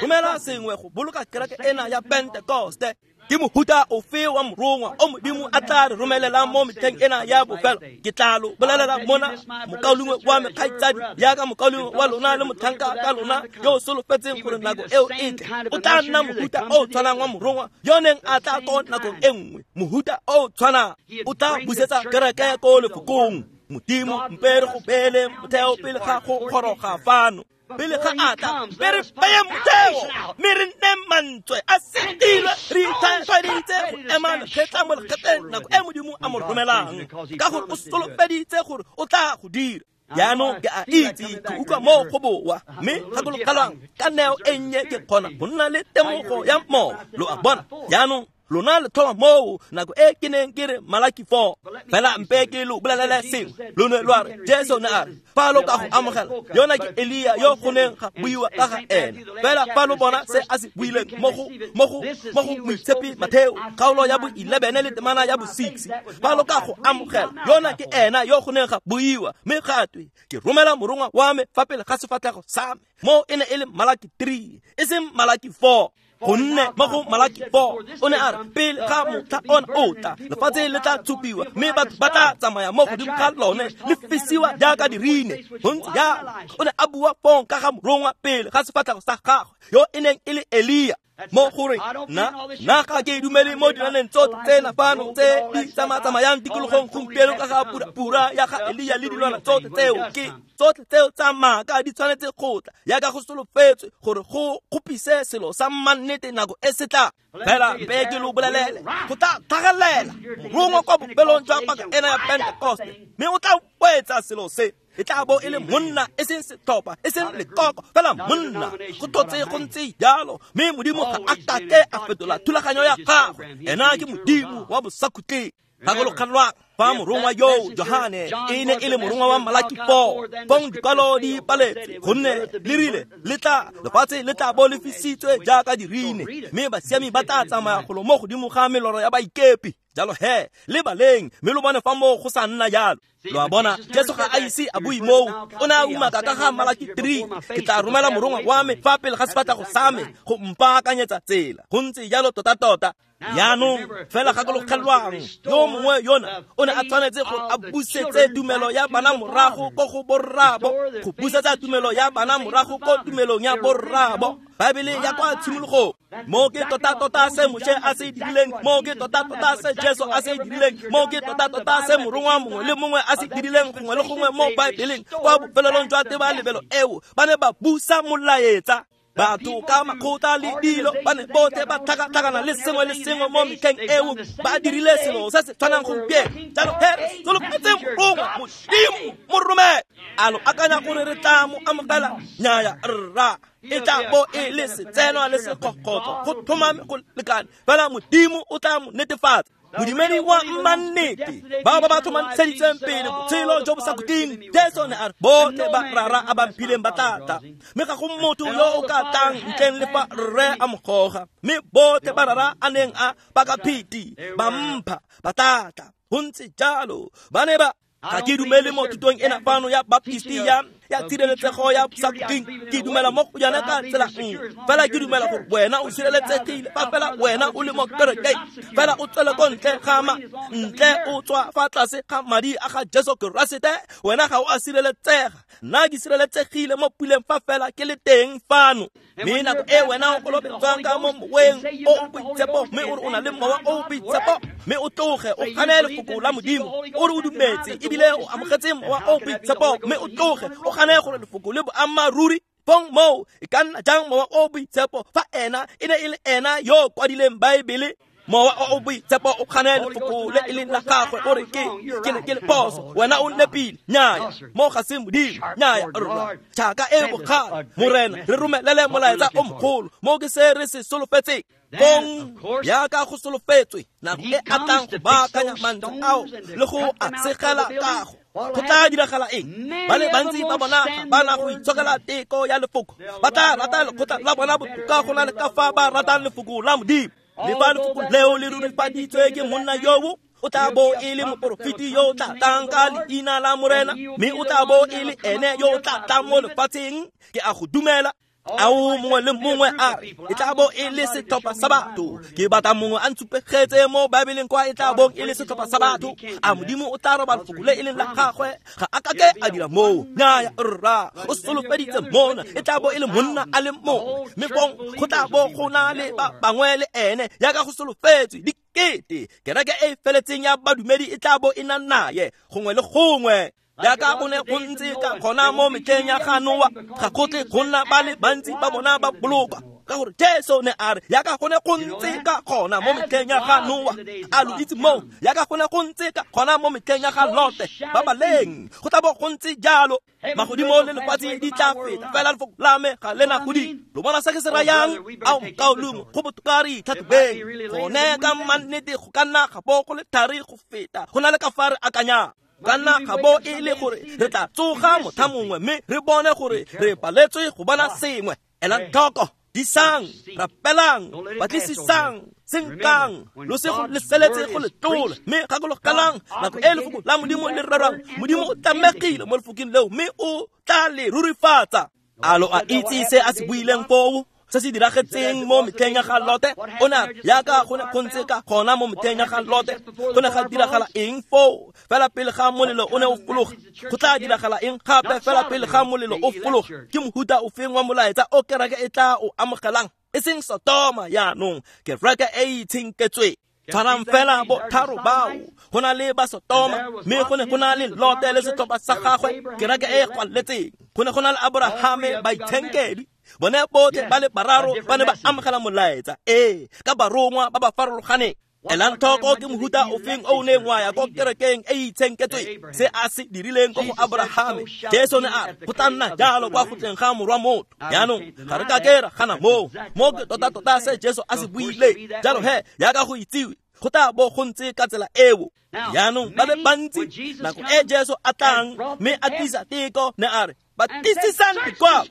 romela sengwe go boloka kereke ena ya Pentekoste. Ke mohuta ofe wa morongwa o Modimo a tla re romelelang mo metlheng ena ya bofelo? Ke tla lo bolelela mona, mokaulengwe wa me, kgaitsadi yaka mokaulengwe wa lona le motlhanka ka lona yo o solofetseng gore nako eo e tle, o tla nna mohuta o tshwanang wa morongwa yo neng a tla ko nakong e nngwe. Mohuta o tshwanang o tla busetsa kereke ko lefokong. Modimo mpe re go beele motheo pele ga go goroga fano. Pele ga a tla, mme re beye motheo, mme re nne mantswe a setilwe, re itlhwatlhwaditse go ema lekgetla mo lekgetleng nako e Modimo a mo romelang, ka gore o solofeditse gore o tla go dira. Jaanong ke a itse ke utlwa mo go boa, mme gakologelwang ka neo e nnye ke kgona go nna le temogo ya mowa. Lo a bona? Jaanong lona le tlhoma moo nako e ke neng ke re Malaki four. Fela mpe ke lo bolelele sengwe. Lo ne lwa re, Jesu ne a re, fa lo ka go amogela, yona ke Elia yo go neng ga buiwa ka ga ene. Fela fa lo bona se a se buileng mo go mo go mo go Moitshepi Matheo kgaolo ya bo eleven le temana ya bo six, fa lo ka go amogela, yona ke ena yo go neng ga buiwa, mme ga twe, ke romela morongwa wa me fa pele ga sefatlhego sa me. Mo e ne e le Malaki three, e seng Malaki four. Gonne mo go Malaki four o ne a re, pele ga motlha ona o tla, lefatshe le tla tshupiwa, mme batho ba tla tsamaya mo godimo ga lone le fisiwa jaaka dirine. Go ntse jalo. O ne a bua fong ka ga morongwa pele ga sefatlhego sa gagwe yo e neng e le Elia. Mo gore nna nna ga ke dumele mo dinaneng tsotlhe tsena fano tse di tsamatsamayang tikologong gompieno ka ga pura ya ga Elia le dilwana tsotlhe tseo ke tsotlhe tseo tsa maaka di tshwanetse go tla yaka go solofetswe gore go kgopise selo sa mannete nako e se tla. Fela mpe ke lo bolelele, go tla tlhagelela morongwa kwa bopelong jwa paka ena ya Pentekoste, mme o tla boetsa selo se. E tla bo e le monna, e seng setlhopha, e seng lekoko, fela monna. Go tlotse go ntse jalo, mme Modimo ga a kake a fetola thulaganyo ya gagwe. Ena ke Modimo wa bosakhutleng. Gakologelwang fa morongwa yo Johane e ne e le morongwa wa Malaki four, fong dikwalo di paletswe, gonne le rile le tla lefatshe le tla bo le fisitswe jaaka dirine, mme basiami ba tla tsamaya golo mo godimo ga meloro ya baikepi. Jalo he, le baleng, mme lo bone fa moo go sa nna jalo. Lo a bona, Jesu ga a ise a bue moo. O ne a umaka ka ga Malaki three, ke tla romela morongwa wa me fa pele ga sefatlhego sa me go mpaakanyetsa tsela. Go ntse jalo tota-tota. Jaanong fela gakologelwang, yo mongwe yona o ne a tshwanetse gore a busetse tumelo ya bana morago ko go borraabo, go busetsa tumelo ya bana morago ko tumelong ya borraabo. Baebele ya kwa tshimologong. Mo ke tota-tota se Moshe a se dirileng, mo ke tota-tota se Jesu a se dirileng, mo ke tota-tota se morongwa mongwe le mongwe a se dirileng gongwe le gongwe mo Baebeleng. Kwa bofelelong jwa tebalebelo eo, ba ne ba busa molaetsa. Batho ka makgotla le dilo ba ne botlhe ba tlhakatlhakana le sengwe le sengwe mo metlheng eo, ba dirile selo se se tshwanang gompieno. Jalo he, re solofetse morongwa Modimo mo romele. A lo akanya gore re tla mo amogela? Nnyaya rra, e tla bo e le setsenwa le sekgokgotso, go tlhomame go lekane, fela Modimo o tla mo netefatsa. Modumedi wa mmannete, bao ba ba tlhomamiseditseng pele botshelo jo bo sa khutleng. Jesu ne a re botlhe ba Rara a ba mphileng ba tla tla, mme ga go motho yo o ka tlang ntleng le fa Rre a mo goga. Mme botlhe ba Rara a neng a bakapheti ba mpha ba tla tla. Go ntse jalo ba ne ba ga ke dumele mo thutong ena fano ya Baptisti ya ya tshireletsego ya sa khutleng. Ke dumela mo go yone ka tsela nngwe, fela ke dumela gore wena o sireletsegile fa fela wena o le mo kerekeng, fela o tswele ko ntle ga ma ntle o tswa fa tlase ga madi a ga Jesu Keresete, wena ga o a sireletsega. Nna ke sireletsegile mo puleng fa fela ke le teng fano. Mme nako e wena o kolobetswang ka mo moweng o o boitshepo, mme o re o na le mowa o o boitshepo, mme o tloge o gane lefoko la Modimo, o re o dumetse ebile o amogetse mowa o o boitshepo, mme o tloge o gane gore lefoko le boammaaruri. Fong moo e ka nna jang mowa o o boitshepo fa ena e ne e le ena yo o kwadileng Baebele? Mowa o o boitshepo o gane lefoko le e leng la gagwe, o re ke ke ne ke le phoso, wena o nepile. Nnyaya, mo ga se Modimo. Nnyaya, rra. Tšhaka e bogale, Morena, re romelele molaetsa o mogolo, mo ke se re se solofetseng. Fong jaaka go solofetswe, nako e a tlang go baakanya mantswe ao le go a segela kago, go tla diragala eng? Ba le bantsi ba bona ga ba na go itshokela teko ya lefoko, ba tla rata lekgotla la bona botoka go na le ka fa ba ratang lefoko la Modimo. Le fa lefoko leo le rurifaditswe ke monna yoo, o tla bo e le moporofeti yo o tla tlang ka leina la Morena, mme o tla bo e le ene yo o tla tlang mo lefatsheng. Ke a go dumela. Ao mongwe le mongwe a re e tla bo e le setlhopha sa batho. Ke batla mongwe a ntshupegetse mo Baebeleng kwa e tla bong e le setlhopha sa batho. A Modimo o tla roba lefoko le e leng la gagwe? Ga a ka ke a dira moo. Nnyaya, rra. O solofeditse mona e tla bo e le monna a le mongwe, mme fong go tla bo go na le ba bangwe le ene jaaka go solofetswe dikete. Kereke e e feletseng ya badumedi e tla bo e na naye gongwe le gongwe. Jaaka go ne go ntse ka gona mo metlheng ya ga Noa, ga go tle go nna ba le bantsi ba bona ba bolokwa, ka gore Jesu ne a re jaaka go ne go ntse ka gona mo metlheng ya ga Noa. A lo itse moo? Jaaka go ne go ntse ka gona mo metlheng ya ga Lote, ba baleng go tla bo go ntse jalo. Magodimo le lefatshe di tla feta, fela lefoko la me ga le na go di. Lo bona se ke se rayang? Ao mokaulengwe, go botoka re itlhatlhobeng gone ka mannete. Go ka nna ga bo go le thari go feta go na le ka fa re akanyang. Ka nna ga bo e le gore re tla tsoga motlha mongwe mme re bone gore re paletswe go bona sengwe. Elang tlhoko, disang, rapelang, batlisisang, senkang, lo se go leseletse go le tlola. Mme gakologelang nako e lefoko la Modimo le rerwang, Modimo o tlamegile mo lefokong leo, mme o tla le rurifatsa. A lo a itse se a se buileng foo? Se se diragetseng mo metlheng ya ga Lote? O ne a re jaaka go ne go ntse ka gona mo metlheng ya ga Lote, go ne ga diragala eng foo? Fela pele ga molelo o ne o fologa. Go tla diragala eng gape fela pele ga molelo o fologa? Ke mohuta ofeng wa molaetsa o kereke e tla o amogelang? E seng Sotoma jaanong, kereke e itshenketsweng. Tshwarang fela botharo bao. Go na le ba Sotoma, mme go ne go na le Lote le setlhopha sa gagwe, kereke e e kwaletseng. Go ne go na le Aborahame, baitshenkedwi. Bone botlhe ba le bararo ba ne ba amogela molaetsa, ee, ka barongwa ba ba farologaneng. Elang tlhoko ke mohuta ofeng o o neng wa ya ko kerekeng e e itshenketsweng, se a se dirileng ko go Aborahame. Jesu ne a re go tla nna jalo kwa go tleng ga morwa motho. Jaanong ga re ka ke ra gana moo, mo ke tota-tota se Jesu a se buileng. Jalo he, jaaka go itsiwe, go tla bo go ntse ka tsela eo. Jaanong ba le bantsi nako e Jesu a tlang mme a tlisa teko, ne a re batlisisang dikwalo,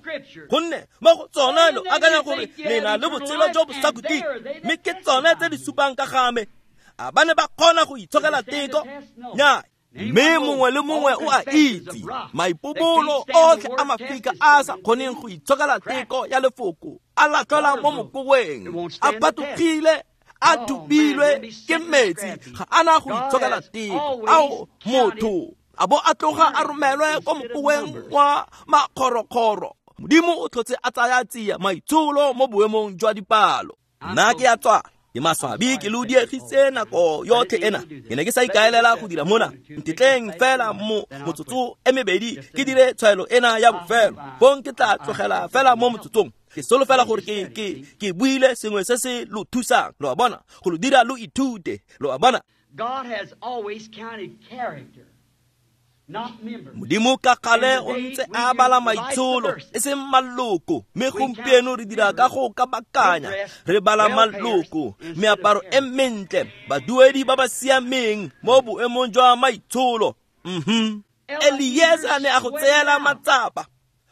gonne mo go tsona lo akanya gore le na le botshelo jo bo sa khutleng, mme ke tsone tse di supang ka ga me. A ba ne ba kgona go itshokela teko? Nnyaa. Mme mongwe le mongwe o a itse maipobolo otlhe a mafika a sa kgoneng go itshokela teko ya lefoko, a latlhelwa mo mokoweng, a patogile, a thubilwe ke metsi, ga a na go itshokela teko. Ao motho a bo a tloga a romelwe ko mokoweng wa makgorokgoro. Modimo o tlhotse a tsaya tsia maitsholo mo boemong jwa dipalo. Nna ke a tswa, ke maswabi ke lo diegise nako yotlhe ena. Ke ne ke sa ikaelela go dira mona. Ntetleng fela mo motsotso e mebedi ke dire tshwaelo ena ya bofelo, fong ke tla tlogela fela mo motsotsong. Ke solofela gore ke ke ke buile sengwe se se lo thusang, lo a bona, go lo dira lo ithute, lo a bona. God has always counted character. Modimo ka gale o ntse a bala maitsholo e seng maloko, mme gompieno re dira ka go kabakanya, re bala maloko, meaparo e mentle, baduedi ba ba siameng mo boemong jwa maitsholo. Mhm. Elieza ne a go tseela matsapa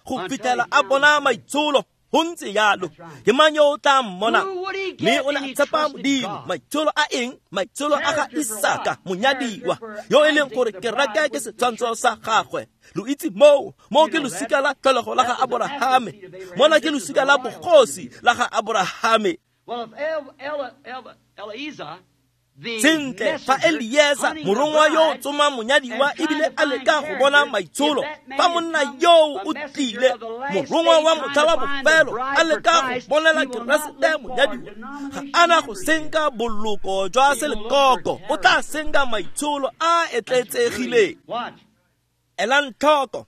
go fitlhela a bona maitsholo. Go ntse jalo, ke mang yo o tla mmona? Mme o ne a tshepa Modimo. Maitsholo a eng? Maitsholo a ga Isaka monyadiwa, yo e leng gore kereke ke setshwantsho sa gagwe. Lo itse moo, moo ke losika la tlholego la ga Aborahame, mona ke losika la bogosi la ga Aborahame. Sentle, fa Elieza morongwa yo o tsoma monyadiwa ebile a leka go bona maitsholo, fa monna yo o tlile morongwa wa motlha wa bofelo a leka go bonela Keresete monyadiwa, ga ana go senka boloko jwa selekoko, o tla senka maitsholo a etletsegileng. Elang tlhoko,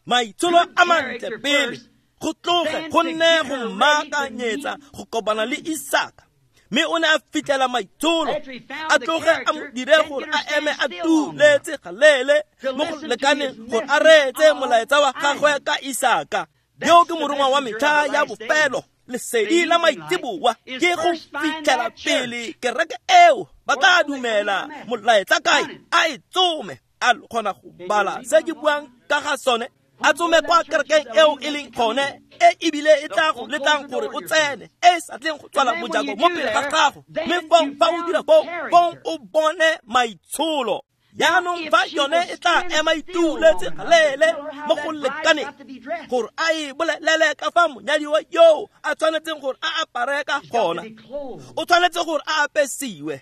maitsholo a mantle pele, go tloge go nne go mmaakanyetsa go kopana le Isaka. Mme o ne a fitlhela maitsholo, a tloge a mo dire gore a eme a tuletse galele mo go lekaneng gore a reetse molaetsa wa gagwe ka Isaka. Yo ke morongwa wa metlha ya bofelo, lesedi la maitseboa ke go fitlhela pele kereke eo ba tla dumela molaetsa kae, a e tsome, a kgona go bala se ke buang ka ga sone, a tsome kwa kerekeng eo e leng gone, e ebile e tla go letlang gore o tsene, e sa tleng go tswala mojako mo pele ga gago. Mme fong fa o dira foo, fong o bone maitsholo. Jaanong fa yone e tla ema ituletse galele mo go lekaneng gore a e bolelele ka fa monyadiwa yo a tshwanetseng gore a apare ka gona, o tshwanetse gore a apesiwe.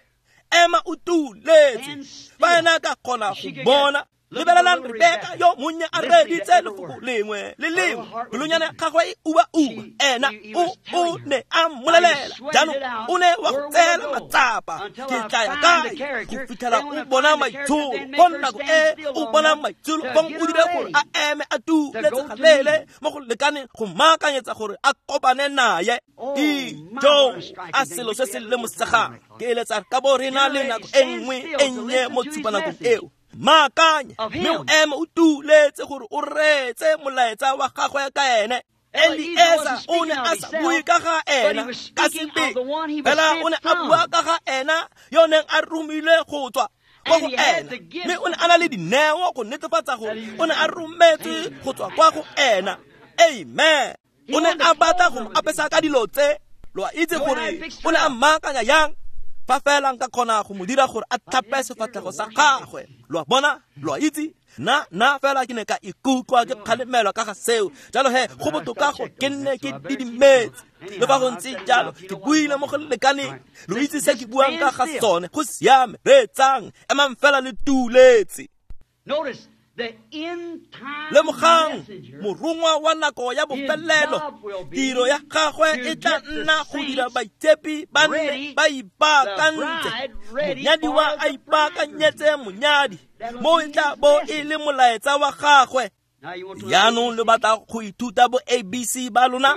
Ema o tuletse, fa ena ka kgona go bona. Lebelelang Rebeka yo monnye a reeditse lefoko lengwe le lengwe, pelonyana gagwe e uba-uba, ena o o ne a mmolelela. Jaanong o ne wa go tseela matsapa, ke tla ya kae go fitlhela o bona maitsholo? Fong nako e o bona maitsholo, fong o dire gore a eme a tuletse galele mo go lekaneng go mmaakanyetsa gore a kopane naye. Ijo, a selo se se lemosegang. Ke eletsa ka bo re na le nako e nngwe e nnye mo tshupanakong eo. Maakanye, mme o eme o tuletse gore o reetse molaetsa wa gagwe ka ene. Elieza o ne a sa bue ka ga ena ka sebele, fela o ne a bua ka ga ena yo neng a romilwe go tswa kwa go ena, mme o ne a na le dineo go netefatsa gore o ne a rometswe go tswa kwa go ena. Amen. O ne a batla go mo apesa ka dilo tse. Lo a itse gore o ne a mmaakanya yang? Fa fela nka kgona go mo dira gore a tlhape sefatlhego sa gagwe. Lo a bona, lo a itse, nna nna fela ke ne ka ikutlwa ke kgalemelwa ka ga seo. Jalo he, go botoka go ke nne ke didimetse. Le fa go ntse jalo, ke buile mo go lekaneng. Lo itse se ke buang ka ga sone, go siame, reetsang, emang fela le tuletse. Lemogang, morongwa wa nako ya bofelelo, tiro ya gagwe e tla nna go dira baitshepi ba nne ba ipaakantse, monyadiwa a ipaakanyetse monyadi, mo e tla bo e le molaetsa wa gagwe. Jaanong lo batla go ithuta bo A B C ba lona,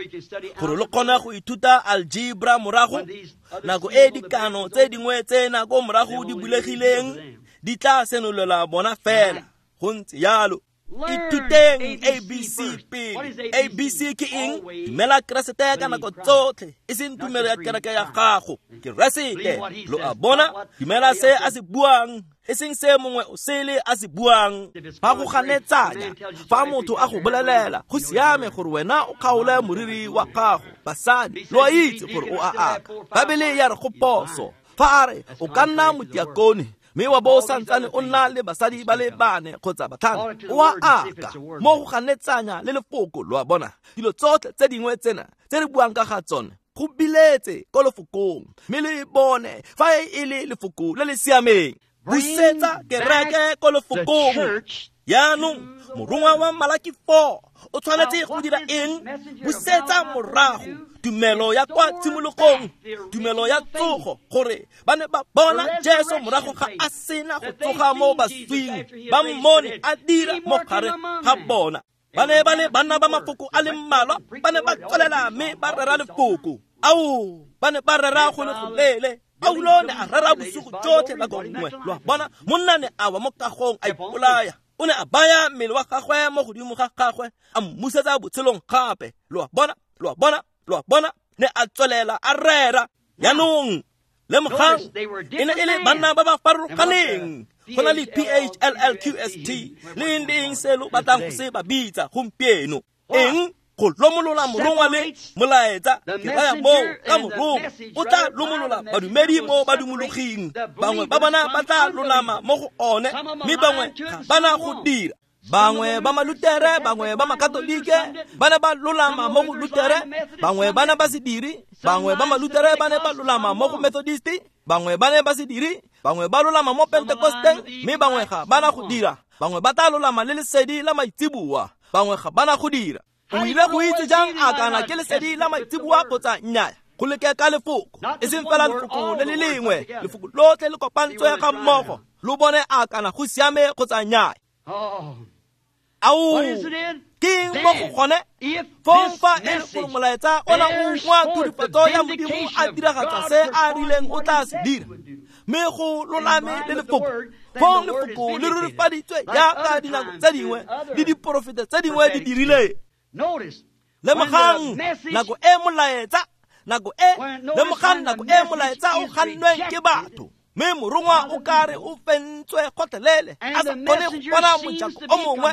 gore lo kgone go ithuta algebra morago, nako e dikano tse dingwe tse nako morago di bulegileng di tla senolela bona fela. Go ntse jalo. Ithuteng A B C pele. A B C ke eng? Dumela Keresete ka nako tsotlhe, e seng tumelo ya kereke ya gago. Keresete, lo a bona? Dumela se a se buang, e seng se mongwe o sele a se buang. Fa go ganetsanya, fa motho a go bolelela, go siame gore wena o kgaole moriri wa gago. Basadi, lo a itse gore o a aka. Babele ya re go poso. Fa a re o ka nna motiakone, mme wa bo o santsane o nna le basadi ba le bane kgotsa batlhano, o a aka. Mo go ganetsanya le lefoko, lo a bona? Dilo tsotlhe tse dingwe tsena tse re buang ka ga tsone, go biletse ko lefokong, mme le bone fa e le lefoko le le siameng. Busetsa kereke ko lefokong. Jaanong morongwa wa Malaki four o tshwanetse go dira eng? Busetsa morago tumelo ya kwa tshimologong, tumelo ya tsogo, gore ba ne ba bona Jesu morago ga a sena go tsoga mo baswing, ba mmone a dira mo gare ga bona. Ba ne ba le banna ba mafoko a le mmalwa, ba ne ba tswelela mme ba rera lefoko. Ao, ba ne ba rera go le goleele. Paulo ne a rera bosigo jotlhe nako nngwe, lo a bona? Monna ne a wa mo kagong a ipolaya. O ne a baya mmele wa gagwe mo godimo ga gagwe, a mmusetsa botshelong gape. Lo a bona, lo a bona, lo a bona, ne a tswelela a rera. Jaanong lemogang, e ne e le banna ba ba farologaneng. Go na le P H L L Q S T le eng le eng se lo batlang go se ba bitsa gompieno. Eng? Go lomolola morongwa le molaetsa. Ke raya moo ka morongwa o tla lomolola badumedi mo badumologing. Bangwe ba bona ba tla lolama mo go one, mme bangwe ga ba na go dira. Bangwe ba Malutere, bangwe ba Makatolike ba ne ba lolama mo go Lutere, bangwe ba ne ba se dire, bangwe ba Malutere ba ne ba lolama mo go Methodist, bangwe ba ne ba se dire, bangwe ba lolama mo Pentecosteng, mme bangwe ga ba na go dira. Bangwe ba tla lolama le lesedi la maitseboa, bangwe ga ba na go dira. O ile go itse jang a kana ke lesedi la maitseboa kgotsa nnyaya? Go leke ka lefoko, e seng fela lefoko le le lengwe, lefoko lotlhe le kopantswe ga mmogo, lo bone a kana go siame kgotsa nnyaya. Ao, ke mo go gone? Fong fa e le gore molaetsa ona o ungwa thurifatso ya Modimo a diragatsa se a rileng o tla se dira, mme go lolame le lefoko, fong lefoko le rurifaditswe jaaka dinako tse dingwe le diporofeta tse dingwe di dirile. Lemogang nako e molaetsa, nako e lemogang nako e molaetsa o gannweng ke batho, mme morongwa o kare o fentswe gotlhelele, a sa kgone go bona mojako o mongwe,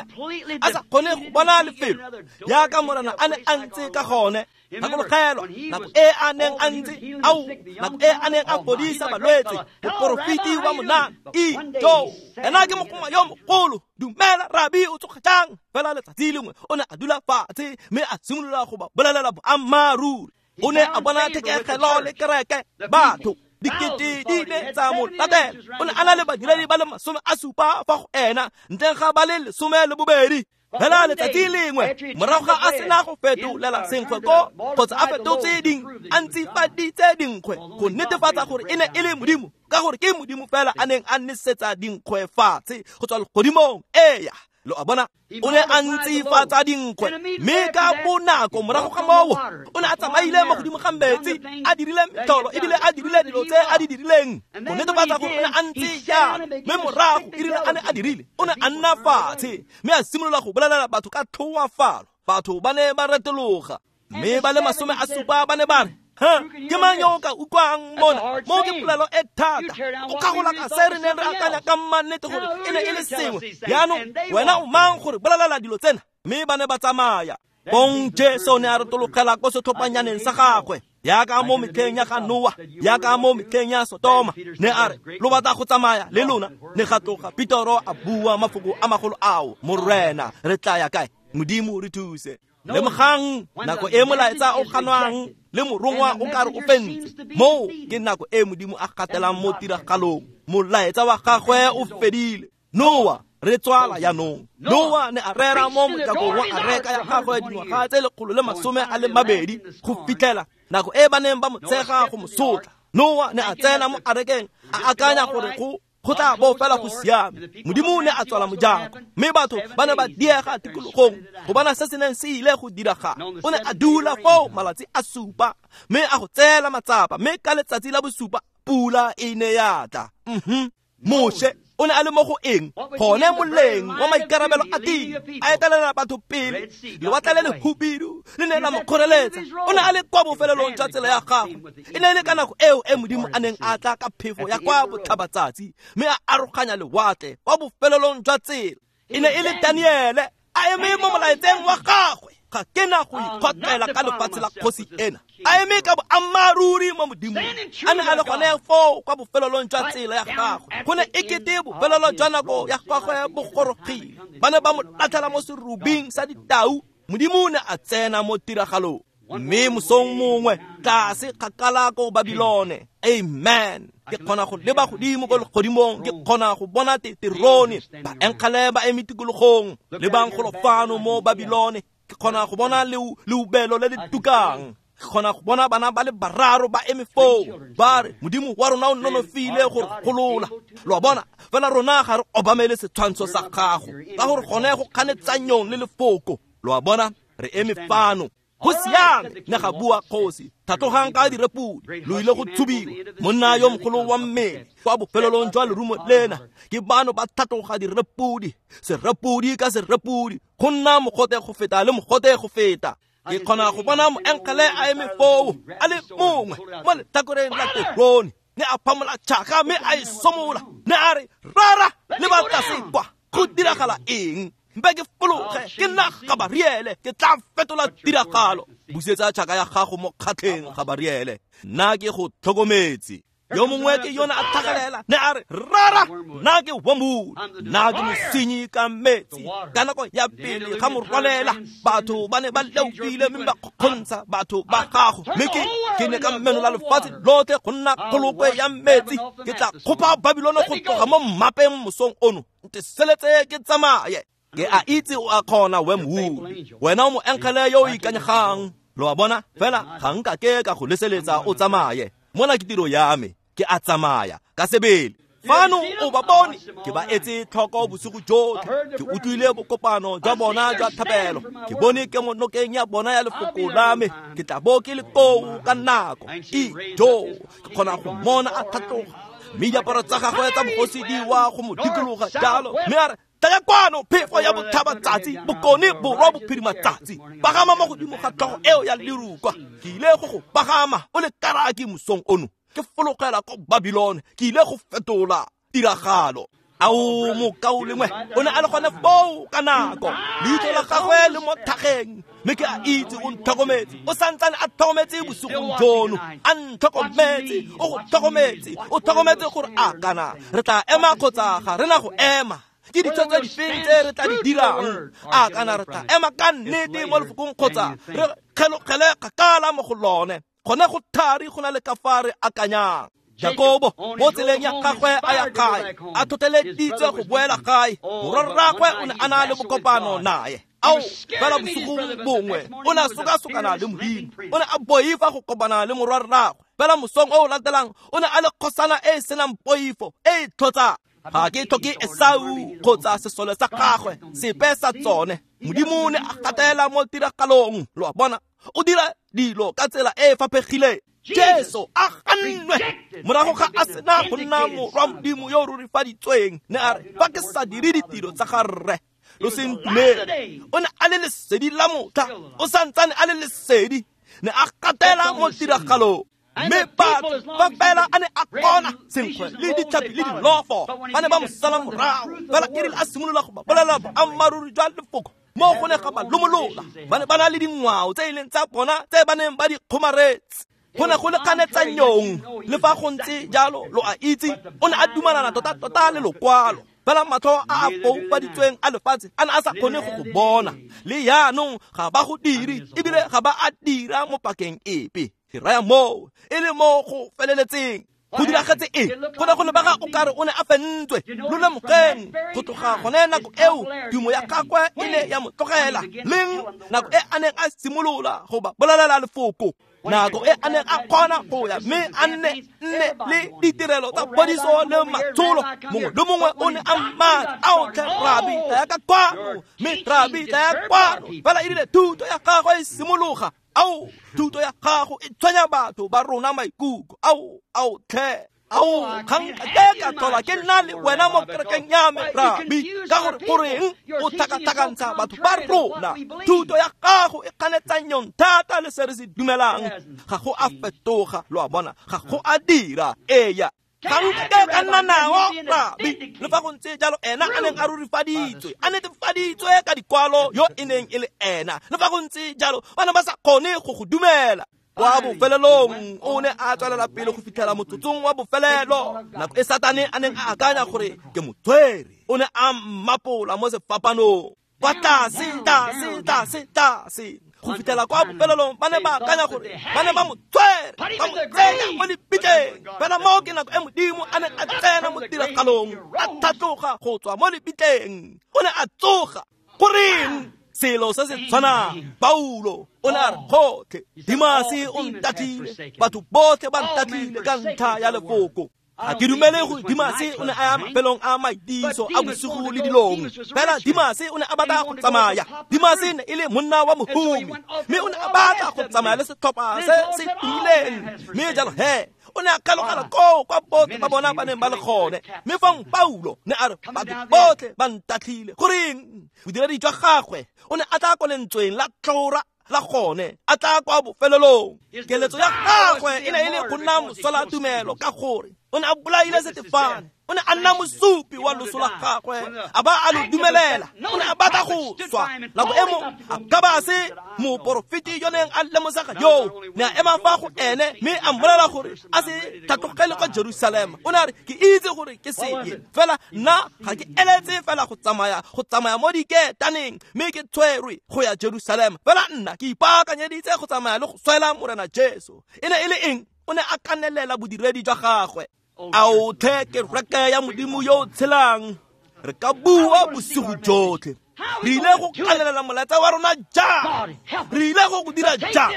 a sa kgone go bona lefelo jaaka Morena a ne a ntse ka gone. Gakologelwa nako e a neng a ntse, ao, nako e a neng a fodisa balwetse, moporofeti wa monana Ijo, ena ke mogoma yo mogolo. Dumela rabi, o tsoga jang? Fela letsatsi lengwe o ne a dula fatshe mme a simolola go ba bolelela boammaaruri. O ne a bona thekegelo le kereke, batho dikete di ile tsa mo latela. O ne a na le badiredi ba le masome a supa fa go ena, ntleng ga ba le lesome le bobedi. Fela letsatsi lengwe morago ga a sena go fetolela senkgwe ko kgotsa a fetotse ding, a ntsifaditse dinkgwe go netefatsa gore e ne e le Modimo, ka gore ke Modimo fela a neng a nesetsa dinkgwe fatshe go tswa legodimong. Eya, lo a bona, o ne a ntsifatsa dinkgwe, mme ka bonako morago ga moo o ne a tsamaile mo godimo ga metsi, a dirile metlholo ebile a dirile dilo tse a di dirileng go netefatsa gore o ne a ntse jalo. Mme morago e rile a ne a dirile, o ne a nna fatshe mme a simolola go bolelela batho ka tlhoafalo. Batho ba ne ba retologa, mme ba le masome a supa ba ne ba re, ha, ke mang yo o ka utlwang mona? Mo ke polelo e thata. O kgagola ka se re neng re akanya ka mmannete gore e ne e le sengwe. Jaanong wena o mang gore bolelela dilo tsena? Mme ba ne ba tsamaya. Bong Jesu ne a retologela ko setlhophanyaneng sa gagwe, jaaka mo metlheng ya ga Noa, jaaka mo metlheng ya Sotoma. Ne a re, lo batla go tsamaya le lona? Ne ga tloga Petoro a bua mafoko a magolo ao, Morena, re tla ya kae? Modimo re thuse. Lemogang nako e molaetsa o ganwang le morongwa o kare o fentse, moo ke nako e Modimo a gatelang mo tiragalong. Molaetsa wa gagwe o fedile. Noa, re tswala jaanong. Noa ne a rera mo mojakong wa areka ya gagwe dingwaga tse lekgolo le masome a le mabedi go fitlhela nako e ba neng ba mo tshega go mo sotla. Noa ne a tsena mo arekeng a akanya gore go go tla bo fela go siame. Modimo ne a tswala mojako, mme batho ba ne ba diega tikologong go bona se se neng se ile go diragala. O ne a dula foo malatsi a supa, mme a go tseela matsapa, mme ka letsatsi la bosupa pula e ne ya tla. Mhm. Moshe o ne a le mo go eng? Gone moleng wa maikarabelo a tiro, a etelela batho pele. Lewatle le lehubidu le ne la mo kgoreletsa. O ne a le kwa bofelelong jwa tsela ya gagwe. E ne e le ka nako eo e Modimo a neng a tla ka phefo ya kwa botlhabatsatsi, mme a aroganya lewatle kwa bofelelong jwa tsela. E ne e le Daniele a eme mo molaetseng wa gagwe. Ga ke na go ikgotlela ka lefatshe la kgosi ena. A eme ka boammaaruri mo Modimong. A ne a le gone foo kwa bofelelong jwa tsela ya gagwe. Go ne e kete bofelelo jwa nako ya gagwe bo gorogile. Ba ne ba mo latlhela mo serubing sa ditau. Modimo o ne a tsena mo tiragalong. Mme mosong mongwe tlase kgakala ko Babilone. Amen. Ke kgona go leba godimo ko legodimong, ke kgona go bona terone, baenkgale ba eme tikologong, lebang golo fano mo Babilone. Ke kgona go bona leubelo le le tukang. Ke kgona go bona bana ba le bararo ba eme foo, ba re Modimo wa rona o nonofile go re golola. Lo a bona, fela rona ga re obamele setshwantsho sa gago, ka gore gone go kganetsanyong le lefoko. Lo a bona, re eme fano. Go siame, ne ga bua kgosi, tlhatlogang ka direpodi, lo ile go tshubiwa. Monna yo mogolo wa mmele kwa bofelelong jwa lerumo lena, ke bano ba tlhatloga direpodi, serepodi ka serepodi, go nna mogote go feta le mogote go feta. Ke kgona go bona moengele a eme foo, a le mongwe mo letlhakoreng la terone, ne a phamola tšhaka mme a e somola, ne a re, rara le ba tlase kwa, go diragala eng? Mpe ke fologe, ke nna Gabariele, ke tla fetola tiragalo. Busetsa tšhaka ya gago mo kgatlheng, Gabariele, nna ke go tlhokometse. Yo mongwe ke yona a tlhagelela, ne a re, rara, nna ke Wormwood, nna ke mosenyi ka metsi. Ka nako ya pele ga morwalela, batho ba ne ba leofile mme ba kgokgontsha batho ba gago. Mme ke ke ne ka menola lefatshe lotlhe go nna kgolokwe ya metsi. Ke tla kgopa Babilone go tloga mo mmapeng mosong ono, nteseletse ke tsamaye. Ke a itse o a kgona, Wormwood, wena o moengele yo o ikanyegang. Lo a bona, fela ga nka ke ka go leseletsa o tsamaye. Mona ke tiro ya me, ke a tsamaya ka sebele. Fano o ba bone, ke ba etse tlhoko bosigo jotlhe, ke utlwile bokopano jwa bona jwa thapelo, ke bone ke mo nokeng ya bona ya lefoko la me, ke tla bo ke le koo ka nako. Ijo, ke kgona go mmona a tlhatloga, mme diaparo tsa gagwe tsa bogosi di wa go mo dikologa jalo, mme a re, tlaya kwano, phefo ya botlhabatsatsi, bokone, borwa, bophirimatsatsi, pagama mo godimo ga tlhogo eo ya lerukwa. Ke ile go go pagama o le karaki mosong ono, ke fologela ko Babilone, ke ile go fetola tiragalo. Ao mokaulengwe, o ne a le gone foo ka nako, leitlho la gagwe le mo thageng, mme ke a itse o ntlhokometse, o santsane a tlhokometse bosigong jono, a ntlhokometse, o go tlhokometse, o tlhokometse gore a kana re tla ema kgotsa ga re na go ema. Ke ditshwetso difeng tse re tla di dirang? A kana re tla ema ka nnete mo lefokong kgotsa re kgelogele kgakala mo go lone? Gone go thari go na le ka fa re akanyang. Jakobo mo tseleng ya gagwe a ya gae, a tlhotlheleditswe go boela gae, morwarraagwe o ne a na le bokopano naye. Ao, fela bosigong bongwe o ne a sokasokana le Modimo, o ne a boifa go kopana le morwarraagwe. Fela mosong o o latelang o ne a le kgosana e e senang poifo, e e tlhotsang. Ga ke tlhoke Esau kgotsa sesole sa gagwe, sepe sa tsone. Modimo o ne a gatela mo tiragalong, lo a bona, o dira dilo ka tsela e e faphegileng. Jesu a gannwe morago ga a sena go nna morwa Modimo yo o rurifaditsweng, ne a re, fa ke sa dire ditiro tsa ga rre, lo se ntumele. O ne a le lesedi la motlha, o santsane a le lesedi, ne a gatela mo tiragalong. Mme batho fa fela a ne a kgona senkgwe le ditlhapi le dilofo, ba ne ba mo sala morago. Fela e rile a simolola go ba bolela boammaaruri jwa lefoko, mo go ne ga ba lomolola. Ba ne ba na le dingwao tse e leng tsa bona tse ba neng ba di kgomaretse. Go ne go le kganetsanyong, le fa go ntse jalo, lo a itse, o ne a dumalana tota-tota le lokwalo. Fela matlho a a foufaditsweng a lefatshe a ne a sa kgone go go bona. Le jaanong ga ba go dire, ebile ga ba a dira mo pakeng epe. Ke raya moo e le mo go feleletseng. Go diragetse eng? Go ne go lebega o kare o ne a fentswe. Lo lemogeng, go tloga gone nako eo tumo ya gagwe e ne ya mo tlogela. Leng nako e a neng a simolola go ba bolelela lefoko, nako e a neng a kgona go ya mme a nne nne le ditirelo tsa phodiso le matsholo, mongwe le mongwe o ne a mmatla, ao tlhe rabi, tlaya ka kwano, mme rabi, tlaya kwano. Fela e rile thuto ya gagwe e simologa, ao, thuto ya gago e tshwenya batho ba rona maikutlo. Ao, ao tlhe, ao, ga nka ke ka tlhola ke nna le wena mo kerekeng ya me, rabi, ka gore goreng o tlhakatlhakantsha batho ba rona? Thuto ya gago e kganetsanyong thata le se re se dumelang. Ga go a fetoga, lo a bona, ga go a dira. Eya, ga nka ke ka nna nao, rabi. Le fa go ntse jalo, ena a neng a rurifaditswe, a netefaditswe ka dikwalo yo e neng e le ena. Le fa go ntse jalo, ba ne ba sa kgone go go dumela. Kwa bofelelong o ne a tswelela pele go fitlhela motsotsong wa bofelelo, nako e Satane a neng a akanya gore ke motshwere, o ne a mmapola mo sefapanong. Kwa tlase, tlase, tlase, tlase, go fitlhela kwa bofelelong ba ne ba akanya gore ba ne ba mo tshwere, ba mo tsenya mo lebitleng. Fela moo ke nako e Modimo a neng a tsena mo tiragalong, a tlhatloga go tswa mo lebitleng, o ne a tsoga. Goreng? Selo se se tshwanang, Paulo o ne a re, gotlhe Dimase o ntatlile, batho botlhe ba ntatlile ka ntlha ya lefoko. Ga ke dumele gore Dimase o ne a ya mafelong a maitiso a bosigo le dilong, fela Dimase o ne a batla go tsamaya. Dimase ne e le monna wa mohumi, mme o ne a batla go tsamaya le setlhopha se se tumileng, mme jalo he o ne a kgalogela koo kwa botlhe ba bona ba neng ba le gone. Mme fong Paulo ne a re batho botlhe ba ntatlhile. Goreng? Bodiredi jwa gagwe o ne a tla ko lentsweng la tlhora la gone, a tla kwa bofelelong. Keletso ya gagwe e ne e le go nna mosola tumelo, ka gore o ne a bolaile Setefane, o ne a nna mosupi wa loso la gagwe, a ba a lo dumelela. O ne a batla go swa nako e mo Agabase moporofeti yo neng a lemosega yoo ne a ema fa go ene mme a mmolela gore a se tlhatlogele kwa Jerusalema. O ne a re ke itse gore ke seye, fela nna ga ke eletse fela go tsamaya go tsamaya mo diketaneng mme ke tshwerwe go ya Jerusalema, fela nna ke ipaakanyeditse go tsamaya le go swela Morena Jesu. E ne e le eng? O ne a kanelela bodiredi jwa gagwe. Ao tlhe kereke ya Modimo yo o tshelang, re ka bua bosigo jotlhe. Re ile go kanelela molaetsa wa rona jang? Re ile go go dira jang?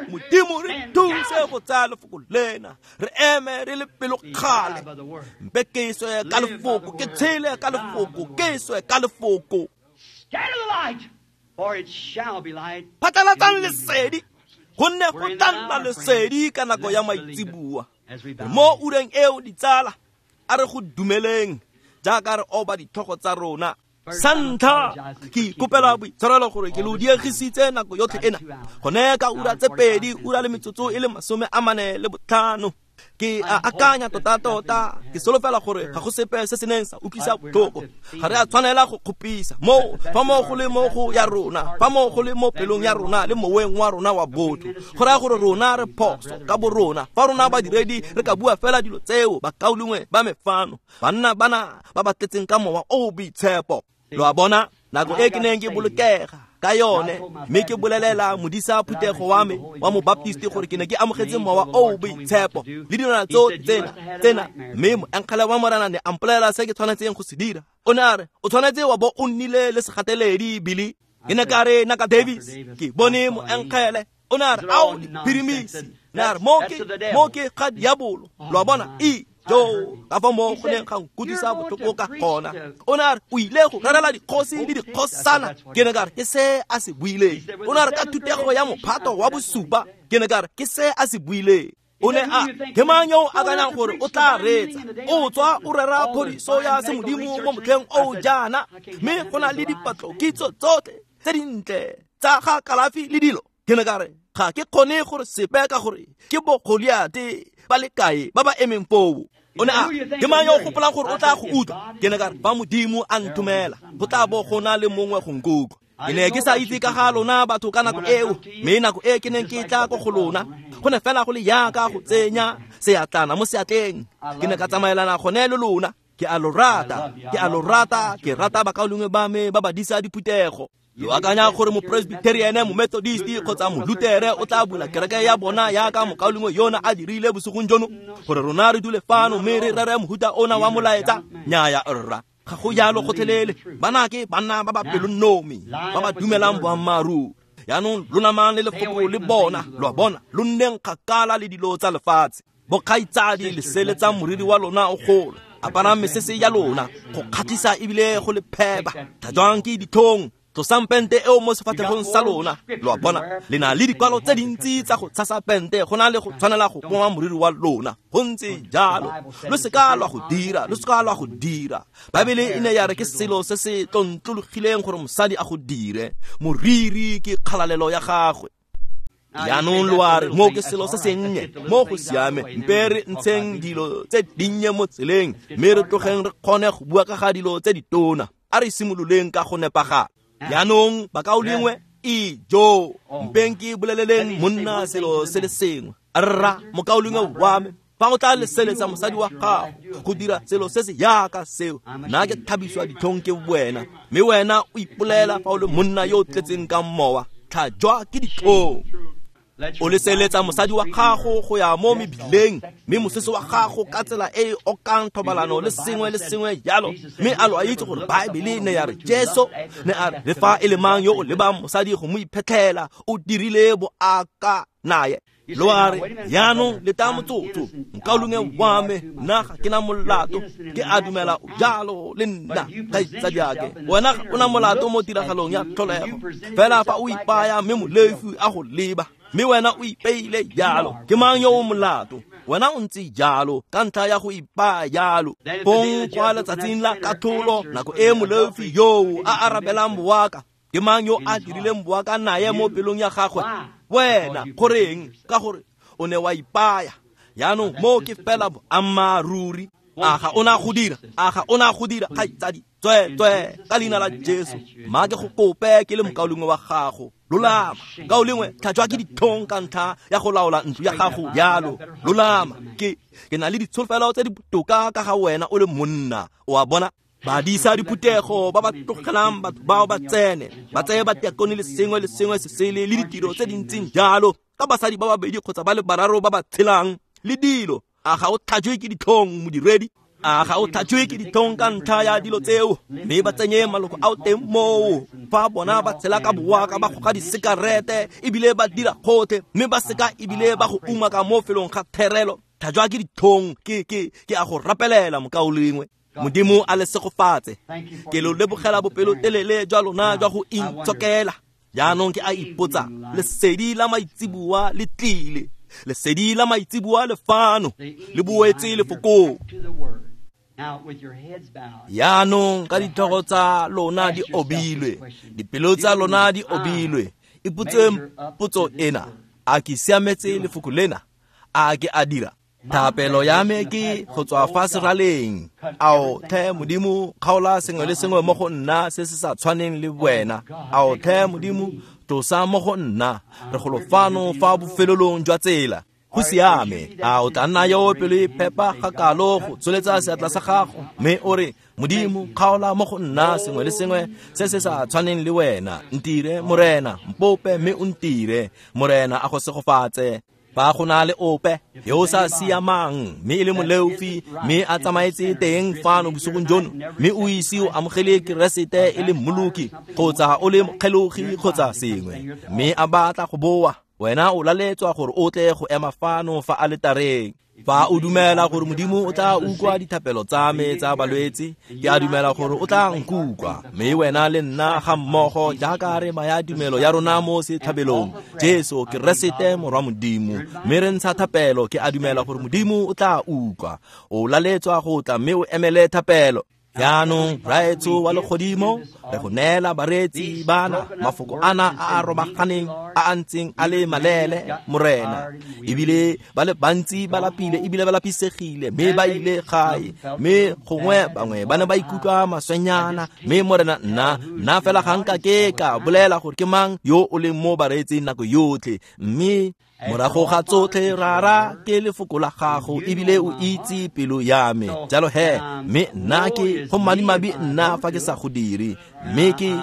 Modimo re thuse go tsaya lefoko lena, re eme re le pelokgale. Mpe ke swe ka lefoko, ke tshele ka lefoko, ke swe ka lefoko. Phatlalatsang lesedi, gonne go tla nna lesedi ka nako ya maitseboa. Mo ureng eo ditsala, a re go dumeleng jaaka re oba ditlhogo tsa rona. Sa ntlha, ke ikopela boitshwarelo gore ke lo diegisitse nako yotlhe ena, gone ka ura tse pedi, ura le metsotso e le masome a mane le botlhano. Ke a akanya tota-tota, ke solofela gore ga go sepe se se neng sa utlwisa botlhoko. Ga re a tshwanela go kgopisa moo, fa mo go le mo go ya rona, fa mo go le mo pelong ya rona le moweng wa rona wa botho. Go raya gore rona re phoso ka bo rona. Fa rona badiredi re ka bua fela dilo tseo, bakaulengwe ba me fano, banna bana ba ba tletseng ka mowa o o boitshepo. Lo a bona, nako e ke neng ke bolokega ka yone, mme ke bolelela modisa phuthego wa me wa mobaptisti gore ke ne ke amogetse mowa o o boitshepo le dilwana tsotlhe tsena tsena, mme moengele wa Morena ne a mpolelela se ke tshwanetseng go se dira. O ne a re o tshwanetse wa bo o nnile le segateledi, Billy. Ke ne ka re Naka Davis, ke bone moengele. O ne a re ao diphirimisi. Ne a re mo ke mo ke ga diabolo. Lo a bona, e jo ka fa mo go neng ga nkutlwisa botlhoko ka gona. O ne a re o ile go rerela dikgosi le dikgosana. Ke ne ka re ke se a se buileng. O ne a re ka thutego ya mophato wa bosupa. Ke ne ka re ke se a se buileng. O ne a ke mang yo o akanyang gore o tla reetsa? O tswa o rera phodiso ya semodimo mo motlheng o jaana, mme go na le dipatlokitso tsotlhe tse dintle tsa ga kalafi le dilo. Ke ne ka re ga ke kgone gore sepe ka gore ke bo Goliate ba le kae ba ba emeng foo. O ne a ke mang yo o gopolang gore o tla go utlwa? Ke ne ka re fa Modimo a nthomela, go tla bo go na le mongwe go nkutlwa. Ke ne ke sa itse ka ga lona batho ka nako eo, mme nako e ke neng ke tla ko go lona, go ne fela go le yaka go tsenya seatlana mo seatleng. Ke ne ka tsamaelana gone le lona. Ke a lo rata, ke a lo rata, ke rata bakaulengwe ba me ba ba disa diphuthego. Lo akanya gore mopresbyterian, momethodist kgotsa molutere o tla bula kereke ya bona yaka mokaulengwe yona a dirile bosigong jono, gore rona re dule fano mme re rere mohuta ona wa molaetsa? Nnyaya rra, ga go jalo gotlhelele. Bana ke banna ba ba pelonomi, ba ba dumelang boammaaruri. Yaanong lo namang le lefoko le bona, lo a bona, lo nneng kgakala le dilo tsa lefatshe. Bokgaitsadi, le seletsang moriri wa lona o golo, aparang mesese ya lona go kgatlhisa ebile go le phepa. Tlhatswang ke ditlhong, tlosang pente eo mo sefatlhegong sa lona. Lo a bona, le na le dikwalo tse dintsi tsa go tshasa pente go na le go tshwanela go poma moriri wa lona. Go ntse jalo, lo seka lwa go dira, lo seka lwa go dira. Baebele e ne ya re ke selo se se tlontlologileng gore mosadi a go dire. Moriri ke kgalalelo ya gagwe. Jaanong lo a re mo ke selo se sennye, mo go siame, mpe re ntsheng dilo tse dinnye mo tseleng, mme re tlogeng re kgone go bua ka ga dilo tse ditona. A re simololeng ka go nepagala. Jaanong bakaulengwe, ijo, mpeng ke boleleleng monna selo se le sengwe. Rra mokaulengwe wa me, fa o tla leseletsa mosadi wa gago go dira selo se se yaka seo, nna ke thabiswa ditlhong ke wena, mme wena o ipolela fa o le monna yo o tletseng ka mowa, tlhajwa ke ditlhong. O leseletsa mosadi wa gago go ya mo mebileng, mme mosese wa gago ka tsela e e okang thobalano le sengwe le sengwe jalo. Mme a lo a itse gore Baebele ne ya re Jesu ne a re le fa e le mang yo o lebang mosadi go mo iphetlhela, o dirile boaka naye. Lo a re jaanong leta motsotso, nkaulengwe wa me, nna ga ke na molato, ke a dumela o jalo le nna kgaitsadiake. Wena ga o na molato mo tiragalong ya tlholego, fela fa o ipaya mme molefi a go leba, mme wena o ipeile jalo, ke mang yo o molato? Wena o ntse jalo ka ntlha ya go ipaya jalo. Fong kwa letsatsing la katlholo, nako e molefi yoo a arabelang boaka, ke mang yo a dirileng boaka naye mo pelong ya gagwe? Wena. Goreng? Ka gore o ne wa ipaya. Jaanong mo ke fela boammaaruri. A ga o na go dira? A ga o na go dira, kgaitsadi? Tsweetswee, ka leina la Jesu, mma ke go kope ke le mokaulengwe wa gago. Lolama, kaulengwe, tlhajwa ke ditlhong ka ntlha ya go laola ntlo ya gago jalo. Lolama, ke ke na le ditsholofelo tse di botoka ka ga wena o le monna. O a bona? Badisa diphuthego ba ba tlogelang batho bao ba tsene, ba tseye batiakone le sengwe le sengwe se sele le ditiro tse di ntseng jalo, ka basadi ba babedi kgotsa ba le bararo ba ba tshelang le dilo. A ga o tlhajwe ke ditlhong, modiredi? A ga o tlhajwe ke ditlhong ka ntlha ya dilo tseo? Mme ba tsenye maloko ao teng moo, fa bona ba tshela ka boaka, ba goga disekarete ebile ba dira gotlhe, mme ba seka ebile ba go umaka mo felong ga therelo. Tlhajwa ke ditlhong, ke ke ke a go rapelela, mokaulengwe. Modimo a le segofatse. Ke lo lebogela bopelotelele jwa lona jwa go intshokela. Jaanong ke a ipotsa, lesedi la maitseboa le tlile, lesedi la maitseboa le fano, le boetse lefokong. Jaanong ka ditlhogo tsa lona di obilwe, dipelo tsa lona di obilwe, ipotseng potso ena: a ke siametse lefoko lena? A ke a dira? Thapelo ya me ke go tswa fa seraleng. Ao tlhe Modimo, kgaola sengwe le sengwe mo go nna se se sa tshwaneng le wena. Ao tlhe Modimo, tlosa mo go nna. Re golo fano fa bofelelong jwa tsela. Go siame. A o tla nna yo pelo e phepa ga kalo go tsholetsa seatla sa gago, mme o re, Modimo, kgaola mo go nna sengwe le sengwe se se sa tshwaneng le wena. Ntire, Morena, mpope mme o ntire. Morena a go segofatse. Fa go na le ope yo o sa siamang, mme e le moleofi, mme a tsamaetse teng fano bosigong jono, mme o ise o amogele Keresete e le mmoloki, kgotsa o le mokgelogi kgotsa sengwe, mme a batla go boa, wena o laletswa gore o tle go ema fano fa aletareng. Fa o dumela gore Modimo o tla utlwa dithapelo tsa me tsa balwetse, ke a dumela gore o tla nkutlwa, mme wena le nna ga mmogo jaaka re baya tumelo ya rona mo setlhabelong, Jesu Keresete Morwa Modimo, mme re ntsha thapelo, ke a dumela gore Modimo o tla utlwa. O laletswa go tla mme o emele thapelo. Jaanong Rraetsho wa legodimo, re go neela bareetsi bana mafoko ana a a robaganeng a a ntseng a le malele, Morena. Ebile ba le bantsi ba lapile ebile ba lapisegile, mme ba ile gae, mme gongwe bangwe ba ne ba ikutlwa maswenyana. Mme Morena, nna nna fela ga nka ke ka bolela gore ke mang yo o leng mo bareetsing nako yotlhe, mme morago ga tsotlhe, Rara, ke lefoko la gago ebile o itse pelo ya me. Jalo he, mme nna ke go madimabe nna fa ke sa go dire, mme ke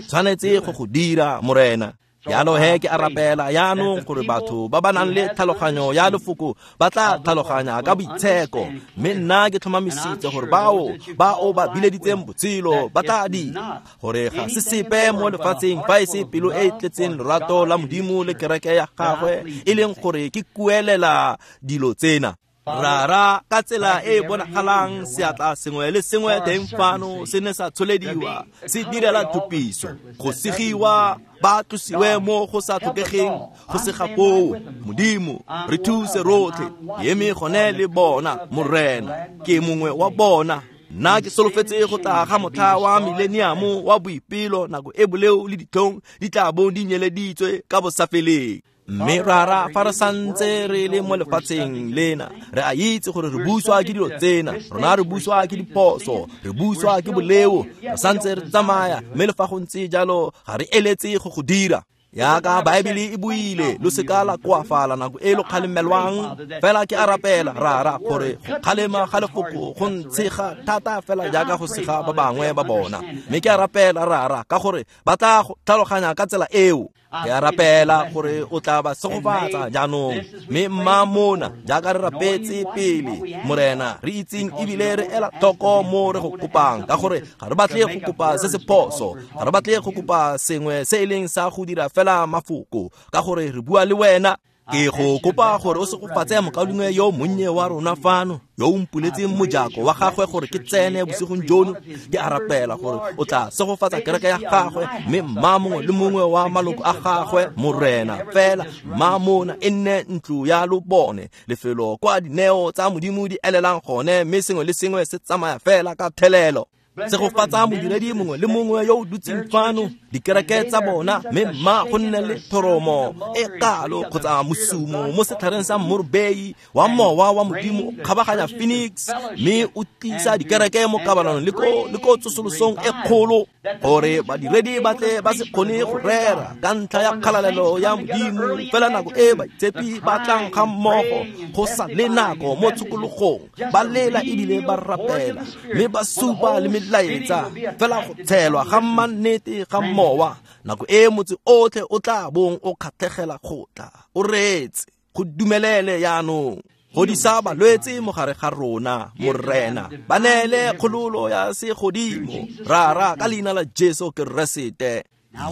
tshwanetse go go dira, Morena. Jalo he ke a rapela jaanong gore batho ba ba nang le tlhaloganyo ya lefoko ba tla tlhaloganya ka boitsheko, mme nna ke tlhomamisitse gore bao ba o ba bileditseng botshelo ba tla dira gore ga se sepe mo lefatsheng fa e se pelo e e tletseng lorato la Modimo le kereke ya gagwe, e leng gore ke kuelela dilo tsena. Rara, ka tsela e e bonagalang seatla sengwe le sengwe teng fano se ne sa tsholediwa se direla thupiso, go segiwa ba tlosiwe mo go sa tlhokegeng go sega foo. Modimo, re thuse rotlhe, ke eme gone le bona, Morena, ke mongwe wa bona. Nna ke solofetse go tla ga motlha wa mileniamo wa boipelo, nako e boleo le ditlhong di tla bong di nyeleditswe ka bosafeleng. Mme Rara, fa re santse re le mo lefatsheng lena, re a itse gore re buswa ke dilo tsena, rona re buswa ke diphoso, re buswa ke boleo, re santse re tsamaya, mme le fa go ntse jalo ga re eletse go go dira. Jaaka Baebele e buile, lo seka la koafala nako e lo kgalemelwang. Fela ke a rapela, Rara, gore go kgalema ga lefoko go ntshega thata fela jaaka go sega ba bangwe ba bona. Mme ke a rapela, Rara, ka gore ba tla tlhaloganya ka tsela eo. Ke a rapela gore o tla ba segofatsa jaanong, mme mma mona jaaka re rapetse pele, Morena, re itseng ebile re ela tlhoko mo re go kopang, ka gore ga re batle go kopa se se phoso, ga re batle go kopa sengwe se e leng sa go dira fela mafoko, ka gore re bua le wena. Ke go kopa gore o segofatse mokaulengwe yo monnye wa rona fano yo o mpuletseng mojako wa gagwe gore ke tsene bosigong jono. Ke a rapela gore o tla segofatsa kereke ya gagwe mme mma mongwe le mongwe wa maloko a gagwe, Morena. Fela mma mona e nne ntlo ya lobone, lefelo kwa dineo tsa Modimo di elelang gone, mme sengwe le sengwe se tsamaya fela ka thelelo. Segofatsa modiredi mongwe le mongwe yo o dutseng fano, dikereke tsa bona, mme mma go nne le thoromo e kalo kgotsa mosumo mo setlhareng sa morobei wa mowa wa Modimo o kgabaganya Phoenix, mme o tlisa dikereke mo kabalanong le ko le ko tsosolosong e kgolo, gore badiredi ba tle ba se kgone go rera ka ntlha ya kgalalelo ya Modimo. Fela nako e baitshepi ba tlang ga mmogo go sa le nako mo tshokologong, ba lela ebile ba rapela mme ba supa le melaetsa, fela go tshelwa ga mannete ga mowa, nako e motse otlhe o tla bong o kgatlhegela go tla o reetse. Go dumelele jaanong godisa balwetse mo gare ga rona, Morena. Ba neele kgololo ya segodimo, Rara, ka leina la Jesu Keresete.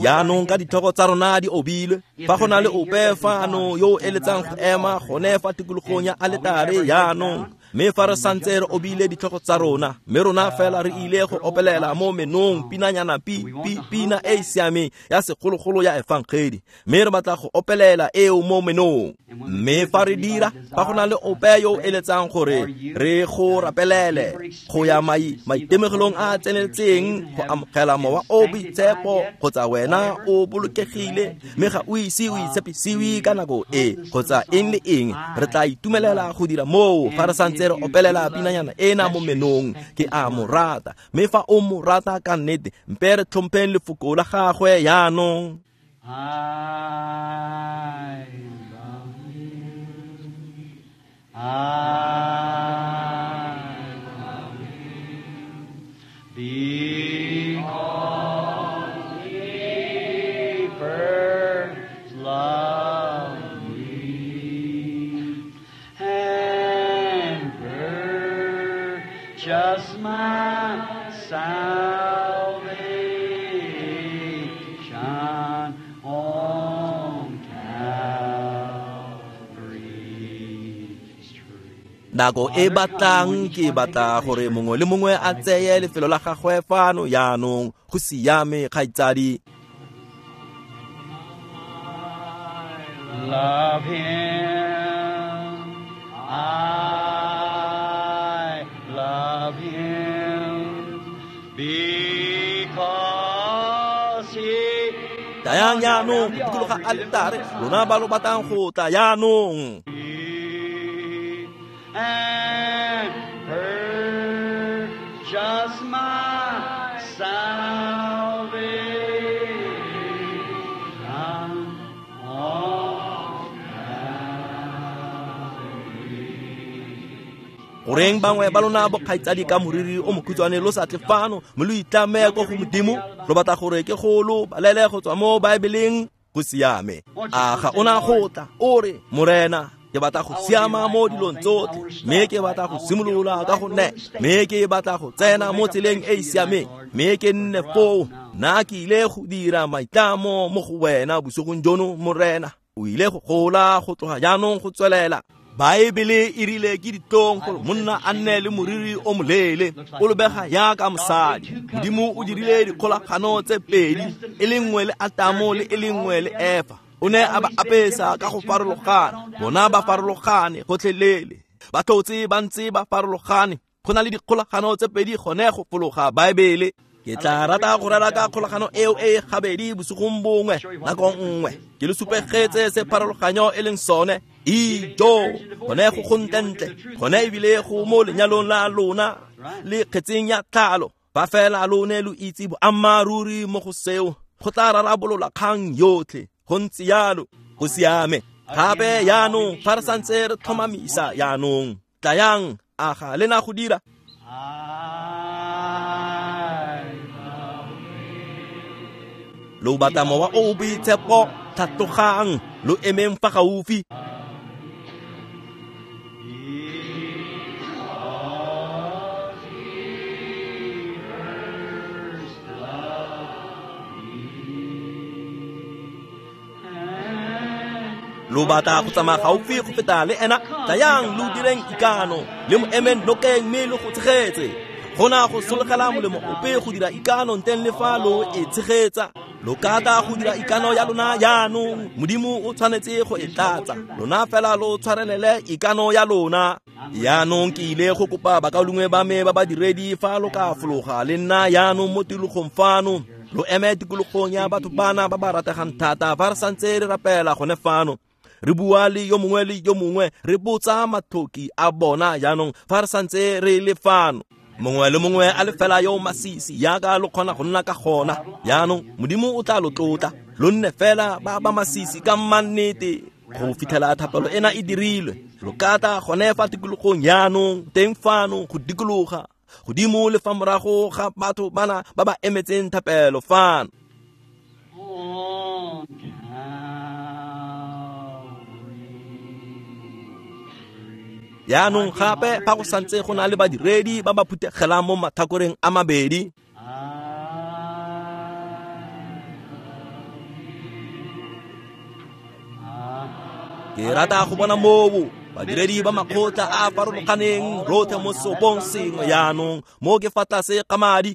Jaanong ka ditlhogo tsa rona di obilwe, fa go na le ope fano yo o eletsang go ema gone fa tikologong ya aletare jaanong, mme fa re santse re obile ditlhogo tsa rona, mme rona fela re ile go opelela mo menong pinanyana pi pi pina e e siameng ya segologolo ya efangedi, mme re batla go opelela eo mo menong. Mme fa re dira, fa go na le ope yo o eletsang gore re go rapelele go ya mai maitemogelong a a tseneletseng go amogela mowa o boitshepo, kgotsa wena o bolokegile mme ga o ise o itshepisiwe ka nako e, kgotsa eng le eng, re tla itumelela go dira moo fa re santse re opelela pinanyana ena mo menong. Ke a mo rata, mme fa o mo rata ka nnete, mpe re tlhompheng lefoko la gagwe jaanong. I love you. I love you. Because he first loved me and purchased my salvation on Calvary's tree. Nako e batlang ke batla gore mongwe le mongwe a tseye lefelo la gagwe fano jaanong. Go siame, kgaitsadi. Love him, I love him, because he Tayang jaanong go dikologa aletare, lona ba lo batlang go tla jaanong. And purchased my salvation on Calvary. Goreng bangwe ba lona bokgaitsadi ka moriri o mokhutshwane lo sa tle fano mme lo itlame ko go Modimo, lo batla gore ke go lo balele go tswa mo Baebeleng? Go siame. A ga ona go tla o re, Morena, ke batla go siama mo dilong tsotlhe, mme ke batla go simolola ka go nne, mme ke batla go tsena mo tseleng e e siameng, mme ke nne foo. Nna ke ile go dira maitlamo mo go wena bosigong jono, Morena. O ile go gola go tloga jaanong go tswelela. Baebele e rile ke ditlong gore monna a nne le moriri o moleele, o lebega jaaka mosadi. Modimo o dirile dikgolagano tse pedi, e le nngwe le Atamo le e le nngwe le Efa. O ne a ba apesa ka go farologana, bona ba farologane gotlhelele, ba tlotse ba ntse ba farologane. Go na le dikgolagano tse pedi gone go fologa Baebele. Ke tla rata go rera ka kgolagano eo e gabedi bosigong bongwe, nako nngwe ke le supegetse se pharologanyo e leng sone. Ijo, gone go gontlentle, gone ebile go mo lenyalong la lona le kgetseng ya tlhalo. Fa fela lone lo itse boammaaruri mo go seo, go tla rarabolola kgang yotlhe. Go ntse jalo, go siame. Gape jaanong fa re santse re tlhomamisa jaanong, tlayang, a ga le na go dira? Lo batla mowa o o boitshepo, tlhatlogang, lo emeng fa gaufi. Lo batla go tsamaya gaufi go feta le ena, tlayang lo direng ikano, le mo emeng nokeng mme lo go tshegetse. Gona go sologela molemo ope go dira ikano nteng le fa lo e tshegetsa. Lo ka tla go dira ikano ya lona jaanong, Modimo o tshwanetse go e tlatsa. Lona fela lo tshwarelele ikano ya lona. Jaanong ke ile go kopa bakaulengwe ba me ba badiredi fa lo ka fologa le nna jaanong mo tikologong fano. Lo eme tikologong ya batho bana ba ba rategang thata fa re santse re rapela gone fano. Re bua le yo mongwe le yo mongwe, re botsa matlhoki a bona jaanong fa re santse re le fano. Mongwe le mongwe a le fela yo masisi yaka lo kgona go nna ka gona. Jaanong Modimo o tla lo tlotla, lo nne fela ba ba masisi ka mannete go fitlhela thapelo ena e dirilwe. Lo ka tla gone fa tikologong jaanong teng fano go dikologa godimo le fa morago ga batho bana ba ba emetseng thapelo fano. Jaanong gape fa go santse go na le badiredi ba ba phuthegelang mo mathakoreng a mabedi. Ke rata go bona moo badiredi ba makgotla a a farologaneng rotlhe mo seopong sengwe jaanong mo ke fa tlase ga madi.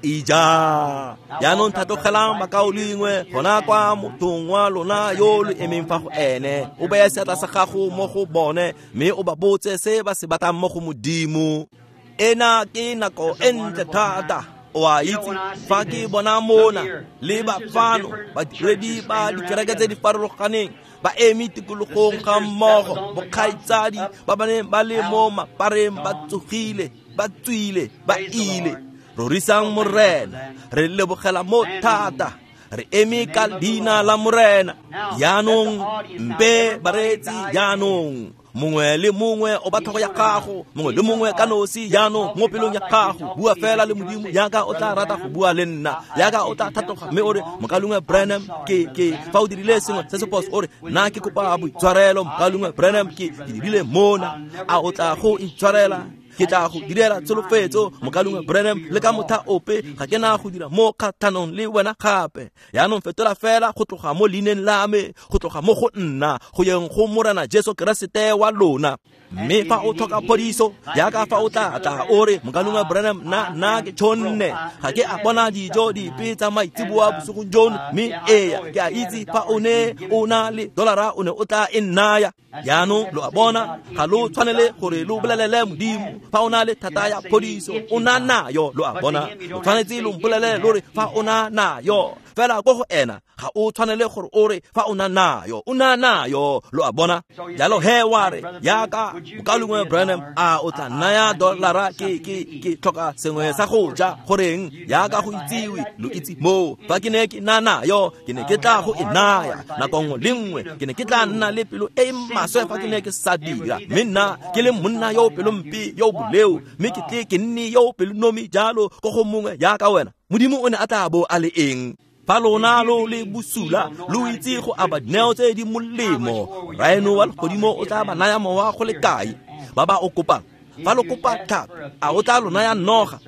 Ija, jaanong tlhatlogelang bakaulengwe gona kwa mothong wa lona yo lo emeng fa go ene. O beye seatla sa gago mo go bone mme o ba botse se ba se batlang mo go Modimo. Ena ke nako e ntle thata. O a itse fa ke bona mona le ba fano badiredi ba dikereke tse di farologaneng ba eme tikologong ga mmogo, bokgaitsadi ba ba neng ba le mo mapareng ba tsogile, ba tswile, ba ile. Rorisang Morena, re lebogela mo thata, re eme ka leina la Morena. Jaanong mpe bareetsi jaanong, mongwe le mongwe o ba tlhogo ya gago, mongwe le mongwe ka nosi jaanong mo pelong ya gago. Bua fela le Modimo jaaka o tla rata go bua le nna, jaaka o tla thatoga mme o re, Mokaulengwe Branham, ke ke fa o dirile sengwe se se phoso, o re nna ke kopa boitshwarelo. Mokaulengwe Branham, ke ke dirile mona, a o tla go itshwarela? Ke tla go direla tsholofetso, Mokaulengwe Branham, le ka motha ope ga ke na go dira mo kgatlhanong le wena gape. Jaanong fetola fela go tloga mo leineng la me, go tloga mo go nna, go yeng go Morena Jesu Keresete wa lona. Mme fa o tlhoka phodiso, jaaka fa o tla tla o re, Mokaulengwe Branham, nna nna ke tshonne, ga ke a bona dijo dipe tsa maitseboa bosigong jono, mme eya ke a itse fa o ne o na le dolara o ne o tla e nnaya. Jaanong lo a bona, ga lo tshwanele gore lo bolelele Modimo fa o na le thata ya phodiso, o na nayo. Lo a bona, o tshwanetse lo mpolelele lo re fa o na nayo. Fela ko go ena ga o tshwanele gore o re fa o na nayo, o na nayo. Lo a bona. Jalo he wa re, jaaka Mokaulengwe Branham, a o tla naya dolara, ke ke ke tlhoka sengwe sa go ja. Goreng jaaka go itsiwe, lo itse moo fa ke ne ke na nayo, ke ne ke tla go e naya nako nngwe le nngwe. Ke ne ke tla nna le pelo e maswe fa ke ne ke sa dira, mme nna ke le monna yo pelompe yo boleo, mme ke tle ke nne yo pelonomi jalo ko go mongwe jaaka wena. Modimo o ne a tla bo a le eng? Fa lona lo le bosula, lo itse go aba dineo tse di molemo, Rraeno wa legodimo o tla ba naya mowa go le kae ba ba o kopang? Fa lo kopa tlhapi, a o tla lo naya noga?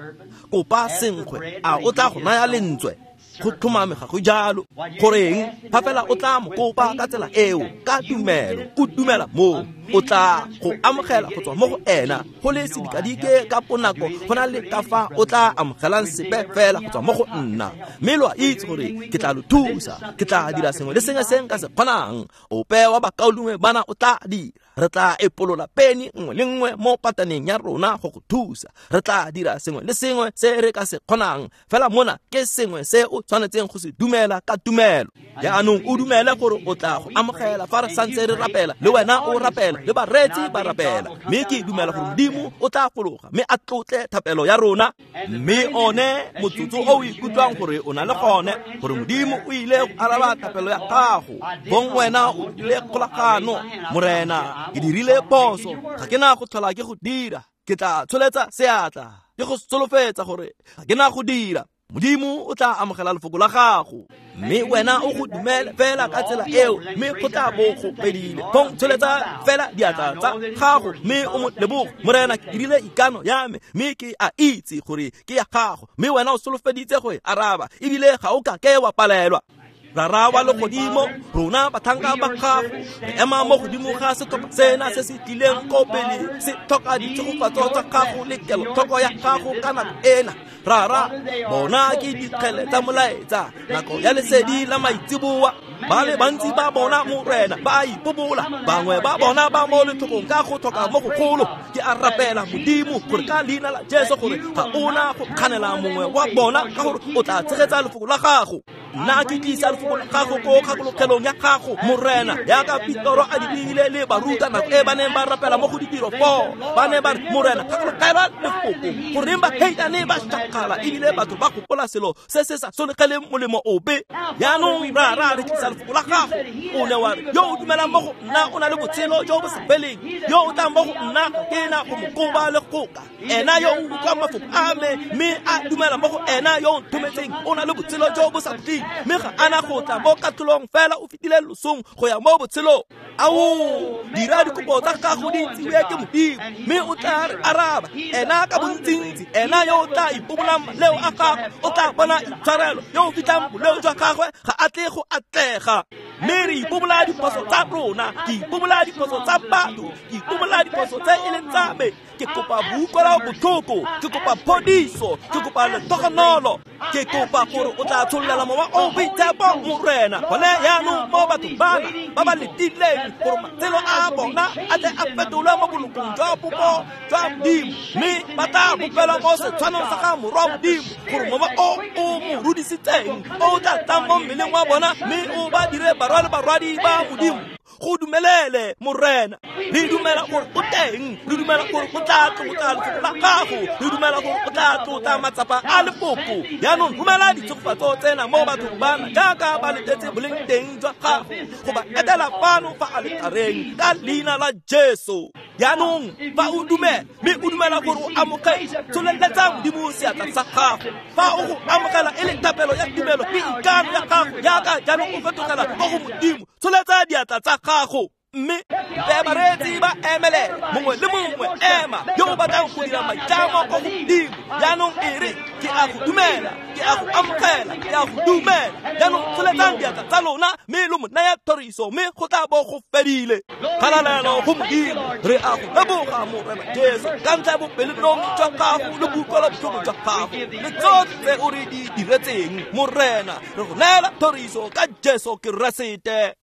Kopa senkgwe, a o tla go naya lentswe? Go tlhomame ga go jalo. Goreng fa fela o tla mo kopa ka tsela eo, ka tumelo, o dumela moo, o tla go amogela go tswa mo go ena go le sedikadike ka ponako go na le ka fa o tla amogelang sepe fela go tswa mo go nna. Mme lo a itse gore ke tla lo thusa, ke tla dira sengwe le sengwe se nka se kgonang. Ope wa bakaulengwe bana o tla dira. Re tla epolola peni nngwe le nngwe mo pataneng ya rona go go thusa. Re tla dira sengwe le sengwe se re ka se kgonang. Fela mona ke sengwe se o tshwanetseng go se dumela ka tumelo. Jaanong o dumele gore o tla go amogela fa re santse re rapela, le wena o rapela, le bareetsi ba rapela. Mme ke dumela gore Modimo o tla fologa mme a tlotle thapelo ya rona. Mme one motsotso o o ikutlwang gore o na le gone, gore Modimo o ile go araba thapelo ya gago, bong wena o dirile kgolagano, Morena Ke dirile phoso, ga ke na go tlhola ke go dira. Ke tla tsholetsa seatla, ke go solofetsa gore ga ke na go dira. Modimo o tla amogela lefoko la gago, mme wena o go dumele fela ka tsela eo, mme go tla bo go fedile. Fong tsholetsa fela diatla tsa gago mme o mo leboge. Morena, ke dirile ikano ya me, mme ke a itse gore ke ya gago, mme wena o solofeditse go e araba, ebile ga o ka ke wa palelwa. Rara wa legodimo, rona batlhanka ba gago, re ema mo godimo ga setlhopha sena se se tlileng ko pele, se tlhoka ditshegofatso tsa gago le kelotlhoko ya gago ka nako ena. Rara, bona ke dikgele tsa molaetsa, nako ya lesedi la maitseboa. Ba le bantsi ba bona Morena ba ipobola, bangwe ba bona ba mo letlhokong ka go tlhoka mo gogolo. Ke a rapela Modimo gore ka leina la Jesu gore ga ona go kganela mongwe wa bona, ka gore o tla tshegetsa lefoko la gago. Nna ke tlisa lefoko la gago ko kgakologelong ya gago, Morena, yaka Petoro a dirile le baruta nako e ba neng ba rapela mo go ditiro four. Ba ne ba re, Morena, kgakologelwa lefoko, goreng baheitane ba shakgala ebile batho ba gopola selo se se sa solegeleng molemo ope. Jaanong Rara, re tlisa lefoko la gago. O ne wa re, yo o dumelang mo go nna o na le botshelo jo bo sa feleng, yo o tlang mo go nna ke na go mo koba le goka. Ena yo o utlwang mafoko a me mme a dumela mo go ena yo o nthometseng o na le botshelo jo bo sa khutleng, mme ga ana go tla mo katlholong, fela o fetile losong go ya mo botshelong. Ao, dira dikopo tsa gago di itsiwe ke Modimo, mme o tla re araba. Ena ka bontsintsi, ena yo o tla ipobolang maleo a gagwe o tla bona itshwarelo, yo o fitlhang boleo jwa gagwe ga a tle go atlega. Mme re ipobola diphoso tsa rona, ke ipobola diphoso tsa batho, ke ipobola diphoso tse e leng tsa me. Ke kopa boutlwelo botlhoko, ke kopa phodiso, ke kopa letogonolo, ke kopa gore o tla tshollela mowa o boitshepo, Morena, gone jaanong mo bathong bana ba ba letileng gore matshelo a bona a tle a fetolwe mo bolokong jwa popo jwa Modimo, mme ba tla bopelwa mo setshwanong sa ga Morwa Modimo, gore mowa o o mo rudisitseng o tla tlang mo mmeleng wa bona, mme o ba dire barwa le barwadi ba Modimo. Go dumelele, Morena. Re dumela gore o teng, re dumela gore o tla tlotla lefoko la gago, re dumela gore o tla tlotla matsapa a lefoko. Jaanong romela ditshegofatso tsena mo bathong bana jaaka ba letetse boleng teng jwa gago, go ba etela fano fa aletareng ka leina la Jesu. Jaanong fa o dumela, mme o dumela gore o amogetse, tsholeletsa Modimo seatla sa gago. Fa o go amogela e le thapelo ya tumelo le ikano ya gago, jaaka jaanong o fetogela ko go Modimo, tsholetsa diatla tsa gago. Mme bareetsi ba emelele, mongwe le mongwe ema yo o batlang go dira maitlamo ko go Modimo. Jaanong e re, ke a go dumela, ke a go amogela, ke a go dumela. Jaanong tsholetsang diatla tsa lona mme lo mo naya thoriso, mme go tla bo go fedile. Kgalalelo go Modimo, re a go leboga Morena Jesu ka ntlha ya bopelonomi jwa gago le boutlwelo botlhoko jwa gago le tsotlhe tse o re di diretseng. Morena, re go neela thoriso ka Jesu Keresete.